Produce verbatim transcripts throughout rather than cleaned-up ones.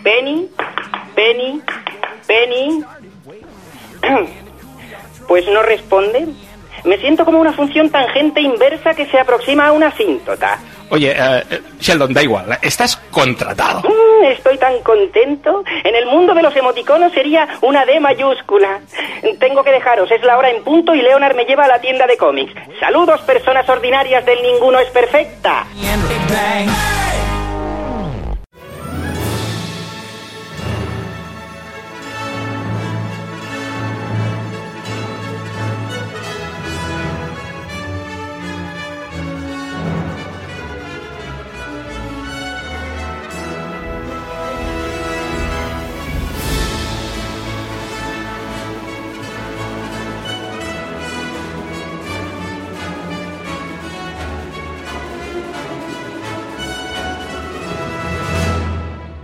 Penny, Penny, Penny. Pues no responde. Me siento como una función tangente inversa que se aproxima a una asíntota. Oye, uh, Sheldon, da igual, estás contratado. Mm, estoy tan contento. En el mundo de los emoticonos sería una D mayúscula. Tengo que dejaros, es la hora en punto y Leonard me lleva a la tienda de cómics. Saludos, personas ordinarias del Ninguno es Perfecta.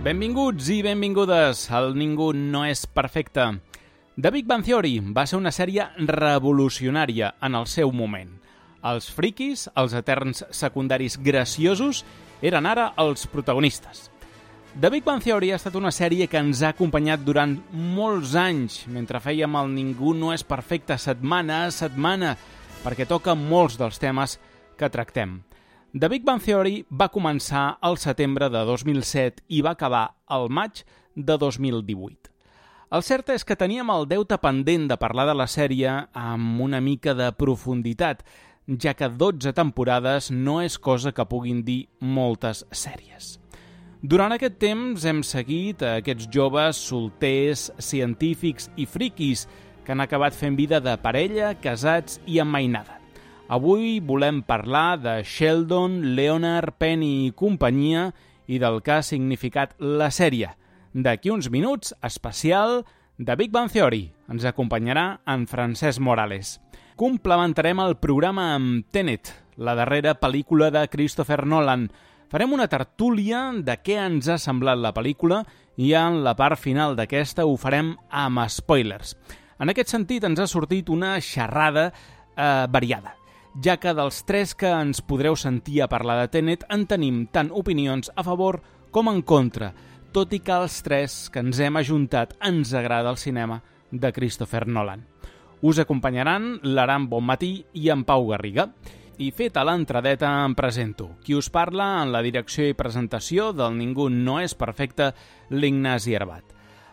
Benvinguts i benvingudes al Ningú no és perfecte. The Big Bang Theory va ser una sèrie revolucionària en el seu moment. Els friquis, els eterns secundaris graciosos, eren ara els protagonistes. The Big Bang Theory ha estat una sèrie que ens ha acompanyat durant molts anys, mentre fèiem el Ningú no és perfecte setmana a setmana, perquè toca molts dels temes que tractem. The Big Bang Theory va començar al setembre de dos mil set i va acabar al maig de dos mil divuit. El cert és que teníem el deute pendent de parlar de la sèrie amb una mica de profunditat, ja que dotze temporades no és cosa que puguin dir moltes sèries. Durant aquest temps hem seguit a aquests joves solters, científics i friquis que han acabat fent vida de parella, casats i emmainada. Avui volem parlar de Sheldon, Leonard, Penny i companyia i del que ha significat la sèrie. D'aquí uns minuts, especial de Big Bang Theory. Ens acompanyarà en Francesc Morales. Complementarem el programa amb Tenet, la darrera pel·lícula de Christopher Nolan. Farem una tertúlia de què ens ha semblat la pel·lícula i en la part final d'aquesta ho farem amb spoilers. En aquest sentit ens ha sortit una xerrada eh, variada, ja que dels tres que ens podreu sentir a parlar de Tenet en tenim tant opinions a favor com en contra, tot i que els tres que ens hem ajuntat ens agrada el cinema de Christopher Nolan. Us acompanyaran l'Aram Bonmatí i en Pau Garriga. I feta l'entradeta em presento. Qui us parla en la direcció i presentació del Ningú no és perfecte, l'Ignasi Herbat.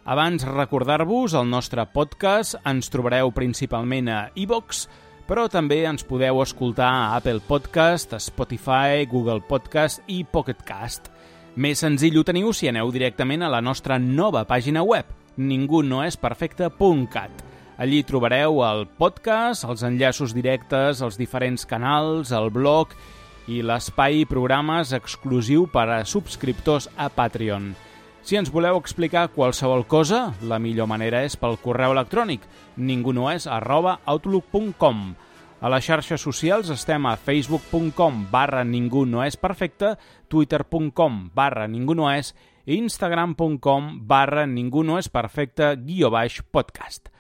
Abans recordar-vos el nostre podcast, ens trobareu principalment a iVoox, però també ens podeu escoltar a Apple Podcast, Spotify, Google Podcast i Pocket Cast. Més senzill ho teniu si aneu directament a la nostra nova pàgina web, ningú no és perfecte punt cat. Allí trobareu el podcast, els enllaços directes, els diferents canals, el blog i l'espai i programes exclusiu per a subscriptors a Patreon. Si ens voleu explicar qualsevol cosa, la millor manera és pel correu electrònic ningunoes arroba outlook punt com. A les xarxes socials estem a facebook punt com barra ningunoesperfecte, twitter punt com barra ningunoes i instagram punt com barra ningunoesperfecte guió baix podcast.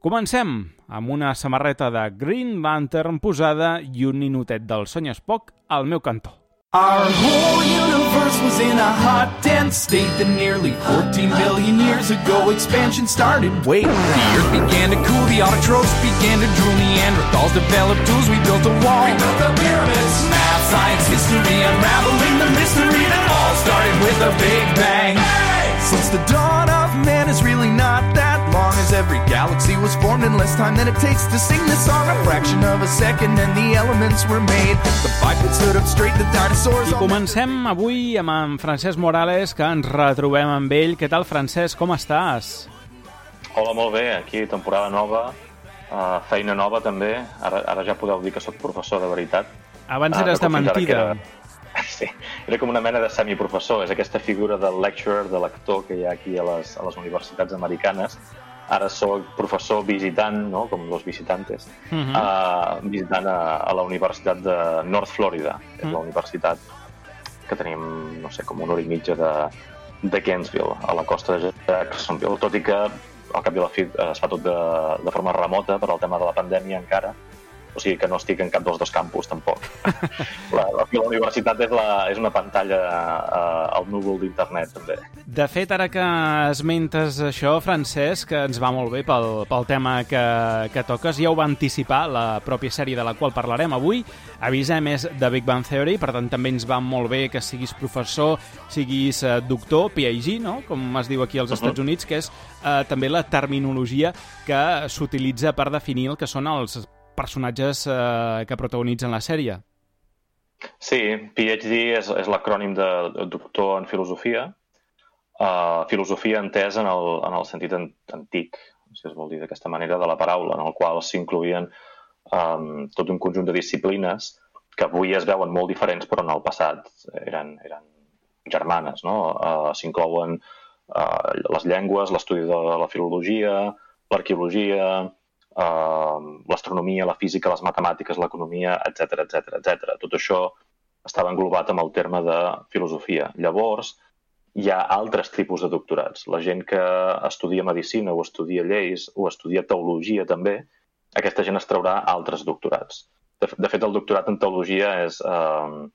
Comencem amb una samarreta de Green Lantern posada i un ninotet del Sony Spock al meu cantó. Our whole universe was in a hot, dense state that nearly fourteen billion years ago expansion started. Wait, the earth began to cool, the autotrophs began to drool, Neanderthals developed tools, we built a wall. We built the pyramids, math, science, history, unraveling the mystery that all started with a Big Bang. Hey! Since the dawn of man is really not that long, as every galaxy was formed in less time than it takes to sing this song. A fraction of a second and the elements were made. The bipeds stood up straight, the dinosaurs... I comencem avui amb en Francesc Morales, que ens retrobem amb ell. Què tal, Francesc? Com estàs? Hola, molt bé. Aquí, temporada nova, uh, feina nova també. Ara, ara ja podeu dir que sóc professor de veritat. Abans eres uh, de mentida. Era... Sí, era com una mena de semiprofessor. És aquesta figura del lecturer, de l'actor que hi ha aquí a les, a les universitats americanes. Ara soc professor visitant, no? Com los visitantes, uh-huh. uh, visitant a, a la Universitat de North Florida, que és uh-huh. la universitat que tenim, no sé, com una hora i mitja de, de Gainesville, a la costa de Jacksonville, tot i que al cap i a la fi es fa tot de, de forma remota per al tema de la pandèmia encara, O sigui que no estic en cap dels dos campus, tampoc. La, la, la universitat és, la, és una pantalla uh, al núvol d'internet, també. De fet, ara que esmentes això, Francesc, que ens va molt bé pel, pel tema que, que toques, ja ho va anticipar la pròpia sèrie de la qual parlarem avui. Avisem, és de Big Bang Theory, per tant també ens va molt bé que siguis professor, siguis uh, doctor, P H D, no? Com es diu aquí als uh-huh. Estats Units, que és uh, també la terminologia que s'utilitza per definir el que són els personatges uh, que protagonitzen la sèrie. Sí, P H D és, és l'acrònim de doctor en filosofia, uh, filosofia entesa en el, en el sentit antic, si es vol dir d'aquesta manera, de la paraula, en el qual s'incloïen um, tot un conjunt de disciplines que avui es veuen molt diferents, però en el passat eren, eren germanes, no? Uh, s'inclouen uh, les llengües, l'estudi de la filologia, l'arqueologia, uh, l'astronomia, la física, les matemàtiques, l'economia, etcètera, etcètera, etcètera. Tot això estava englobat amb el terme de filosofia. Llavors, hi ha altres tipus de doctorats. La gent que estudia medicina o estudia lleis o estudia teologia també, aquesta gent es traurà altres doctorats. De, de fet, el doctorat en teologia és uh,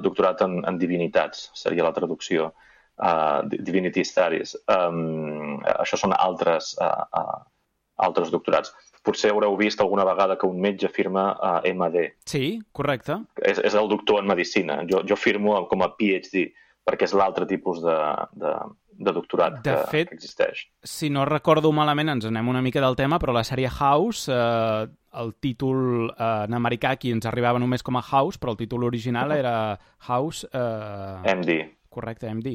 doctorat en, en divinitats, seria la traducció, uh, Divinity Studies. Um, això són altres, uh, uh, altres doctorats. Potser haureu vist alguna vegada que un metge firma uh, M D. Sí, correcte. És, és el doctor en medicina. Jo, jo firmo com a P H D, perquè és l'altre tipus de, de, de doctorat de que, fet, que existeix. Si no recordo malament, ens anem una mica del tema, però la sèrie House, eh, el títol eh, en americà aquí ens arribava només com a House, però el títol original era House... Eh... M D. Correcte, M D.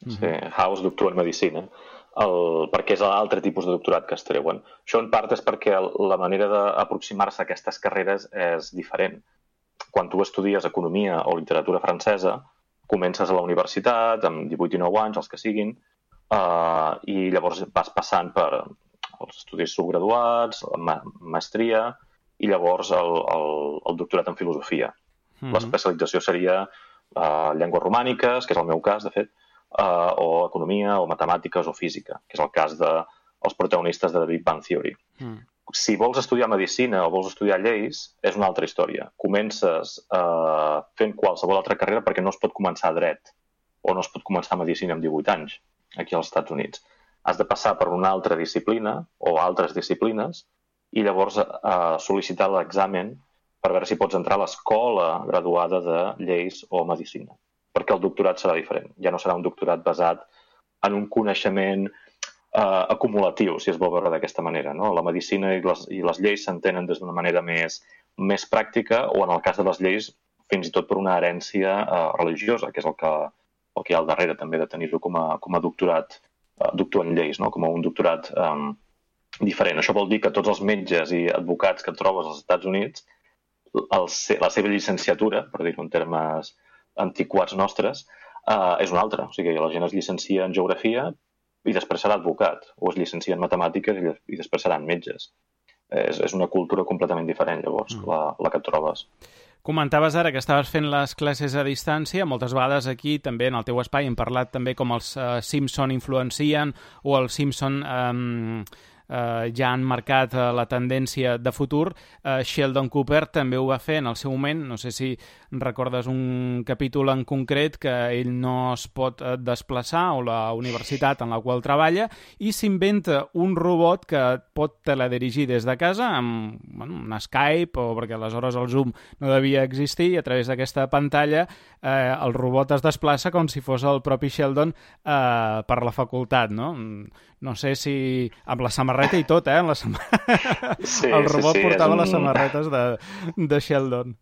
Sí, uh-huh. House, doctor en medicina, el, perquè és l'altre tipus de doctorat que es treuen. Això en part és perquè la manera d'aproximar-se a aquestes carreres és diferent. Quan tu estudies economia o literatura francesa, comences a la universitat amb divuit i dinou anys, els que siguin, uh, i llavors vas passant per els estudis subgraduats, la ma maestria i llavors el, el, el doctorat en filosofia. Mm-hmm. L'especialització seria uh, llengües romàniques, que és el meu cas, de fet, uh, o economia, o matemàtiques, o física, que és el cas dels protagonistes de The Big Bang Theory. Mm. Si vols estudiar medicina o vols estudiar lleis, és una altra història. Comences eh, fent qualsevol altra carrera perquè no es pot començar a dret o no es pot començar a medicina amb divuit anys aquí als Estats Units. Has de passar per una altra disciplina o altres disciplines i llavors eh, sol·licitar l'examen per veure si pots entrar a l'escola graduada de lleis o medicina. Perquè el doctorat serà diferent. Ja no serà un doctorat basat en un coneixement Uh, acumulatiu, si es vol veure d'aquesta manera, no? La medicina i les, i les lleis s'entenen des d'una manera més, més pràctica o, en el cas de les lleis, fins i tot per una herència uh, religiosa, que és el que, el que hi ha al darrere també de tenir-ho com, a, com a doctorat, uh, doctor en lleis, no? Com a un doctorat um, diferent. Això vol dir que tots els metges i advocats que trobes als Estats Units, el, la seva llicenciatura, per dir-ho en termes antiquats nostres, uh, és una altra. O sigui, la gent es llicencia en geografia i després serà advocat, o es llicencia en matemàtiques i després seran metges. És, és una cultura completament diferent, llavors, mm. la, la que et trobes. Comentaves ara que estaves fent les classes a distància. Moltes vegades aquí, també en el teu espai, hem parlat també com els uh, Simpson influencien o els Simpson um, uh, ja han marcat uh, la tendència de futur. Uh, Sheldon Cooper també ho va fer en el seu moment. No sé si recordes un capítol en concret que ell no es pot desplaçar o la universitat en la qual treballa i s'inventa un robot que pot teledirigir des de casa amb bueno, un Skype o perquè aleshores el Zoom no devia existir i a través d'aquesta pantalla eh, el robot es desplaça com si fos el propi Sheldon eh, per la facultat, no? No sé si amb la samarreta i tot, eh? La sam... sí, el robot sí, sí, portava un... les samarretes de, de Sheldon.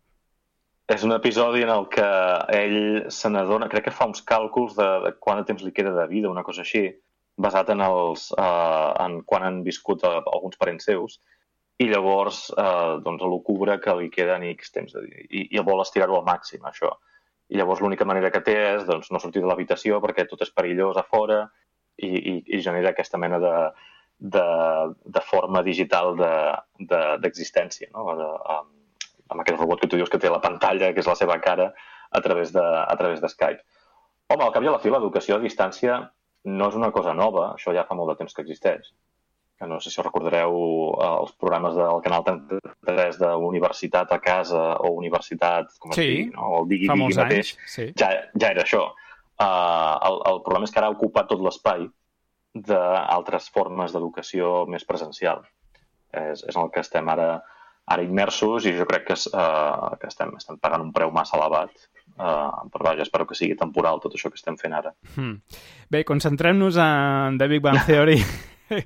És un episodi en el que ell se n'adona, crec que fa uns càlculs de, de quant de temps li queda de vida, una cosa així, basat en, els, uh, en quan han viscut uh, alguns parents seus, i llavors uh, doncs, l'ocubra que li queden X temps de vida, i, i vol estirar-ho al màxim, això. I llavors l'única manera que té és doncs, no sortir de l'habitació perquè tot és perillós a fora i, i, i genera aquesta mena de, de, de forma digital d'existència, de, de, no? de, um, amb aquest robot que tu dius que té la pantalla, que és la seva cara, a través de, a través de Skype. Home, al cap i a la fi, l'educació a distància no és una cosa nova, això ja fa molt de temps que existeix. no sé si us recordareu els programes del Canal trenta-tres d'Universitat a casa o Universitat, com es sí, digui, no? O el Digui fa Digui molts mateix, anys, sí. ja, ja era això. Uh, el, el problema és que ara ha ocupat tot l'espai d'altres formes d'educació més presencial. És, és en el que estem ara, ara immersos i jo crec que, uh, que estem, estem pagant un preu massa elevat. Uh, però vaja, espero que sigui temporal tot això que estem fent ara. Hmm. Bé, concentrem-nos en The Big Bang Theory. que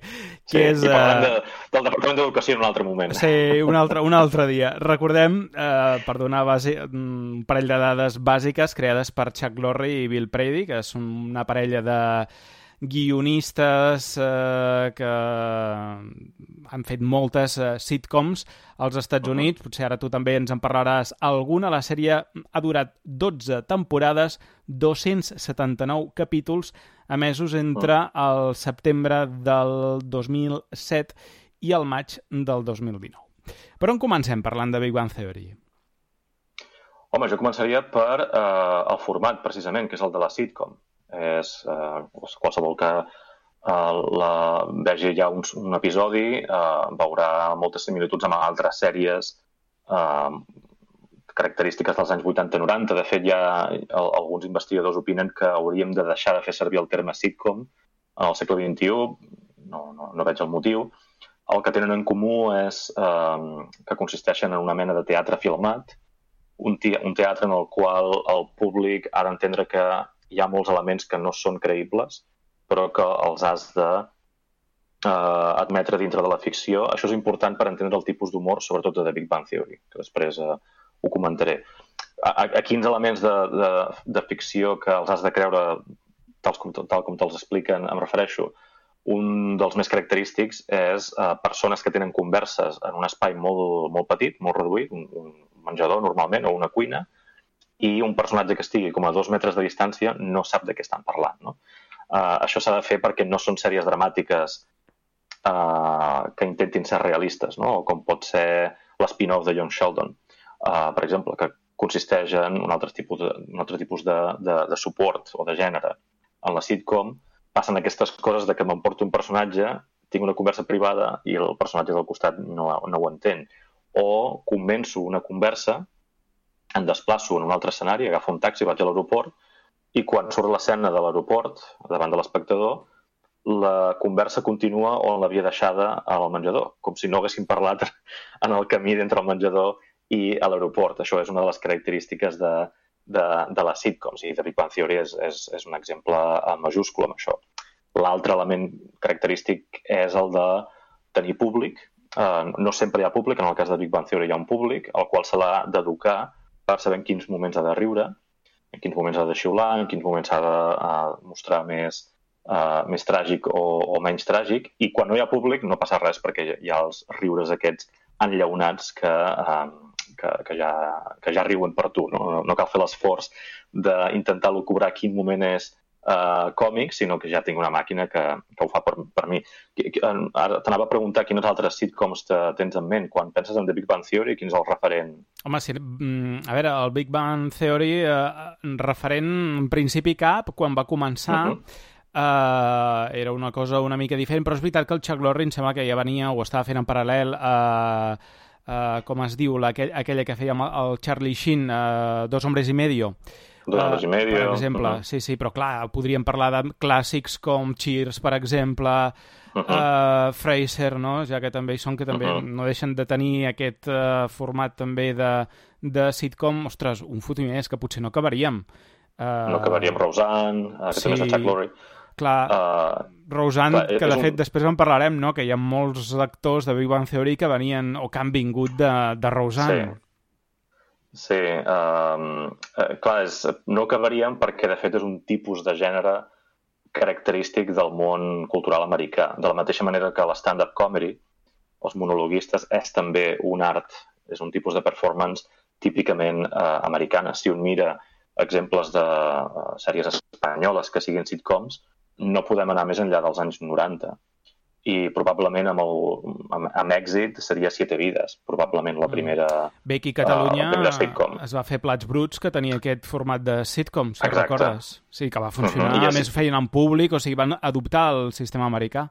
sí, és, i parlem uh... de, del Departament d'Educació en un altre moment. Sí, un altre, un altre dia. Recordem, eh, per donar base, un parell de dades bàsiques creades per Chuck Lorre i Bill Prady, que és una parella de guionistes eh, que han fet moltes eh, sitcoms als Estats Units. Potser ara tu també ens en parlaràs alguna. La sèrie ha durat dotze temporades, dos-cents setanta-nou capítols, emesos entre el setembre del dos mil set i el maig del dos mil dinou. Per on comencem parlant de Big Bang Theory? Home, jo començaria per eh, el format, precisament, que és el de la sitcom. És eh, qualsevol que eh, la vegi ja un, un episodi eh, veurà moltes similituds amb altres sèries eh, característiques dels anys vuitanta noranta. De fet, ja alguns investigadors opinen que hauríem de deixar de fer servir el terme sitcom en el segle vint-i-u. No, no, no veig el motiu. El que tenen en comú és eh, que consisteixen en una mena de teatre filmat, un, te un teatre en el qual el públic ha d'entendre que hi ha molts elements que no són creïbles, però que els has de eh, admetre dintre de la ficció. Això és important per entendre el tipus d'humor, sobretot de The Big Bang Theory, que després eh, ho comentaré. A, a quins elements de, de, de ficció que els has de creure tal com, tal com te'ls expliquen em refereixo? Un dels més característics és eh, persones que tenen converses en un espai molt, molt petit, molt reduït, un, un menjador normalment o una cuina, i un personatge que estigui com a dos metres de distància no sap de què estan parlant. No? Uh, això s'ha de fer perquè no són sèries dramàtiques uh, que intentin ser realistes, no? Com pot ser l'spin-off de Young Sheldon, uh, per exemple, que consisteix en un altre tipus, de, un altre tipus de, de, de suport o de gènere. En la sitcom passen aquestes coses de que m'emporto un personatge, tinc una conversa privada i el personatge del costat no, no ho entén. O començo una conversa, em desplaço en un altre escenari, agafo un taxi, vaig a l'aeroport i quan surt l'escena de l'aeroport, davant de l'espectador, la conversa continua on l'havia deixada al menjador, com si no haguéssim parlat en el camí d'entre el menjador i a l'aeroport. Això és una de les característiques de, de, de les sitcoms i The Big Bang Theory és, és, és un exemple majúscul amb això. L'altre element característic és el de tenir públic. Uh, no sempre hi ha públic, en el cas de Big Bang Theory hi ha un públic, al qual se l'ha d'educar per saber en quins moments ha de riure, en quins moments ha de xiular, en quins moments s'ha de uh, mostrar més, uh, més tràgic o, o menys tràgic, i quan no hi ha públic no passa res perquè hi ha els riures aquests enllaunats que, uh, que, que, ja, que ja riuen per tu. No, no cal fer l'esforç d'intentar lucubrar quin moment és uh, còmic, sinó que ja tinc una màquina que, que ho fa per, per mi. Ara t'anava a preguntar quines altres sitcoms te tens en ment quan penses en The Big Bang Theory, quin és el referent? Home, sí, a veure, el Big Bang Theory, eh, referent en principi cap, quan va començar, uh-huh. Uh, era una cosa una mica diferent, però és veritat que el Chuck Lorre em sembla que ja venia o estava fent en paral·lel a, uh, uh, com es diu, la, aquella que feia el Charlie Sheen, uh, Dos hombres y medio. Dos hombres uh, y medio. Per exemple, uh-huh. sí, sí, però clar, podríem parlar de clàssics com Cheers, per exemple, uh-huh. uh, Frasier, no? Ja que també hi són, que també uh-huh. no deixen de tenir aquest uh, format també de, de sitcom. Ostres, un fotimer és que potser no acabaríem. Uh, no acabaríem Roseanne, uh, que sí. també és el Chuck Lorre. Clar, uh, Roseanne, clar, que de fet un... després en parlarem, no? Que hi ha molts actors de Big Bang Theory que venien o que han vingut de, de Roseanne. Sí, sí uh, uh, clar, és, no acabaríem perquè de fet és un tipus de gènere característic del món cultural americà. De la mateixa manera que l'stand-up comedy, els monologuistes, és també un art, és un tipus de performance típicament uh, americana. Si un mira exemples de uh, sèries espanyoles que siguin sitcoms, no podem anar més enllà dels anys noranta. I probablement amb, el, amb, amb èxit seria Siete Vides, probablement la primera sitcom. Bé, aquí a Catalunya uh, es va fer Plats Bruts, que tenia aquest format de sitcom, si Exacte. recordes. Sí, que va funcionar. Uh-huh. A més, ho feien en públic, o sigui, van adoptar el sistema americà.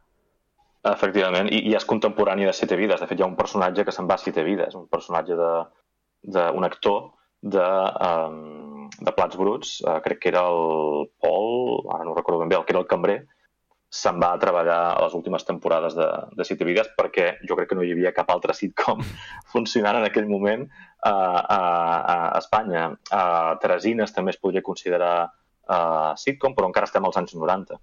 Efectivament, i, i és contemporani de Siete Vides. De fet, hi ha un personatge que se'n va a Siete Vides, un personatge d'un actor de, um, de Plats Bruts, uh, crec que era el Pol, ara no recordo ben bé, el que era el cambrer, se'n va a treballar a les últimes temporades de, de Siete Vides perquè jo crec que no hi havia cap altre sitcom funcionant en aquell moment uh, a, a Espanya. Uh, Teresines també es podria considerar uh, sitcom, però encara estem als anys noranta.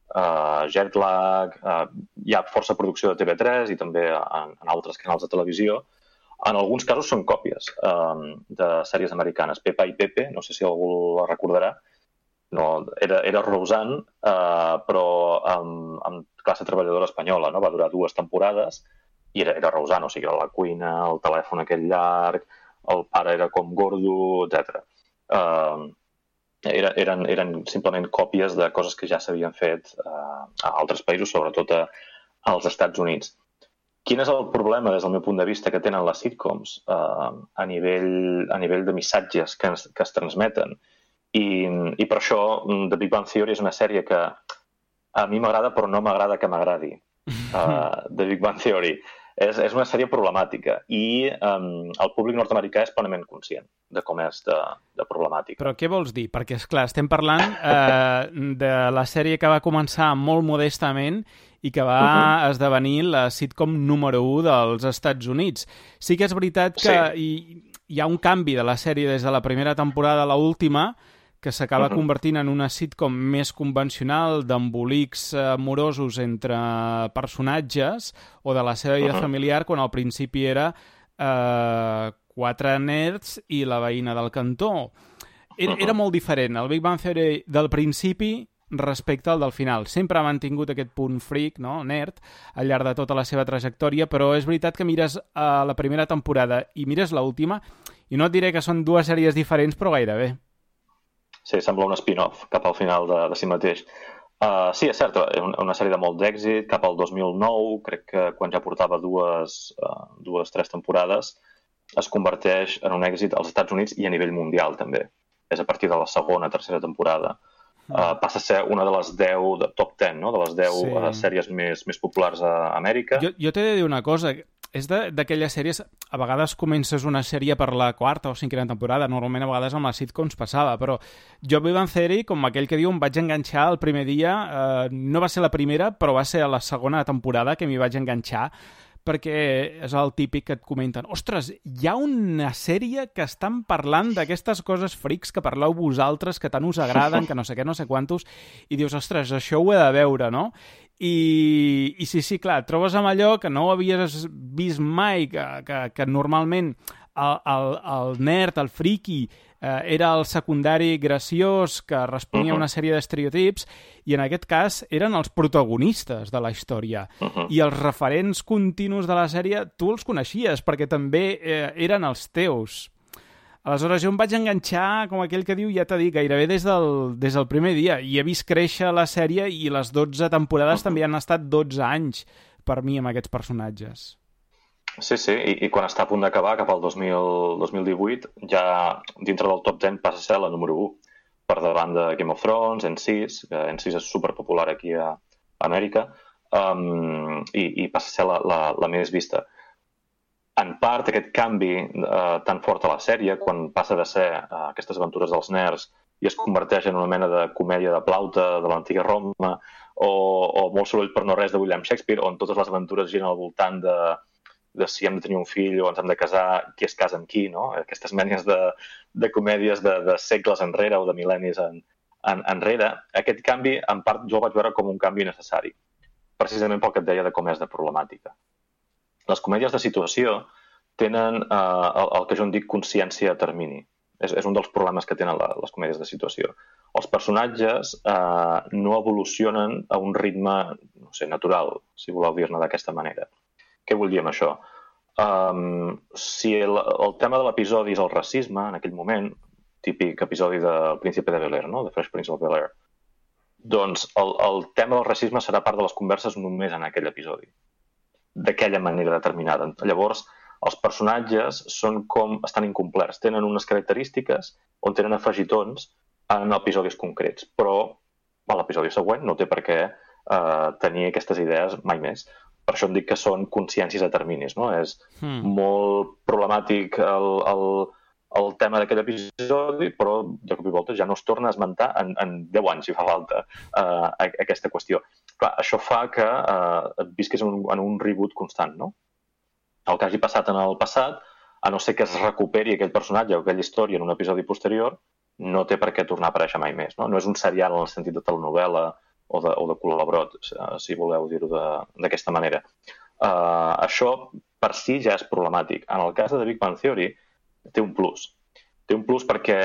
Uh, Jetlag, uh, hi ha força producció de T V tres i també en, en altres canals de televisió. En alguns casos són còpies um, de sèries americanes. Pepa i Pepe, no sé si algú la recordarà, no, era, era Roseanne, uh, però amb, amb classe treballadora espanyola, no? Va durar dues temporades i era, era Roseanne, o sigui, era la cuina, el telèfon aquell llarg, el pare era com gordo, etcètera. Uh, Era, eren, eren simplement còpies de coses que ja s'havien fet uh, a altres països, sobretot a, als Estats Units. Quin és el problema, des del meu punt de vista, que tenen les sitcoms uh, a, nivell, a nivell de missatges que, ens, que es transmeten? I, I per això The Big Bang Theory és una sèrie que a mi m'agrada, però no m'agrada que m'agradi. Uh, The Big Bang Theory. És, és una sèrie problemàtica i um, el públic nord-americà és plenament conscient de com és de, de problemàtica. Però què vols dir? Perquè, esclar, estem parlant eh, de la sèrie que va començar molt modestament i que va uh-huh. esdevenir la sitcom número u dels Estats Units. Sí que és veritat que sí. hi, hi ha un canvi de la sèrie des de la primera temporada a l'última, que s'acaba uh-huh. convertint en una sitcom més convencional d'embolics amorosos entre personatges o de la seva vida uh-huh. familiar, quan al principi era eh, quatre nerds i la veïna del cantó. Era, uh-huh. era molt diferent. El Big Bang Theory del principi respecte al del final. Sempre ha mantingut aquest punt freak, no? Nerd, al llarg de tota la seva trajectòria, però és veritat que mires a la primera temporada i mires l'última, i no et diré que són dues sèries diferents, però gairebé. Sí, sembla un spin-off cap al final de, de si mateix. Uh, sí, és cert, una sèrie de molt d'èxit, cap al dos mil nou, crec que quan ja portava dues, uh, dues, tres temporades, es converteix en un èxit als Estats Units i a nivell mundial, també. És a partir de la segona, tercera temporada. Uh, passa a ser una de les deu, de top ten, no? De les deu sí. uh, sèries més, més populars a Amèrica. Jo, jo t'he de dir una cosa, és d'aquelles sèries, a vegades comences una sèrie per la quarta o cinquena temporada, normalment a vegades amb les sitcoms passava, però jo Big Bang Theory, com aquell que diu, em vaig enganxar el primer dia, eh, no va ser la primera, però va ser a la segona temporada que m'hi vaig enganxar, perquè és el típic que et comenten, ostres, hi ha una sèrie que estan parlant d'aquestes coses frics que parleu vosaltres, que tant us agraden, que no sé què, no sé quantos, i dius, ostres, això ho he de veure, no? I, i sí, sí, clar, et trobes amb allò que no havies vist mai, que, que, que normalment el, el, el nerd, el friki, eh, era el secundari graciós que responia a una sèrie d'estereotips, i en aquest cas eren els protagonistes de la història. Uh-huh. I els referents continus de la sèrie tu els coneixies, perquè també eh, eren els teus. Aleshores jo em vaig enganxar, com aquell que diu, ja t'he dit, gairebé des del, des del primer dia, i he vist créixer la sèrie i les dotze temporades uh-huh. també han estat dotze anys per mi amb aquests personatges. Sí, sí, i, i quan està a punt d'acabar, cap al dos mil, dos mil divuit, ja dintre del top deu passa a ser la número u, per davant de Game of Thrones, N sis, que N sis és superpopular aquí a Amèrica, um, i, i passa a ser la, la, la més vista. En part, aquest canvi uh, tan fort a la sèrie, quan passa de ser uh, aquestes aventures dels nerds i es converteix en una mena de comèdia de plauta de l'antiga Roma, o, o molt soroll per no res de William Shakespeare, on totes les aventures giren al voltant de de si hem de tenir un fill o ens hem de casar, qui es casa amb qui, no? Aquestes menes de, de comèdies de, de segles enrere o de mil·lennis en, en, enrere. Aquest canvi, en part, jo el vaig veure com un canvi necessari, precisament pel que et deia de com és de problemàtica. Les comèdies de situació tenen eh, el, el que jo en dic consciència a termini. És, és un dels problemes que tenen la, les comèdies de situació. Els personatges eh, no evolucionen a un ritme, no sé, natural, si voleu dir-ne d'aquesta manera. Què vull dir amb això? Um, si el, el tema de l'episodi és el racisme, en aquell moment, típic episodi del Príncipe de Bel-Air, no? The Fresh Prince of Bel-Air, doncs el, el tema del racisme serà part de les converses només en aquell episodi, d'aquella manera determinada. Llavors, els personatges són com, estan incomplerts, tenen unes característiques on tenen afegitons en episodis concrets, però a l'episodi següent no té per què Uh, tenir aquestes idees mai més. Per això em dic que són consciències a terminis, no? És Hmm. molt problemàtic el, el, el tema d'aquell episodi, però de cop i volta ja no es torna a esmentar en, en deu anys, si fa falta, uh, aquesta qüestió. Clar, això fa que uh, et visquis en un, en un reboot constant, no? El que hagi passat en el passat, a no ser que es recuperi aquell personatge o aquella història en un episodi posterior, no té per què tornar a aparèixer mai més, no? No és un serial en el sentit de telenovel·la o de, o de col·laborat, si voleu dir-ho d'aquesta manera. Uh, això per si ja és problemàtic. En el cas de The Big Bang Theory té un plus. Té un plus perquè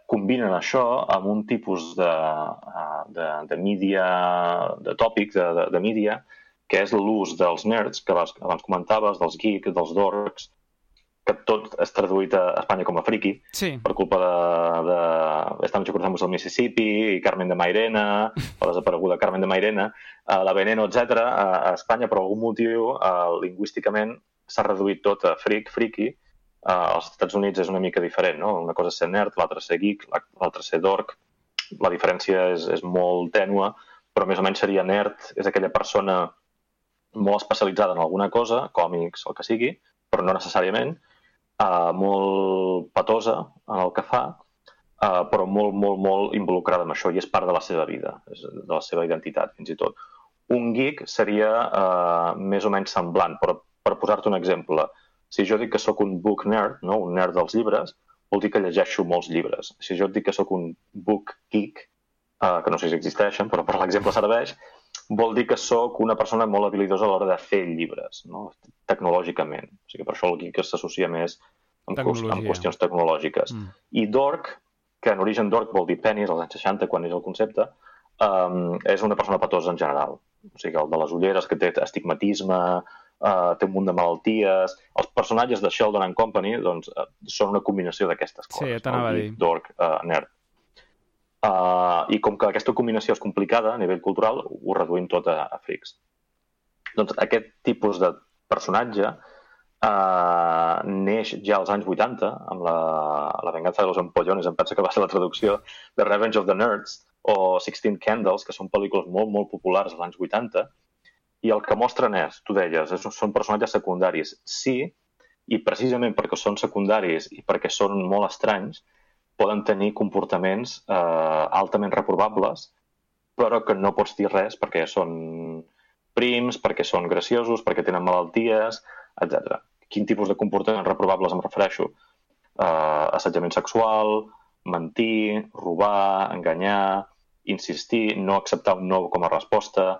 combinen això amb un tipus de, de, de mídia, de tòpic, de, de, de mídia, que és l'ús dels nerds, que abans comentaves, dels geeks, dels dorks, que tot és traduït a Espanya com a friki, sí. per culpa de, de Estamos cruzamos el Mississippi i Carmen de Mairena, la desapareguda Carmen de Mairena, uh, la Veneno, etcètera. A, a Espanya, per algun motiu, uh, lingüísticament s'ha reduït tot a freak, friki. Uh, als Estats Units és una mica diferent, no? Una cosa és ser nerd, l'altra ser geek, l'altra ser dork. La diferència és, és molt tènua, però més o menys seria nerd, és aquella persona molt especialitzada en alguna cosa, còmics, el que sigui, però no necessàriament, Uh, molt patosa en el que fa, uh, però molt, molt, molt involucrada amb això i és part de la seva vida, de la seva identitat, fins i tot. Un geek seria uh, més o menys semblant, però per posar-te un exemple, si jo dic que sóc un book nerd, no? Un nerd dels llibres, vol dir que llegeixo molts llibres. Si jo et dic que sóc un book geek, uh, que no sé si existeixen, però per l'exemple serveix, vol dir que sóc una persona molt habilidosa a l'hora de fer llibres, no? Tecnològicament. O sigui, per això el geek s'associa més amb, amb qüestions tecnològiques. Mm. I dork, que en origen dork vol dir penis, als anys seixanta, quan és el concepte, um, és una persona patosa en general. O sigui, el de les ulleres, que té astigmatisme, uh, té un munt de malalties... Els personatges de Sheldon and Company doncs, uh, són una combinació d'aquestes coses. Sí, t'anava a dir. Dork, uh, nerd. Uh, I com que aquesta combinació és complicada a nivell cultural, ho reduïm tot a, a frics. Doncs aquest tipus de personatge uh, neix ja als anys vuitanta, amb la, la venganza de los empollones, em penso que va ser la traducció de Revenge of the Nerds, o sixteen Candles, que són pel·lícules molt, molt populars als anys vuitanta, i el que mostren és, tu deies, és, són personatges secundaris. Sí, i precisament perquè són secundaris i perquè són molt estranys, poden tenir comportaments eh, altament reprovables, però que no pots dir res perquè són prims, perquè són graciosos, perquè tenen malalties, etcètera. Quin tipus de comportaments reprovables em refereixo? Eh, assetjament sexual, mentir, robar, enganyar, insistir, no acceptar un no com a resposta,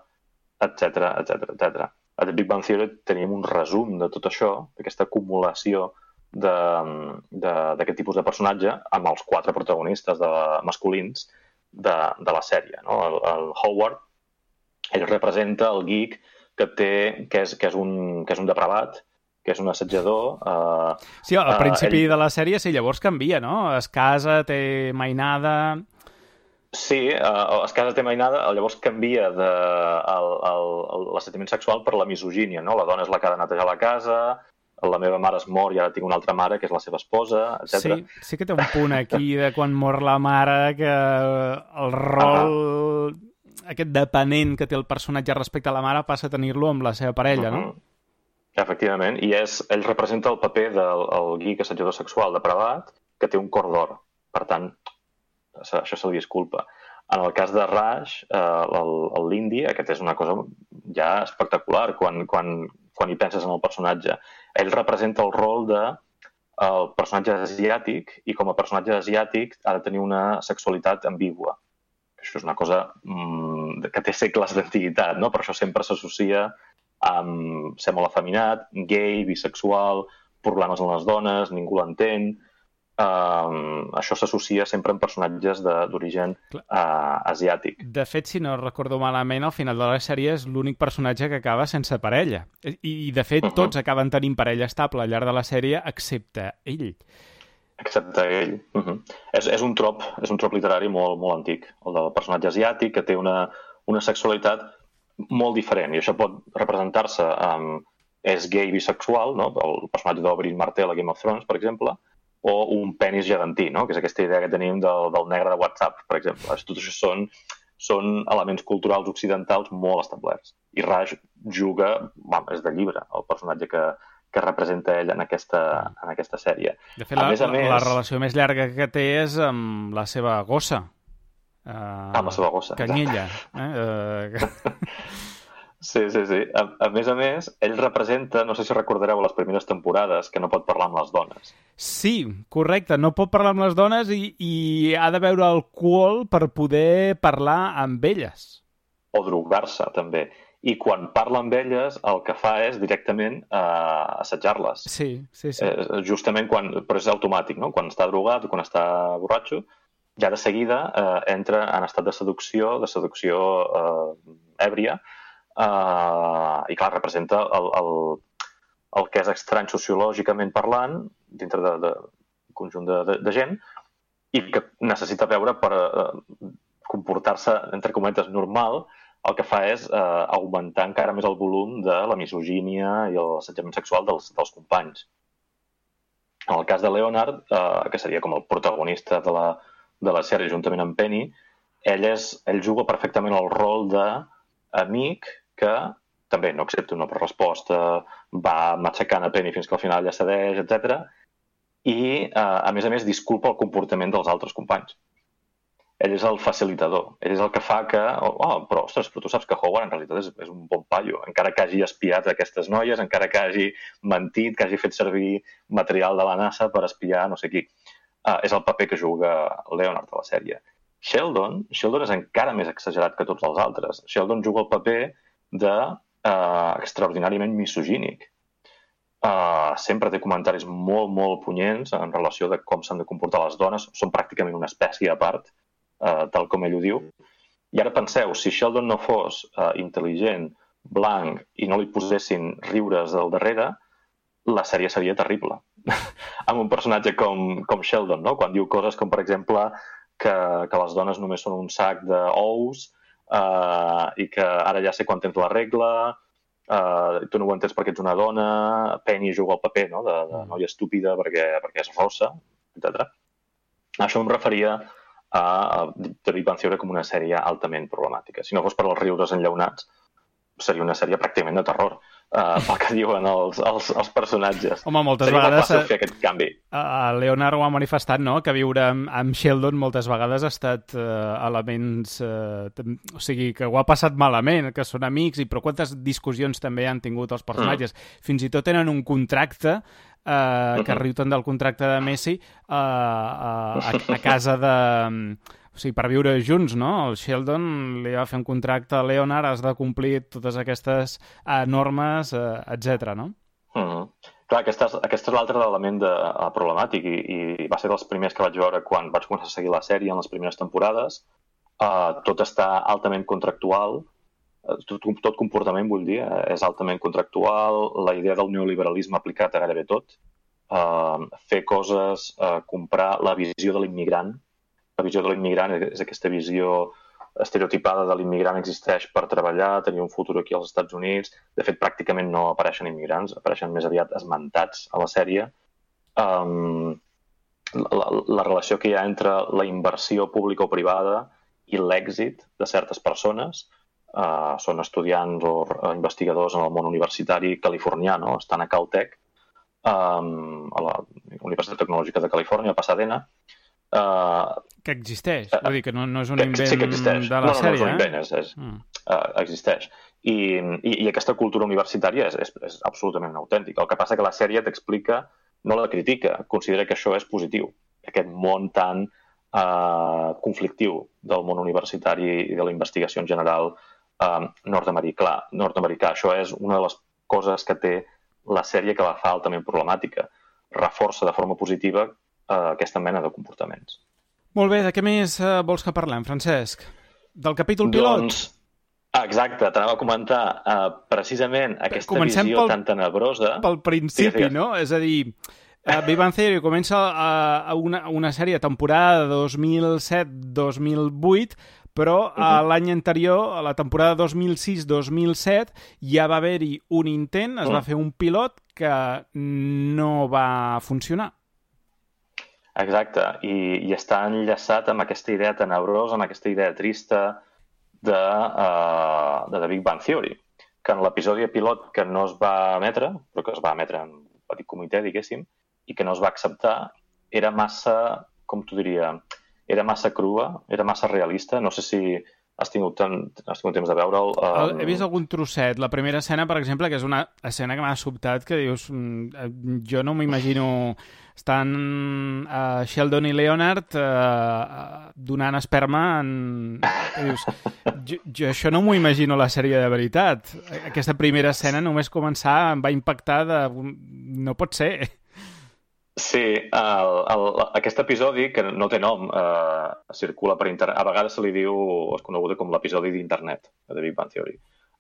etcètera, etcètera, etcètera. A The Big Bang Theory tenim un resum de tot això, d'aquesta acumulació d'aquest tipus de personatge amb els quatre protagonistes de, masculins de, de la sèrie. No? El, el Howard, ell representa el geek que, té, que, és, que, és, un, que és un depravat, que és un assetjador. Eh, sí, al principi eh, ell... de la sèrie sí, llavors canvia, no? Es casa, té mainada... Sí, eh, es casa, té mainada, llavors canvia de l'assetjament sexual per la misogínia, no? La dona és la que ha de netejar la casa, la meva mare es mor i ara tinc una altra mare que és la seva esposa, etcètera. Sí, sí que té un punt aquí de quan mor la mare, que el rol, ah. aquest depenent que té el personatge respecte a la mare passa a tenir-lo amb la seva parella, uh-huh. no? Efectivament, i és, ell representa el paper del el geek assetjador sexual depravat que té un cor d'or. Per tant, això se li disculpa. En el cas de Raj, eh, l'Indi, aquest és una cosa ja espectacular quan, quan, quan hi penses en el personatge. Ell representa el rol de el personatge asiàtic i com a personatge asiàtic ha de tenir una sexualitat ambigua. Això és una cosa mmm, que té segles d'antiguitat, no? Per això sempre s'associa amb ser molt afeminat, gay, bisexual, problemes en les dones, ningú l'entén. Um, això s'associa sempre amb personatges d'origen uh, asiàtic. De fet, si no recordo malament, al final de la sèrie és l'únic personatge que acaba sense parella. I, i de fet, uh-huh. tots acaben tenint parella estable al llarg de la sèrie, excepte ell. Excepte ell. Uh-huh. és, és, un trop, és un trop literari molt, molt antic, el del personatge asiàtic, que té una, una sexualitat molt diferent, i això pot representar-se amb... és gay bisexual, no? El personatge d'Oberyn Martell a Game of Thrones, per exemple, o un penis gegantí, no? Que és aquesta idea que tenim del, del negre de WhatsApp, per exemple. Tot això són, són elements culturals occidentals molt establerts. I Raj juga, bueno, és de llibre, el personatge que, que representa ell en aquesta, en aquesta sèrie. De fet, a la, més a més, la relació més llarga que té és amb la seva gossa. Uh, amb la seva gossa. Canyella. Eh? Uh... Sí, sí, sí. A, a més a més, ell representa, no sé si recordareu les primeres temporades, que no pot parlar amb les dones. Sí, correcte, no pot parlar amb les dones i, i ha de beure alcohol per poder parlar amb elles. O drogar-se, també. I quan parla amb elles, el que fa és directament eh, assetjar-les. Sí, sí, sí. Eh, justament quan... Però és automàtic, no? Quan està drogat o quan està borratxo, ja de seguida eh, entra en estat de seducció, de seducció eh, èbria, Uh, i clar, representa el, el, el que és estrany sociològicament parlant dintre de, de un conjunt de, de, de gent i que necessita veure per uh, comportar-se, entre cometes, normal. El que fa és uh, augmentar encara més el volum de la misogínia i l'assetjament sexual dels, dels companys. En el cas de Leonard, uh, que seria com el protagonista de la, de la sèrie juntament amb Penny, ell, és, ell juga perfectament el rol d'amic que també no accepta una resposta, va matxacant a Penny fins que al final ja cedeix, etcètera. I, eh, a més a més, disculpa el comportament dels altres companys. Ell és el facilitador. Ell és el que fa que... Oh, però, ostres, però tu saps que Howard en realitat és, és un bon paio. Encara que hagi espiat aquestes noies, encara que hagi mentit, que hagi fet servir material de la NASA per espiar no sé qui. Eh, és el paper que juga Leonard a la sèrie. Sheldon, Sheldon és encara més exagerat que tots els altres. Sheldon juga el paper de uh, extraordinàriament misogínic. Uh, sempre té comentaris molt, molt punyents en relació de com s'han de comportar les dones. Són pràcticament una espècie a part, uh, tal com ell ho diu. I ara penseu, si Sheldon no fos uh, intel·ligent, blanc, i no li posessin riures al darrere, la sèrie seria terrible. Amb un personatge com, com Sheldon, no? Quan diu coses com, per exemple, que, que les dones només són un sac d'ous, Uh, i que ara ja sé quan tens la regla, uh, tu no ho entens perquè ets una dona, Penny juga el paper, no? de, de noia estúpida perquè, perquè és rossa, etcètera. Això em referia a, a The Big Bang Theory com una sèrie altament problemàtica. Si no fos per els riures enllaunats, seria una sèrie pràcticament de terror, uh, pel que diuen els, els, els personatges. Home, moltes seria vegades... Seria molt fàcil fer aquest canvi. Uh, Leonard ho ha manifestat, no?, que viure amb, amb Sheldon moltes vegades ha estat uh, elements... Uh, o sigui, que ho ha passat malament, que són amics, i però quantes discussions també han tingut els personatges. Mm. Fins i tot tenen un contracte, uh, mm-hmm. que riu tant del contracte de Messi, uh, uh, a, a casa de... O sigui, per viure junts, no? El Sheldon li va fer un contracte a Leonard, has de complir totes aquestes uh, normes, uh, etcètera, no? Mm. Clar, aquest és, aquest és l'altre element de, uh, problemàtic i, i va ser dels primers que vaig veure quan vaig començar a seguir la sèrie en les primeres temporades. Uh, tot està altament contractual, uh, tot, tot comportament, vull dir, uh, és altament contractual, la idea del neoliberalisme aplicat a gairebé tot, uh, fer coses, uh, comprar la visió de l'immigrant. La visió de l'immigrant és aquesta visió estereotipada de l'immigrant existeix per treballar, tenir un futur aquí als Estats Units. De fet, pràcticament no apareixen immigrants, apareixen més aviat esmentats a la sèrie. Um, la, la relació que hi ha entre la inversió pública o privada i l'èxit de certes persones, uh, són estudiants o investigadors en el món universitari californià, no? Estan a Caltech, um, a la Universitat Tecnològica de Califòrnia, a Pasadena. Uh, que existeix, uh, vull dir que no, no és un invent sí que existeix. de la no, no, sèrie, no és un invent, eh? és, és, mm. uh, existeix. I, i, I aquesta cultura universitària és, és, és absolutament autèntica. El que passa que la sèrie t'explica, no la critica, considera que això és positiu. Aquest món tan uh, conflictiu del món universitari i de la investigació en general uh, nord-americà. nord-americà. Això és una de les coses que té la sèrie que la fa altament problemàtica. Reforça de forma positiva aquesta mena de comportaments. Molt bé, de què més uh, vols que parlem, Francesc? Del capítol pilot? Doncs, exacte, t'anava a comentar uh, precisament aquesta Comencem visió pel, tan tenebrosa... Pel principi, sí, no? És a dir, uh, Big Bang Theory comença a, a una, una sèrie temporada dos mil set dos mil vuit, però uh-huh. l'any anterior, a la temporada dos mil sis dos mil set, ja va haver-hi un intent, es uh-huh. va fer un pilot que no va funcionar. Exacte, I, i està enllaçat amb aquesta idea tenebrosa, amb aquesta idea trista de, uh, de The Big Bang Theory, que en l'episodi pilot que no es va emetre, però que es va emetre en un petit comitè, diguéssim, i que no es va acceptar, era massa, com t'ho diria, era massa crua, era massa realista. No sé si has tingut, ten, has tingut temps de veure'l. Um... He vist algun trosset. La primera escena, per exemple, que és una escena que m'ha sobtat, que dius, jo no m'imagino estan uh, Sheldon i Leonard uh, donant esperma en... Dius, jo, jo això no m'ho imagino la sèrie de veritat. Aquesta primera escena només començar em va impactar de... No pot ser. Sí, el, el, aquest episodi, que no té nom, eh, circula per internet. A vegades se li diu, o és coneguda com l'episodi d'internet de The Big Bang Theory.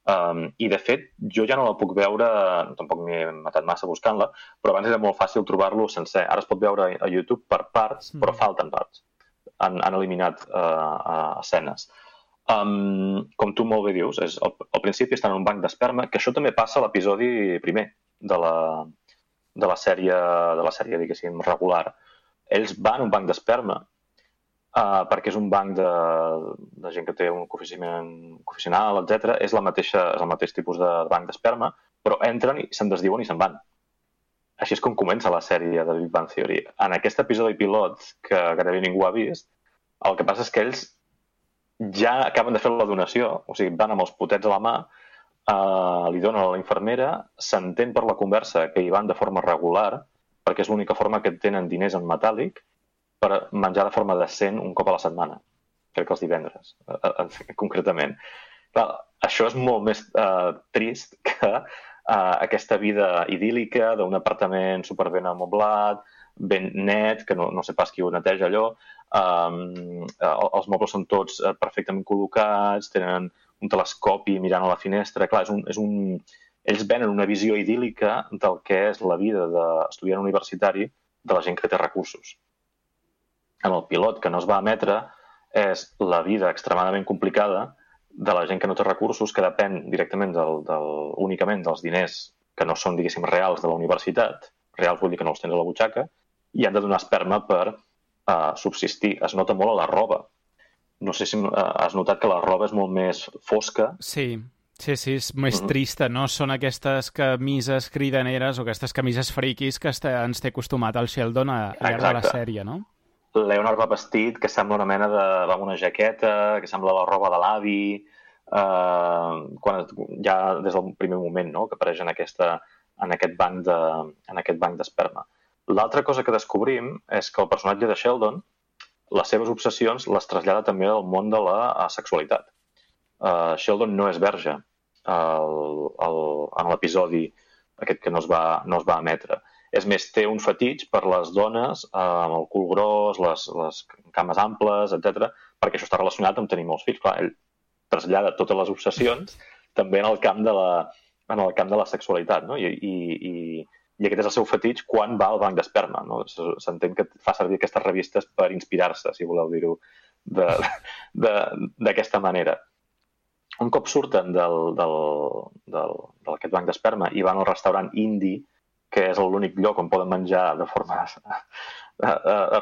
Um, I, de fet, jo ja no la puc veure, tampoc m'he matat massa buscant-la, però abans era molt fàcil trobar-lo sencer. Ara es pot veure a YouTube per parts, però falten parts. Han, han eliminat uh, escenes. Um, com tu molt bé dius, és, al, al principi estan en un banc d'esperma, que això també passa a l'episodi primer de la... de la sèrie, de la sèrie, diguéssim, regular. Ells van a un banc d'esperma uh, perquè és un banc de, de gent que té un coeficient coeficiental, etcètera. És, la mateixa, és el mateix tipus de banc d'esperma, però entren i se'n desdiuen i se'n van. Així és com comença la sèrie de Big Bang Theory. En aquest episodi pilot, que gairebé ningú ha vist, el que passa és que ells ja acaben de fer la donació, o sigui, van amb els potets a la mà, Uh, li donen a la infermera, s'entén per la conversa que hi van de forma regular, perquè és l'única forma que tenen diners en metàl·lic per menjar de forma decent un cop a la setmana. Crec que els divendres, uh, uh, concretament. Clar, això és molt més uh, trist que uh, aquesta vida idíl·lica d'un apartament superben amoblat, ben net, que no, no sé pas qui ho neteja allò. Um, els mobles són tots perfectament col·locats, tenen un telescopi mirant a la finestra. Clar, és un, és un... ells venen una visió idíl·lica del que és la vida d'estudiant universitari de la gent que té recursos. En el pilot, que no es va emetre, és la vida extremadament complicada de la gent que no té recursos, que depèn directament del, del, únicament dels diners que no són, diguéssim, reals de la universitat. Reals vull dir que no els tens a la butxaca, i han de donar esperma per uh, subsistir. Es nota molt a la roba. No sé si has notat que la roba és molt més fosca. Sí, sí, sí, és més Mm-hmm. trista, no? Són aquestes camises cridaneres o aquestes camises friquis que ens té acostumat el Sheldon a llarg de la sèrie, no? Leonard va vestit que sembla una mena de... va amb una jaqueta, que sembla la roba de l'avi, eh, quan ja des del primer moment, no?, que apareix en, aquesta, en aquest banc de, en aquest banc d'esperma. L'altra cosa que descobrim és que el personatge de Sheldon, les seves obsessions les trasllada també al món de la sexualitat. Uh, Sheldon no és verge el, el, en l'episodi aquest que no es, va, no es va emetre. És més, té un fetitx per les dones uh, amb el cul gros, les, les cames amples, etcètera, perquè això està relacionat amb tenir molts fills. Clar, ell trasllada totes les obsessions també en el camp de la, en el camp de la sexualitat, no? I, i, i I aquest és el seu fetitx quan va al banc d'esperma, no? S'entén que fa servir aquestes revistes per inspirar-se, si voleu dir-ho d'aquesta manera. Un cop surten del, del, del, d'aquest banc d'esperma i van al restaurant indi, que és l'únic lloc on poden menjar de forma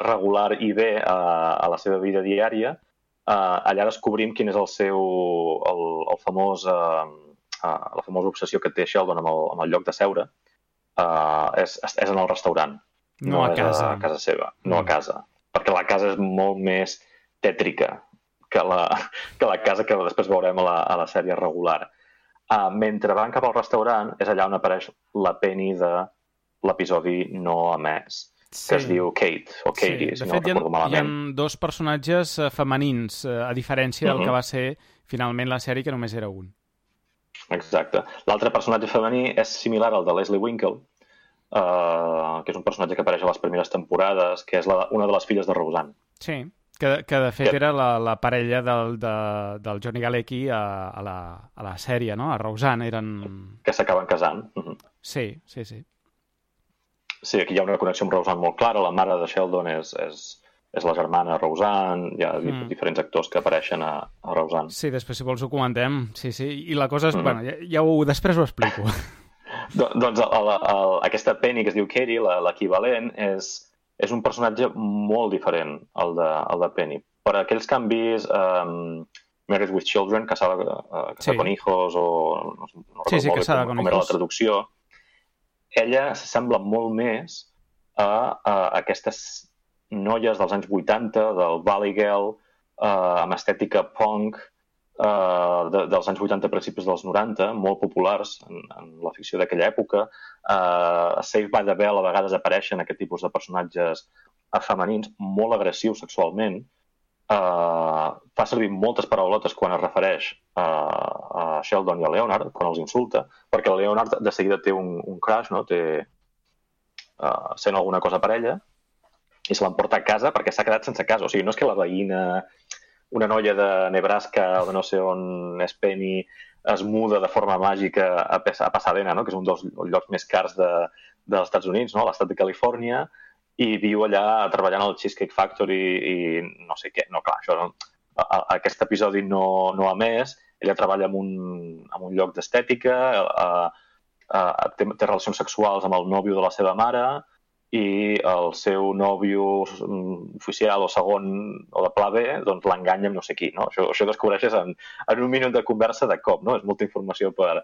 regular i bé a, a la seva vida diària, allà descobrim quin és el seu, el, el famós, la famosa obsessió que té Sheldon amb el, amb el lloc de seure. Uh, és, és en el restaurant, no, no a és casa. a casa seva, no mm. a casa, perquè la casa és molt més tètrica que la, que la casa que després veurem a la, a la sèrie regular. Uh, mentre van cap al restaurant és allà on apareix la Penny de l'episodi no emès, sí. que es diu Kate, o Katie, sí. si no recordo malament. Hi ha dos personatges femenins, a diferència del mm-hmm. que va ser finalment la sèrie, que només era un. Exacte. L'altre personatge femení és similar al de Leslie Winkle, uh, que és un personatge que apareix a les primeres temporades, que és la, una de les filles de Roseanne. Sí, que, que de fet que... era la, la parella del, de, del Johnny Galecki a, a, la, a la sèrie, no? A Roseanne eren... Que s'acaben casant. Uh-huh. Sí, sí, sí. Sí, aquí hi ha una connexió amb Roseanne molt clara. La mare de Sheldon és... és... és la germana Roseanne, hi ha mm. diferents actors que apareixen a, a Roseanne. Sí, després si vols ho comentem, sí, sí, i la cosa és... Mm. Bueno, ja, ja ho, després ho explico. Do, doncs el, el, el, aquesta Penny que es diu Katie, l'equivalent, és, és un personatge molt diferent al de, al de Penny. Per aquells canvis eh, Married with Children, Casada, uh, casada sí. con hijos, o no, no sí, sí, recordo Casada com, con com era hijos. la traducció. Ella s'assembla molt més a, a aquestes noies dels anys vuitanta, del Valley Girl, uh, amb estètica punk, uh, de, dels anys vuitanta, principis dels noranta, molt populars en, en la ficció d'aquella època. Uh, a Saved by the Bell a vegades apareixen aquest tipus de personatges femenins, molt agressius sexualment. Uh, fa servir moltes paraulotes quan es refereix a, a Sheldon i a Leonard, quan els insulta, perquè Leonard de seguida té un, un crush, no? té, uh, sent alguna cosa per ella, i se l'emporta a casa perquè s'ha quedat sense casa. O sigui, no és que la veïna, una noia de Nebraska o de no sé on és Penny, es muda de forma màgica a, a Pasadena, no? que és un dels llocs més cars de, dels Estats Units, no? l'estat de Califòrnia, i viu allà treballant al Cheesecake Factory i no sé què. No, clar, això no. A, a, aquest episodi no, no ha més. Ella treballa en un, en un lloc d'estètica, a, a, té, té relacions sexuals amb el nòvio de la seva mare i el seu nòvio oficial o segon o de pla B doncs l'enganya amb no sé qui. No? Això, això descobreixes en, en un minut de conversa de cop. No? És molta informació per,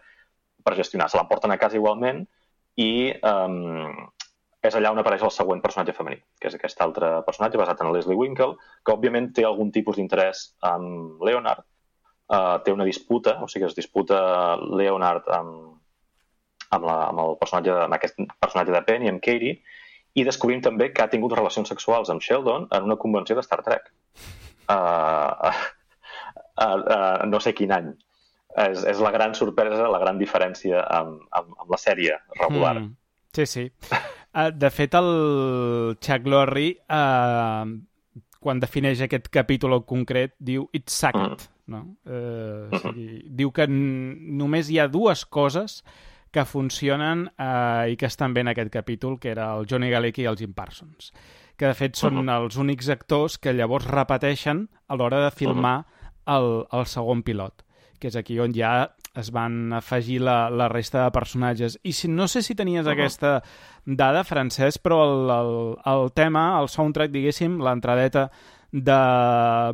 per gestionar. Se l'emporten a casa igualment i... Um, és allà on apareix el següent personatge femení, que és aquest altre personatge basat en Leslie Winkle, que òbviament té algun tipus d'interès amb Leonard, uh, té una disputa, o sigui, es disputa Leonard amb, amb, la, amb, el personatge, amb aquest personatge de Penny, amb Katie, i descobrim també que ha tingut relacions sexuals amb Sheldon en una convenció de Star Trek. Uh, uh, uh, uh, no sé quin any. És, és la gran sorpresa, la gran diferència amb, amb, amb la sèrie regular. Mm. Sí, sí. Uh, de fet, el Chuck Lorre, uh, quan defineix aquest capítol en concret, diu It's sacred. Mm. No? Uh, o sigui, diu que només hi ha dues coses que funcionen uh, i que estan bé en aquest capítol, que era el Johnny Galecki i el Jim Parsons, que de fet són uh-huh. els únics actors que llavors repeteixen a l'hora de filmar uh-huh. el, el segon pilot, que és aquí on ja es van afegir la, la resta de personatges. I si, no sé si tenies uh-huh. aquesta dada, Francesc, però el, el, el tema, el soundtrack, diguéssim, l'entradeta de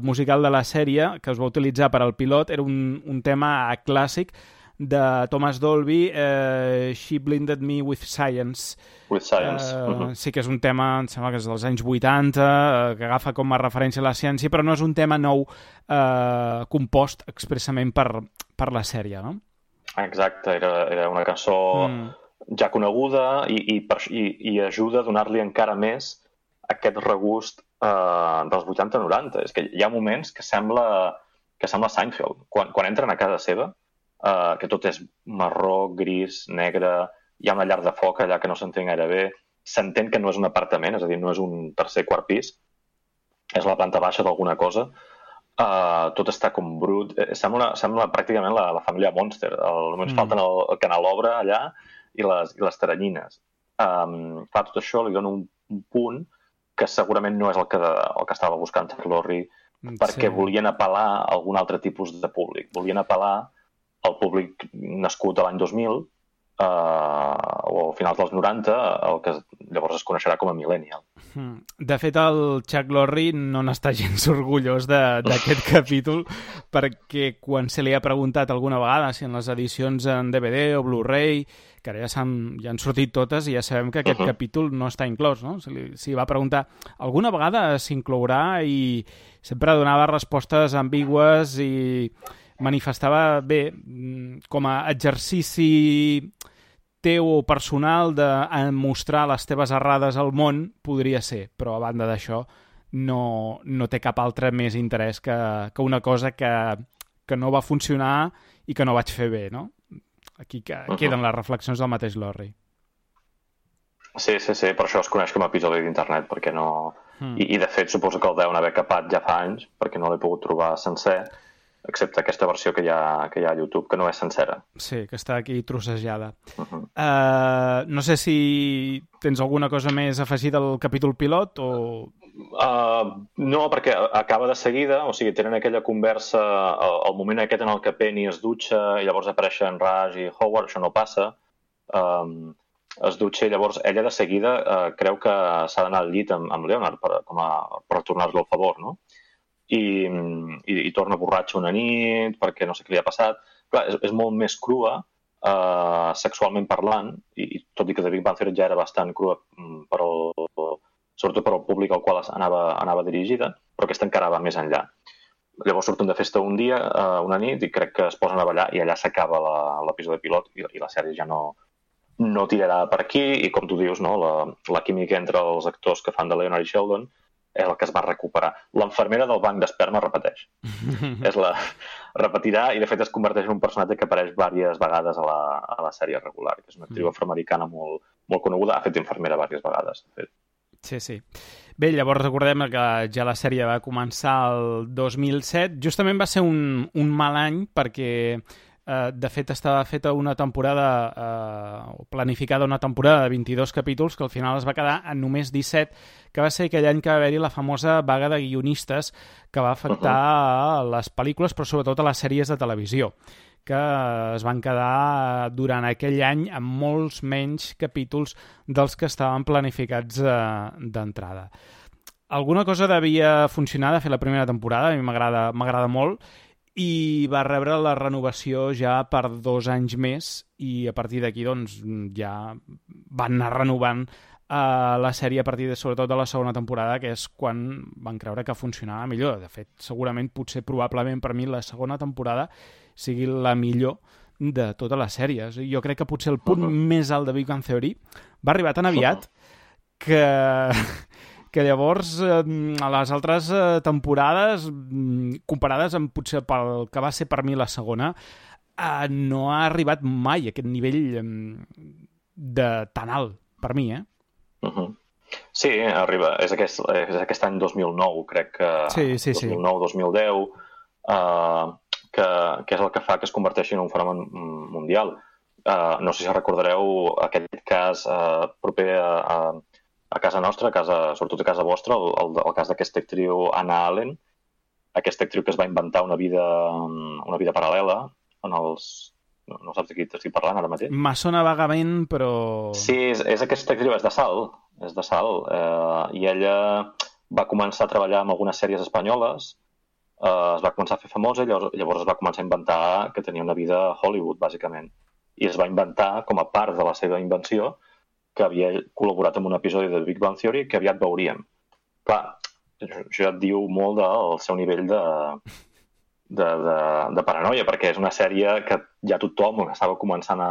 musical de la sèrie que es va utilitzar per al pilot era un, un tema clàssic de Thomas Dolby, eh, She Blinded Me with Science. With Science. Eh, uh-huh. Sí que és un tema, em sembla que és dels anys vuitanta, eh, que agafa com a referència a la ciència, però no és un tema nou eh, compost expressament per, per la sèrie, no? Exacte, era, era una cançó mm. ja coneguda i, i, per, i, i ajuda a donar-li encara més aquest regust eh, dels vuitanta noranta. És que hi ha moments que sembla, que sembla Seinfeld. Quan, quan entren a casa seva, Uh, que tot és marró, gris, negre, hi ha una llar de foc allà que no s'entén gaire bé, s'entén que no és un apartament, és a dir, no és un tercer quart pis, és la planta baixa d'alguna cosa, uh, tot està com brut, sembla, sembla pràcticament la, la família Monster, el, només mm. falten el, el canalobre allà i les, i les teranyines. Um, clar, tot això li dona un, un punt que segurament no és el que, el que estava buscant Chuck Lorre, perquè sí. volien apel·lar a algun altre tipus de públic, volien apel·lar el públic nascut a l'any dos mil eh, o a finals dels noranta, el que llavors es coneixerà com a millennial. De fet, el Chuck Lorre no n'està gens orgullós d'aquest capítol, perquè quan se li ha preguntat alguna vegada si en les edicions en D V D o Blu-ray, que ara ja, han, ja han sortit totes i ja sabem que aquest uh-huh. capítol no està inclòs, no? Se li, se li va preguntar alguna vegada s'inclourà i sempre donava respostes ambigües i manifestava bé com a exercici teu o personal de mostrar les teves errades al món podria ser, però a banda d'això no, no té cap altre més interès que, que una cosa que, que no va funcionar i que no vaig fer bé, no? Aquí que uh-huh. queden les reflexions del mateix Lorre. Sí, sí, sí, per això es coneix com a episodi d'internet, perquè no... Mm. I, I de fet suposo que el deuen haver capat ja fa anys, perquè no l'he pogut trobar sencer, excepte aquesta versió que hi ha, que hi ha a YouTube, que no és sencera. Sí, que està aquí trossejada. Uh-huh. Uh, no sé si tens alguna cosa més afegida al capítol pilot o... Uh, no, perquè acaba de seguida, o sigui, tenen aquella conversa, el, el moment aquest en el que Penny es dutxa i llavors apareixen Raj i Howard, això no passa. Um, es dutxa i llavors ella de seguida uh, creu que s'ha d'anar al llit amb, amb Leonard per, com a, per tornar-lo al favor, no? i, i, i torna borratxa una nit perquè no sé què li ha passat. Clar, és, és molt més crua, uh, sexualment parlant, i, i tot i que The Big Bang Theory ja era bastant crua per al, sobretot per al públic al qual anava, anava dirigida, però aquesta encara va més enllà. Llavors surten de festa un dia, uh, una nit, i crec que es posen a ballar i allà s'acaba l'episodi pilot i, i la sèrie ja no, no tirarà per aquí i, com tu dius, no, la, la química entre els actors que fan de Leonard i Sheldon és el que es va recuperar. L'enfermera del banc d'esperma repeteix. és la, repetirà i, de fet, es converteix en un personatge que apareix diverses vegades a la, a la sèrie regular, que és una actriu afroamericana molt, molt coneguda. Ha fet d'infermera diverses vegades, de fet. Sí, sí. Bé, llavors recordem que ja la sèrie va començar el dos mil set. Justament va ser un, un mal any perquè, eh, de fet, estava feta una temporada, eh, o planificada una temporada de vint-i-dos capítols que al final es va quedar en només disset, que va ser aquell any que va haver-hi la famosa vaga de guionistes que va afectar a les pel·lícules, però sobretot a les sèries de televisió, que es van quedar durant aquell any amb molts menys capítols dels que estaven planificats eh, d'entrada. Alguna cosa devia funcionar de fer la primera temporada, a mi m'agrada m'agrada molt, i va rebre la renovació ja per dos anys més, i a partir d'aquí doncs, ja van anar renovant Uh, la sèrie a partir de, sobretot de la segona temporada, que és quan van creure que funcionava millor. De fet, segurament, potser, probablement, per mi, la segona temporada sigui la millor de totes les sèries. Jo crec que potser el punt uh-huh. més alt de Big Bang Theory va arribar tan aviat que, que llavors eh, a les altres eh, temporades, comparades amb potser pel que va ser per mi la segona, eh, no ha arribat mai a aquest nivell eh, de tan alt, per mi, eh? Uh-huh. Sí, arriba. És aquest, és aquest any dos mil nou, crec que sí, sí, dos mil nou dos mil deu, uh, que, que és el que fa que es converteixi en un fenomen mundial. Uh, no sé si recordareu aquest cas uh, proper a, a, a casa nostra, a casa, sobretot a casa vostra, el, el, el cas d'aquesta actriu Anna Allen, aquesta actriu que es va inventar una vida, una vida paral·lela en els... No, no saps de qui t'estic parlant ara mateix? Me sona vagament, però... Sí, és, és aquesta actriu, és de Salt, és de Salt, eh, i ella va començar a treballar en algunes sèries espanyoles, eh, es va començar a fer famosa, llavors, llavors es va començar a inventar que tenia una vida a Hollywood, bàsicament, i es va inventar, com a part de la seva invenció, que havia col·laborat en un episodi de Big Bang Theory que aviat veuríem. Clar, això ja et diu molt del seu nivell de... De, de, de paranoia, perquè és una sèrie que ja tothom estava començant a,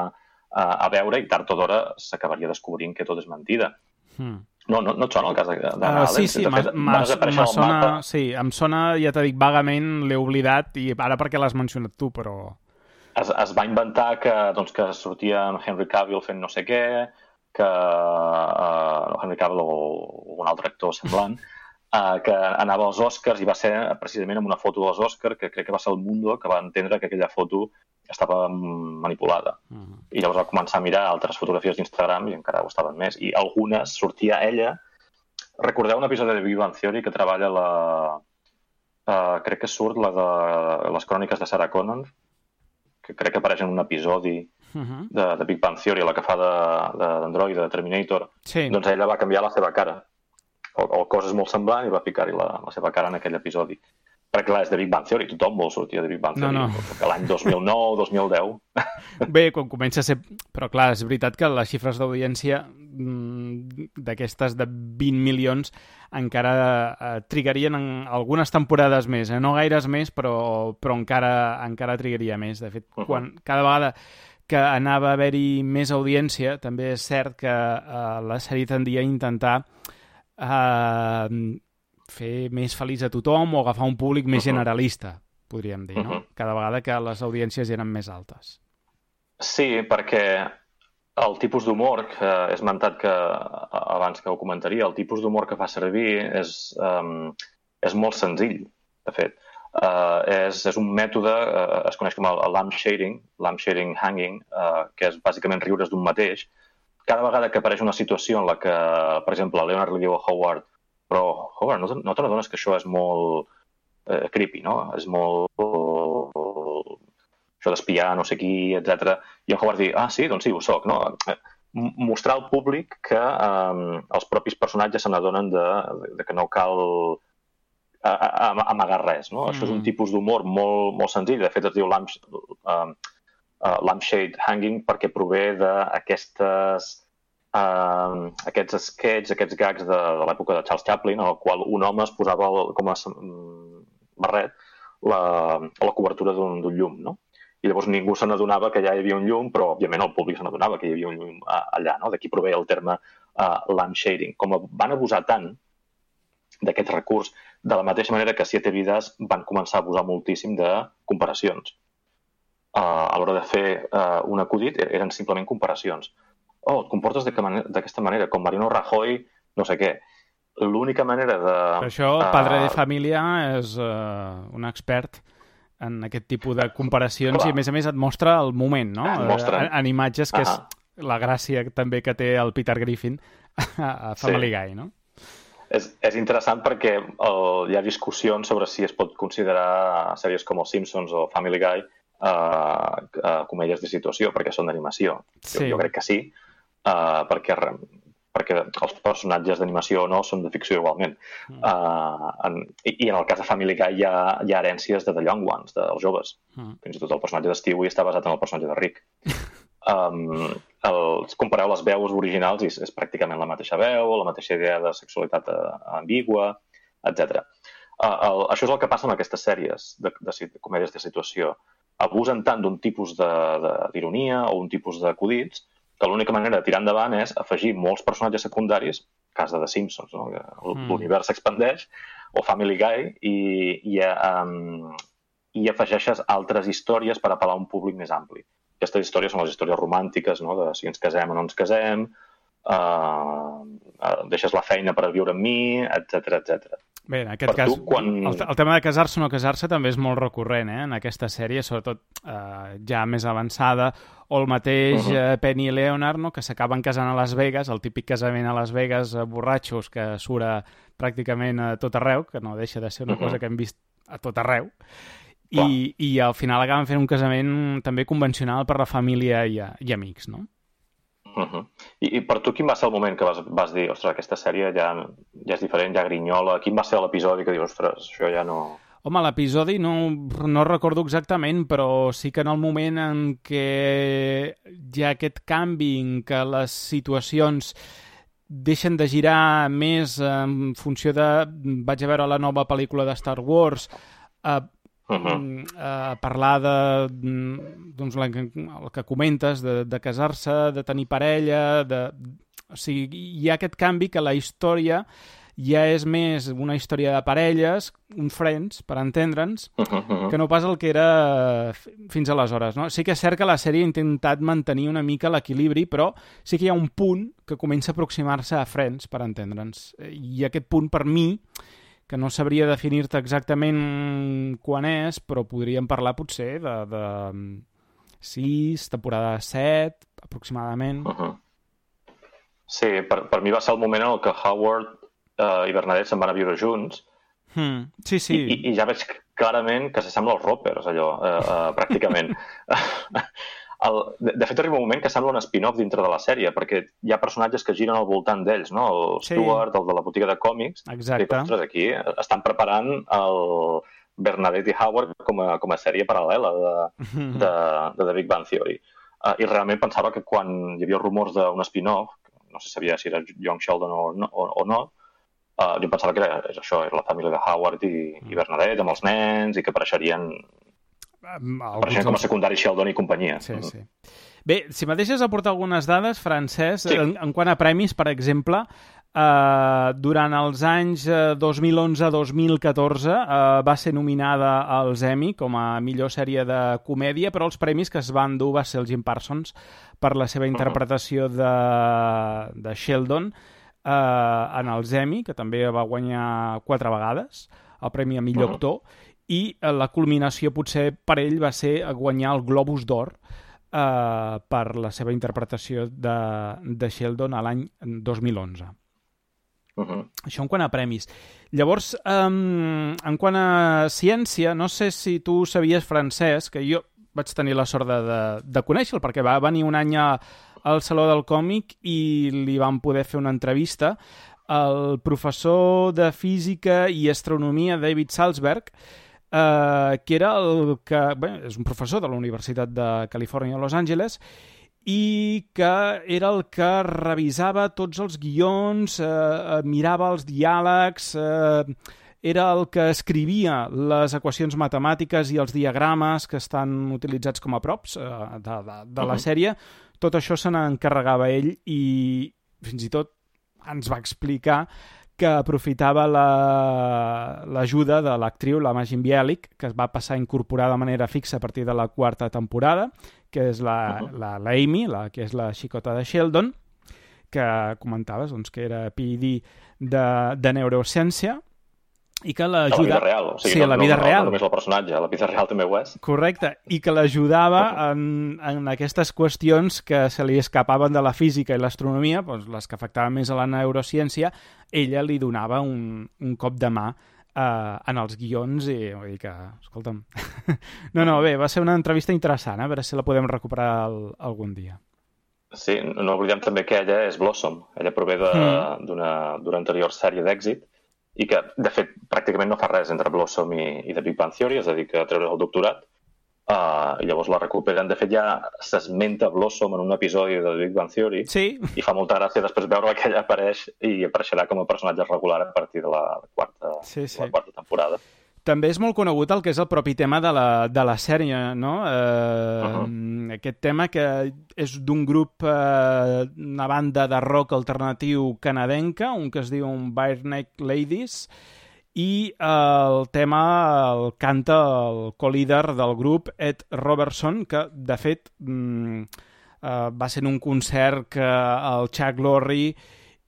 a, a veure i tard o d'hora s'acabaria descobrint que tot és mentida. Hmm. No, no, no et sona el cas d'Anna Allen? Uh, sí, sí, de fet, ma, ma sona, sí, em sona, ja t'he dit, vagament, l'he oblidat, i ara perquè l'has mencionat tu, però... Es, es va inventar que, doncs, que sortia en Henry Cavill fent no sé què, que uh, Henry Cavill o, o un altre actor semblant, Uh, que anava als Oscars i va ser precisament amb una foto dels Oscars, que crec que va ser el Mundo que va entendre que aquella foto estava manipulada. Uh-huh. I llavors va començar a mirar altres fotografies d'Instagram i encara ho estaven més. I algunes sortia ella... Recordeu un episodi de Big Bang Theory que treballa la... Uh, crec que surt la de les cròniques de Sarah Connor, que crec que apareix en un episodi uh-huh. de, de Big Bang Theory, la que fa d'Android, de, de Terminator. Sí. Doncs ella va canviar la seva cara. O, o coses molt semblants i va ficar-hi la, la seva cara en aquell episodi. Perquè clar, és de Big Bang Theory, tothom vol sortir de Big Bang Theory. No, no. Que l'any dos mil nou, dos mil deu... Bé, quan comença a ser... Però clar, és veritat que les xifres d'audiència d'aquestes de vint milions encara eh, trigarien en algunes temporades més, eh? No gaires més, però, però encara, encara trigaria més. De fet, uh-huh. quan cada vegada que anava a haver-hi més audiència, també és cert que eh, la sèrie tendia a intentar Uh, fer més feliç a tothom o agafar un públic més generalista, podríem dir, no? Uh-huh. Cada vegada que les audiències eren més altes. Sí, perquè el tipus d'humor, que he esmentat que abans que ho comentaria, el tipus d'humor que fa servir és, um, és molt senzill, de fet. Uh, és, és un mètode, uh, es coneix com el, el lampshading, lampshading hanging, uh, que és bàsicament riure's d'un mateix. Cada vegada que apareix una situació en la que, per exemple, Leonard li diu a Howard, però, Howard, no, no te n'adones que això és molt eh, creepy, no? És molt... això d'espiar no sé qui, etcètera. I en Howard diu, ah, sí, doncs sí, ho soc, no? Mostrar al públic que eh, els propis personatges se n'adonen de, de que no cal a, a, a amagar res, no? Mm. Això és un tipus d'humor molt, molt senzill. De fet, es diu lamp, uh, uh, lampshade hanging perquè prové d'aquestes uh, aquests sketches, aquests gags de, de l'època de Charles Chaplin, en el qual un home es posava com a barret la, la cobertura d'un llum, no? I llavors ningú se n'adonava que ja hi havia un llum, però òbviament el públic se n'adonava que hi havia un llum allà, no? D'aquí prové el terme uh, lampshading. Com van abusar tant d'aquest recurs, de la mateixa manera que Siete Vidas van començar a abusar moltíssim de comparacions. Uh, a l'hora de fer uh, un acudit eren simplement comparacions. Oh, et comportes d'aquesta manera, com Mariano Rajoy, no sé què. L'única manera de... Per això, el padre de família és uh, un expert en aquest tipus de comparacions. Clar. I, a més a més, et mostra el moment, no? Mostra. En, en imatges, que uh -huh. és la gràcia també que té el Peter Griffin a Family sí. Guy, no? És, és interessant perquè el, hi ha discussions sobre si es pot considerar sèries com els Simpsons o Family Guy uh, uh, comèdies de situació, perquè són d'animació. Sí. Jo, jo crec que sí, uh, perquè... perquè els personatges d'animació o no són de ficció igualment. Mm. Uh, en, i, I en el cas de Family Guy hi ha, hi ha herències de The Young Ones, dels joves. Mm. Fins i tot el personatge de Stewie està basat en el personatge de Rick. um, el, compareu les veus originals i és, és pràcticament la mateixa veu, la mateixa idea de sexualitat ambigua, etcètera. Uh, això és el que passa en aquestes sèries de, de, de comèdies de situació. Abusen tant d'un tipus d'ironia o un tipus d'acudits que l'única manera de tirar endavant és afegir molts personatges secundaris, cas de The Simpsons, no? L'univers s'expandeix, o Family Guy, i, i, um, i afegeixes altres històries per apel·lar a un públic més ampli. Aquestes històries són les històries romàntiques, no? De si ens casem o no ens casem, uh, uh, deixes la feina per viure amb mi, etcètera, etcètera. Bé, en aquest per cas, tu, quan... el, el tema de casar-se o no casar-se també és molt recurrent, eh? En aquesta sèrie, sobretot eh, ja més avançada, o el mateix uh -huh. eh, Penny i Leonard, no? Que s'acaben casant a Las Vegas, el típic casament a Las Vegas, eh, borratxos, que surt pràcticament a tot arreu, que no deixa de ser una uh -huh. cosa que hem vist a tot arreu, i, i al final acaben fent un casament també convencional per la família i, i amics, no? Uh -huh. I, I per tu quin va ser el moment que vas, vas dir, ostres, aquesta sèrie ja, ja és diferent, ja grinyola? Quin va ser l'episodi que dius, ostres, això ja no... Home, l'episodi no, no recordo exactament, però sí que en el moment en què hi ha aquest canvi, en què les situacions deixen de girar més en funció de... Vaig a veure la nova pel·lícula de Star Wars, eh, Uh-huh. a parlar de doncs, el que comentes, de, de casar-se, de tenir parella, de... O sigui, hi ha aquest canvi que la història ja és més una història de parelles, un friends, per entendre'ns, uh-huh. que no pas el que era fins aleshores, no? Sí que és cert que la sèrie ha intentat mantenir una mica l'equilibri, però sí que hi ha un punt que comença a aproximar-se a Friends, per entendre'ns. I aquest punt, per mi, que no sabria definir-te exactament quan és, però podríem parlar potser de, de sis, temporada set, aproximadament. Uh-huh. Sí, per, per mi va ser el moment en el que Howard uh, i Bernadette se'n van a viure junts. Hmm. Sí, sí. I, I ja veig clarament que s'assembla als Roppers, allò, uh, uh, pràcticament. El, de, de fet, arriba un moment que sembla un spin-off dintre de la sèrie, perquè hi ha personatges que giren al voltant d'ells, no? El sí. Stuart, el de la botiga de còmics. Exacte. I, ostres, aquí estan preparant el Bernadette i Howard com a, com a sèrie paral·lela de, de, de The Big Bang Theory. Uh, I realment pensava que quan hi havia rumors d'un spin-off, no sé si sabia si era Young Sheldon o no, o, o no uh, jo pensava que era això, era la família de Howard i, i Bernadette, amb els nens, i que apareixerien... Apareixen com a secundari Sheldon i companyia. Sí, sí. Bé, si me deixes aportar algunes dades, Francesc, sí. en, en quant a premis, per exemple, eh, durant els anys eh, dos mil onze a dos mil catorze eh, va ser nominada als Emmy com a millor sèrie de comèdia, però els premis que es van dur va ser el Jim Parsons per la seva interpretació de, de Sheldon eh, en els Emmy, que també va guanyar quatre vegades el premi a millor uh-huh. actor, i la culminació potser per ell va ser guanyar el Globus d'Or eh, per la seva interpretació de, de Sheldon a l'any dos mil onze. Uh-huh. Això en quant a premis. Llavors, um, en quant a ciència, no sé si tu sabies, Francesc, que jo vaig tenir la sort de, de, de conèixer-lo, perquè va venir un any a, al Saló del Còmic i li vam poder fer una entrevista. el professor de física i astronomia David Salzberg, eh, que era el que... Bé, és un professor de la Universitat de Califòrnia a Los Angeles i que era el que revisava tots els guions, eh, mirava els diàlegs, eh, era el que escrivia les equacions matemàtiques i els diagrames que estan utilitzats com a props eh, de, de, de la sèrie. Tot això se n'encarregava ell i fins i tot ens va explicar que aprofitava l'ajuda la, de l'actriu, la Majin Bielik, que es va passar a incorporar de manera fixa a partir de la quarta temporada, que és la, uh -huh. la, la Amy, la, que és la xicota de Sheldon, que comentaves doncs, que era P I D de, de neurociència, i que l'ajuda... A la vida real, o sigui, sí, no, a la vida no, real. no només el personatge, a la vida real també ho és. Correcte, i que l'ajudava en, en aquestes qüestions que se li escapaven de la física i l'astronomia, doncs les que afectaven més a la neurociència, ella li donava un, un cop de mà eh, en els guions i vull dir que, escolta'm... no, no, bé, va ser una entrevista interessant, eh? A veure si la podem recuperar el, algun dia. Sí, no oblidem també que ella és Blossom, ella prové d'una mm. anterior sèrie d'èxit, i que, de fet, pràcticament no fa res entre Blossom i, i The Big Bang Theory, es dedica a treure el doctorat, uh, i llavors la recuperen. De fet, ja s'esmenta Blossom en un episodi de The Big Bang Theory, sí. I fa molta gràcia després veure que ella apareix i apareixerà com a personatge regular a partir de la quarta, sí, sí. la quarta temporada. També és molt conegut el que és el propi tema de la, de la sèrie, no? Eh, uh-huh. Aquest tema que és d'un grup, eh, una banda de rock alternatiu canadenca, un que es diu Bare Neck Ladies, i eh, el tema el canta el co-líder del grup, Ed Robertson, que, de fet, mm, eh, va ser en un concert que el Chuck Lorre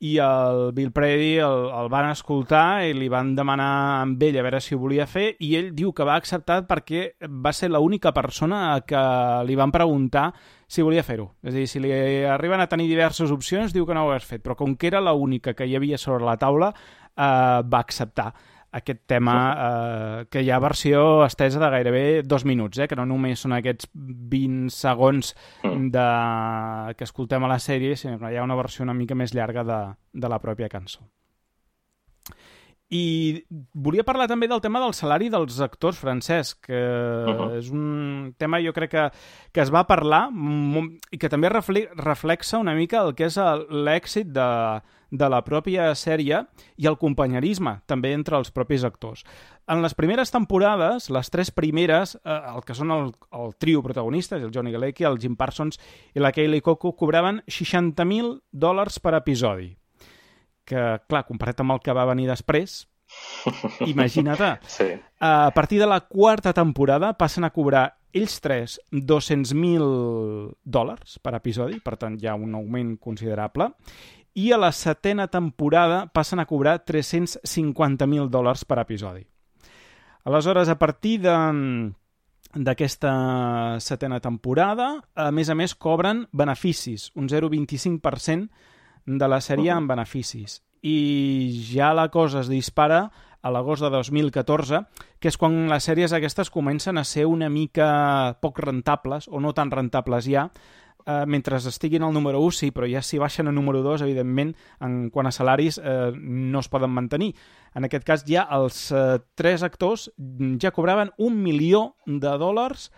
i el Bill Prady el, el van escoltar i li van demanar amb ell a veure si ho volia fer i ell diu que va acceptar perquè va ser l'única persona que li van preguntar si volia fer-ho. És a dir, si li arriben a tenir diverses opcions, diu que no ho hagués fet, però com que era l'única que hi havia sobre la taula, eh, va acceptar aquest tema, eh, que hi ha versió estesa de gairebé dos minuts, eh, que no només són aquests vint segons de... que escoltem a la sèrie, sinó que hi ha una versió una mica més llarga de, de la pròpia cançó. I volia parlar també del tema del salari dels actors, Francesc, que uh-huh. és un tema jo crec que, que es va parlar i que també reflexa una mica el que és l'èxit de, de la pròpia sèrie i el companyerisme també entre els propis actors. En les primeres temporades, les tres primeres, eh, el que són el, el trio protagonistes, el Johnny Galecki, el Jim Parsons i la Kaylee Cuoco, cobraven seixanta mil dòlars per episodi. Que, clar, comparat amb el que va venir després, imagina't. Sí. A partir de la quarta temporada passen a cobrar ells tres dos-cents mil dòlars per episodi, per tant hi ha un augment considerable, i a la setena temporada passen a cobrar tres-cents cinquanta mil dòlars per episodi. Aleshores, a partir de... d'aquesta setena temporada, a més a més cobren beneficis, un zero coma vint-i-cinc per cent de la sèrie uh-huh. en beneficis. I ja la cosa es dispara a l'agost de dos mil catorze, que és quan les sèries aquestes comencen a ser una mica poc rentables, o no tan rentables ja, eh, mentre estiguin al número u, sí, però ja si baixen a número dos, evidentment, en quant a salaris, eh, no es poden mantenir. En aquest cas, ja els eh, tres actors ja cobraven un milió de dòlars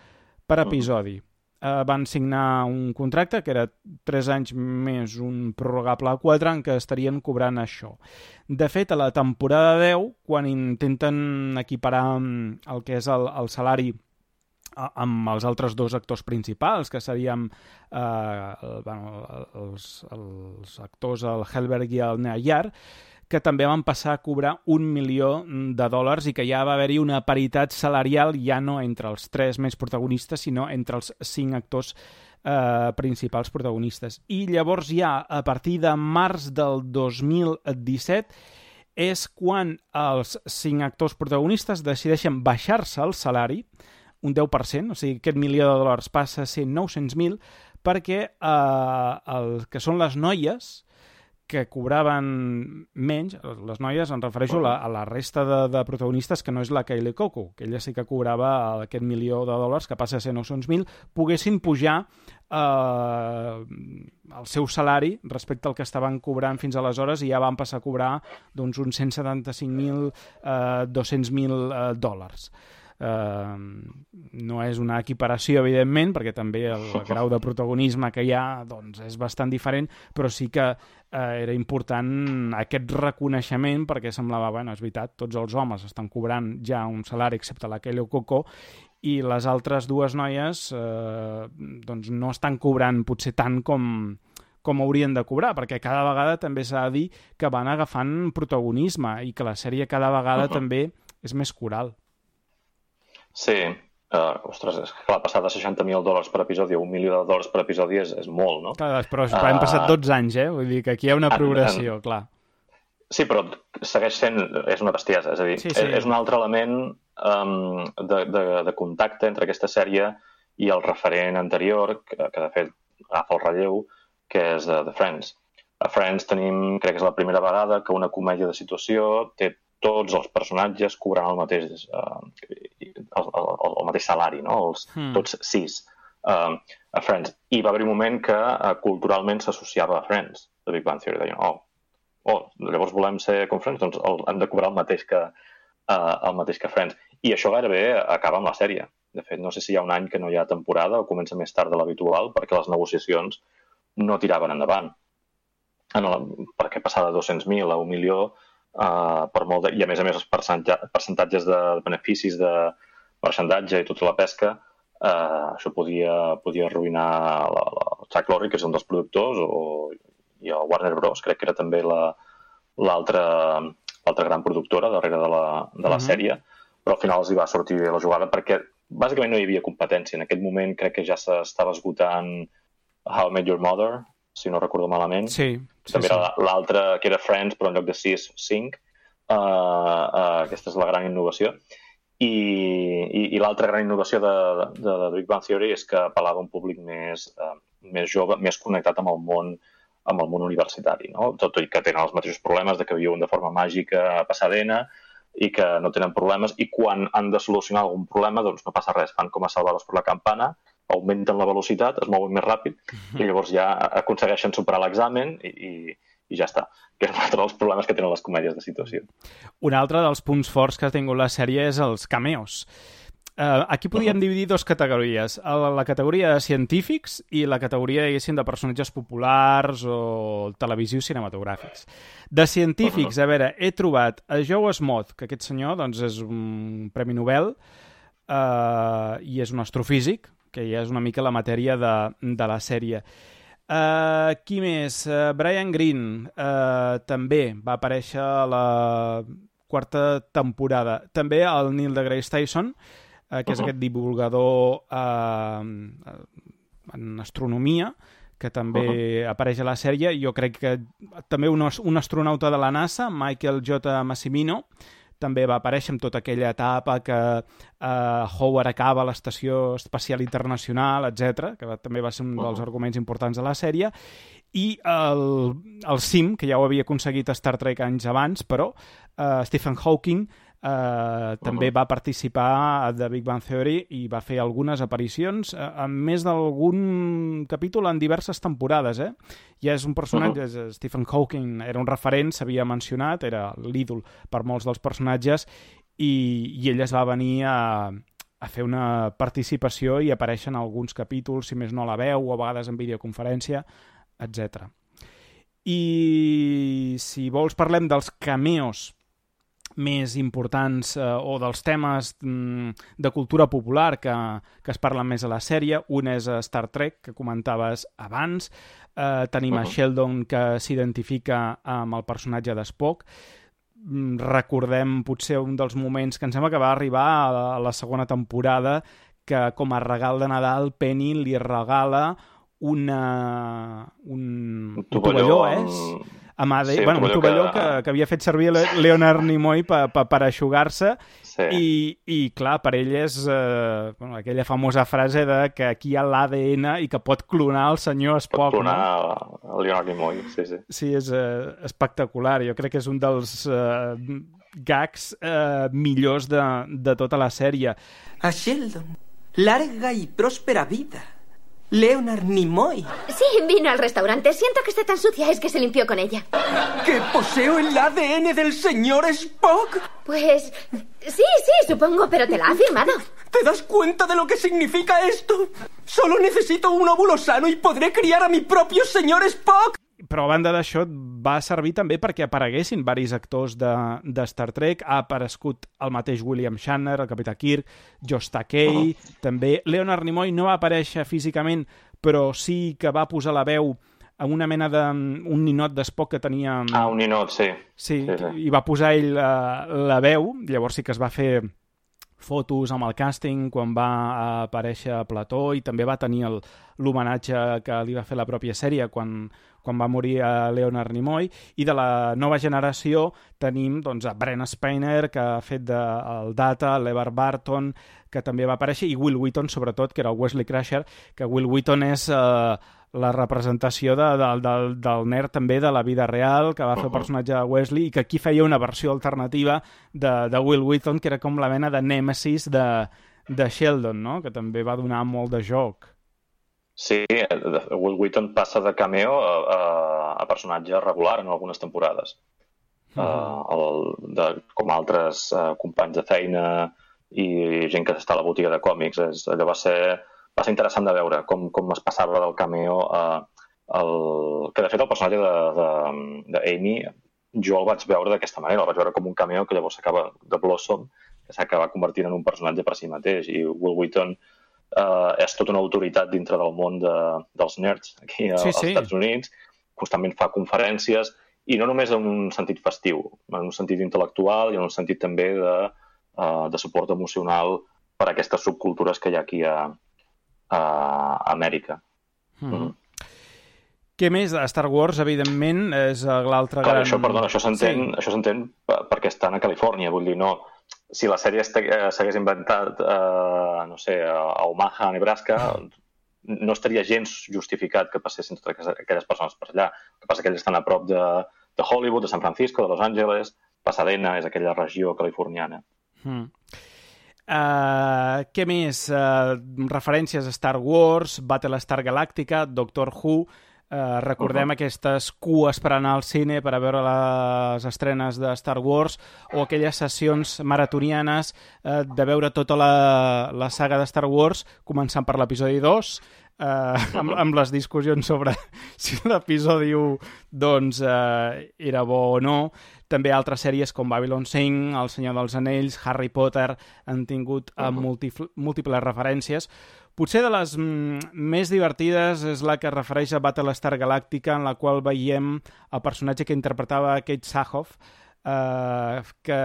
per episodi. Uh, van signar un contracte que era tres anys més un prorrogable a quatre en què estarien cobrant això. De fet, a la temporada deu, quan intenten equiparar el que és el, el salari amb els altres dos actors principals, que serien eh, el, bueno, els, els actors, el Helberg i el Nayar, que també van passar a cobrar un milió de dòlars i que ja va haver-hi una paritat salarial ja no entre els tres més protagonistes, sinó entre els cinc actors eh, principals protagonistes. I llavors ja, a partir de març del dos mil disset, és quan els cinc actors protagonistes decideixen baixar-se el salari, un deu per cent, o sigui, aquest milió de dòlars passa a ser nou-cents mil, perquè eh, el que són les noies que cobraven menys, les noies, em refereixo a la, a la resta de, de protagonistes, que no és la Kylie Coco, que ella sí que cobrava aquest milió de dòlars, que passa a ser nou-cents mil, poguessin pujar eh, el seu salari respecte al que estaven cobrant fins aleshores, i ja van passar a cobrar doncs, uns cent setanta-cinc mil, eh, dos-cents mil eh, dòlars. Uh, no és una equiparació, evidentment, perquè també el grau de protagonisme que hi ha doncs, és bastant diferent, però sí que uh, era important aquest reconeixement, perquè semblava, bueno, és veritat, tots els homes estan cobrant ja un salari, excepte la Kylie Coco, i les altres dues noies uh, doncs no estan cobrant potser tant com, com haurien de cobrar, perquè cada vegada també s'ha de dir que van agafant protagonisme i que la sèrie cada vegada uh-huh. també és més coral. Sí, uh, ostres, és que clar, passar de seixanta mil dòlars per episodi a un milió de dòlars per episodi és, és molt, no? Clar, però uh, han passat dotze anys, eh? Vull dir que aquí hi ha una progressió, en, en... clar. Sí, però segueix sent... És una bestiesa, és a dir, sí, sí. És, és un altre element um, de, de, de contacte entre aquesta sèrie i el referent anterior, que, que de fet agafa el relleu, que és uh, The Friends. A Friends tenim, crec que és la primera vegada que una comèdia de situació té tots els personatges cobrant el mateix, uh, el, el, el mateix salari, no? Els, mm. Tots sis uh, a Friends. I va haver un moment que uh, culturalment s'associava a Friends, de Big Bang Theory. Deien, oh, oh, llavors volem ser com Friends, doncs el, hem de cobrar el mateix que, uh, el mateix que Friends. I això gairebé acaba amb la sèrie. De fet, no sé si hi ha un any que no hi ha temporada o comença més tard de l'habitual, perquè les negociacions no tiraven endavant. En el, perquè passar de dos-cents mil a un milió Uh, per molt de... i a més a més els percentatges de beneficis de marxandatge i tota la pesca, uh, això podia, podia arruïnar la, la, el Chuck Lorre, que és un dels productors, o, i el Warner Bros, crec que era també l'altra l'altra gran productora darrere de la, de la uh-huh. sèrie, però al final els hi va sortir la jugada perquè bàsicament no hi havia competència. En aquest moment crec que ja s'estava esgotant How I Met Your Mother, si no recordo malament. Sí, sí, també sí. era l'altra, que era Friends, però en lloc de sis, cinc. Uh, uh, aquesta és la gran innovació. I, i, i l'altra gran innovació de, de, de Big Bang Theory és que apel·lava a un públic més, uh, més jove, més connectat amb el món, amb el món universitari, no? Tot i que tenen els mateixos problemes de que viuen de forma màgica a Pasadena i que no tenen problemes, i quan han de solucionar algun problema doncs no passa res, fan com a Salvados por la Campana, augmenten la velocitat, es mouen més ràpid i llavors ja aconsegueixen superar l'examen i, i, i ja està. Que és un altre dels problemes que tenen les comèdies de situació. Un altre dels punts forts que ha tingut la sèrie és els cameos. Uh, aquí podíem uh-huh. dividir dues categories. La categoria de científics i la categoria, diguéssim, de personatges populars o televisius cinematogràfics. De científics, uh-huh. a veure, he trobat a Joe Smoth, que aquest senyor doncs, és un premi Nobel uh, i és un astrofísic, que ja és una mica la matèria de, de la sèrie. Uh, qui més? Uh, Brian Greene uh, també va aparèixer a la quarta temporada. També el Neil deGrasse Tyson, uh, que és uh-huh. aquest divulgador uh, en astronomia, que també uh-huh. apareix a la sèrie. Jo crec que també un, un astronauta de la NASA, Michael J. Massimino, també va aparèixer amb tota aquella etapa que uh, Howard acaba a l'Estació Espacial Internacional, etcètera, que va, també va ser un dels arguments importants de la sèrie, i el, el Sim, que ja ho havia aconseguit a Star Trek anys abans, però uh, Stephen Hawking Uh, també uh-huh. va participar de Big Bang Theory i va fer algunes aparicions uh, en més d'algun capítol en diverses temporades, eh? Ja és un personatge, uh-huh. Stephen Hawking era un referent, s'havia mencionat, era l'ídol per molts dels personatges, i, i ell es va venir a, a fer una participació i aparèixer en alguns capítols, si més no la veu, o a vegades en videoconferència, etcètera. I si vols parlem dels cameos més importants eh, o dels temes mm, de cultura popular que, que es parlen més a la sèrie. Un és Star Trek, que comentaves abans. Eh, tenim uh-huh. a Sheldon, que s'identifica amb el personatge d'Spock. Mm, recordem potser un dels moments que em sembla que va arribar a la, a la segona temporada, que com a regal de Nadal Penny li regala una, un, un tovalló, és? amb A D N, Sí, bueno, un tovalló que... Que, que havia fet servir Leonard Nimoy per, per, per eixugar-se, sí. i, i clar, per ell és eh, bueno, aquella famosa frase de que aquí hi ha l'A D N i que pot clonar el senyor Spock. Pot clonar no? el Leonard Nimoy, sí, sí. Sí, és eh, espectacular. Jo crec que és un dels eh, gags eh, millors de, de tota la sèrie. A Sheldon, larga y próspera vida. Leonard Nimoy. Sí, vino al restaurante. Siento que esté tan sucia, es que se limpió con ella. ¿Que poseo el A D N del señor Spock? Pues sí, sí, supongo, pero te la ha firmado. ¿Te das cuenta de lo que significa esto? Solo necesito un óvulo sano y podré criar a mi propio señor Spock. Però a banda d'això va servir també perquè apareguessin varis actors de, de Star Trek. Ha aparegut el mateix William Shatner, el Capità Kirk, Josh Takei, uh-huh. també. Leonard Nimoy no va aparèixer físicament, però sí que va posar la veu a una mena de... un ninot d'Spock que tenia... Ah, un ninot, sí. Sí, sí, sí. i va posar ell la, la veu, llavors sí que es va fer fotos amb el càsting quan va aparèixer a plató i també va tenir l'homenatge que li va fer la pròpia sèrie quan, quan va morir a Leonard Nimoy. I de la nova generació tenim doncs, a Brent Spiner, que ha fet de, el Data, l'Evar Barton, que també va aparèixer, i Will Wheaton, sobretot, que era el Wesley Crusher, que Will Wheaton és eh, la representació de, de, de, del nerd també de la vida real, que va fer el personatge de Wesley, i que aquí feia una versió alternativa de, de Will Wheaton, que era com la mena de nèmesis de, de Sheldon, no? Que també va donar molt de joc. Sí, Will Wheaton passa de cameo a, a, a personatge regular en algunes temporades. Uh-huh. uh, el, de, com altres uh, companys de feina i gent que està a la botiga de còmics. És, allò va ser, va ser interessant de veure com, com es passava del cameo a... El, que de fet el personatge d'Amy jo el vaig veure d'aquesta manera, el vaig veure com un cameo que llavors s'acaba de Blossom, que s'acaba convertint en un personatge per si mateix, i Will Wheaton Uh, és tota una autoritat dintre del món de, dels nerds aquí a, sí, sí. als Estats Units, constantment fa conferències, i no només en un sentit festiu, en un sentit intel·lectual i en un sentit també de, uh, de suport emocional per a aquestes subcultures que hi ha aquí a, a Amèrica. Mm. Mm. Què més? A Star Wars, evidentment, és l'altre gran... Això, perdona, això s'entén sí. Això s'entén perquè estan a Califòrnia, vull dir, no... Si la sèrie s'hagués inventat, eh, no sé, a Omaha, a Nebraska, no estaria gens justificat que passessin totes aquelles persones per allà. El que passa que ells estan a prop de, de Hollywood, de San Francisco, de Los Angeles, Pasadena és aquella regió californiana. Hmm. Uh, què més? Uh, referències a Star Wars, Battlestar Galàctica, Doctor Who... Uh, recordem uh-huh. aquestes cues per anar al cine per a veure les estrenes de Star Wars o aquelles sessions maratonianes uh, de veure tota la, la saga de Star Wars, començant per l'episodi dos, uh, amb, amb les discussions sobre si l'episodi u doncs, uh, era bo o no. També altres sèries com Babylon cinc, El Senyor dels Anells, Harry Potter han tingut uh, múltiples, múltiples referències. Potser de les mm, més divertides és la que es refereix a Battlestar Galàctica, en la qual veiem el personatge que interpretava Kate Sackhoff, eh, que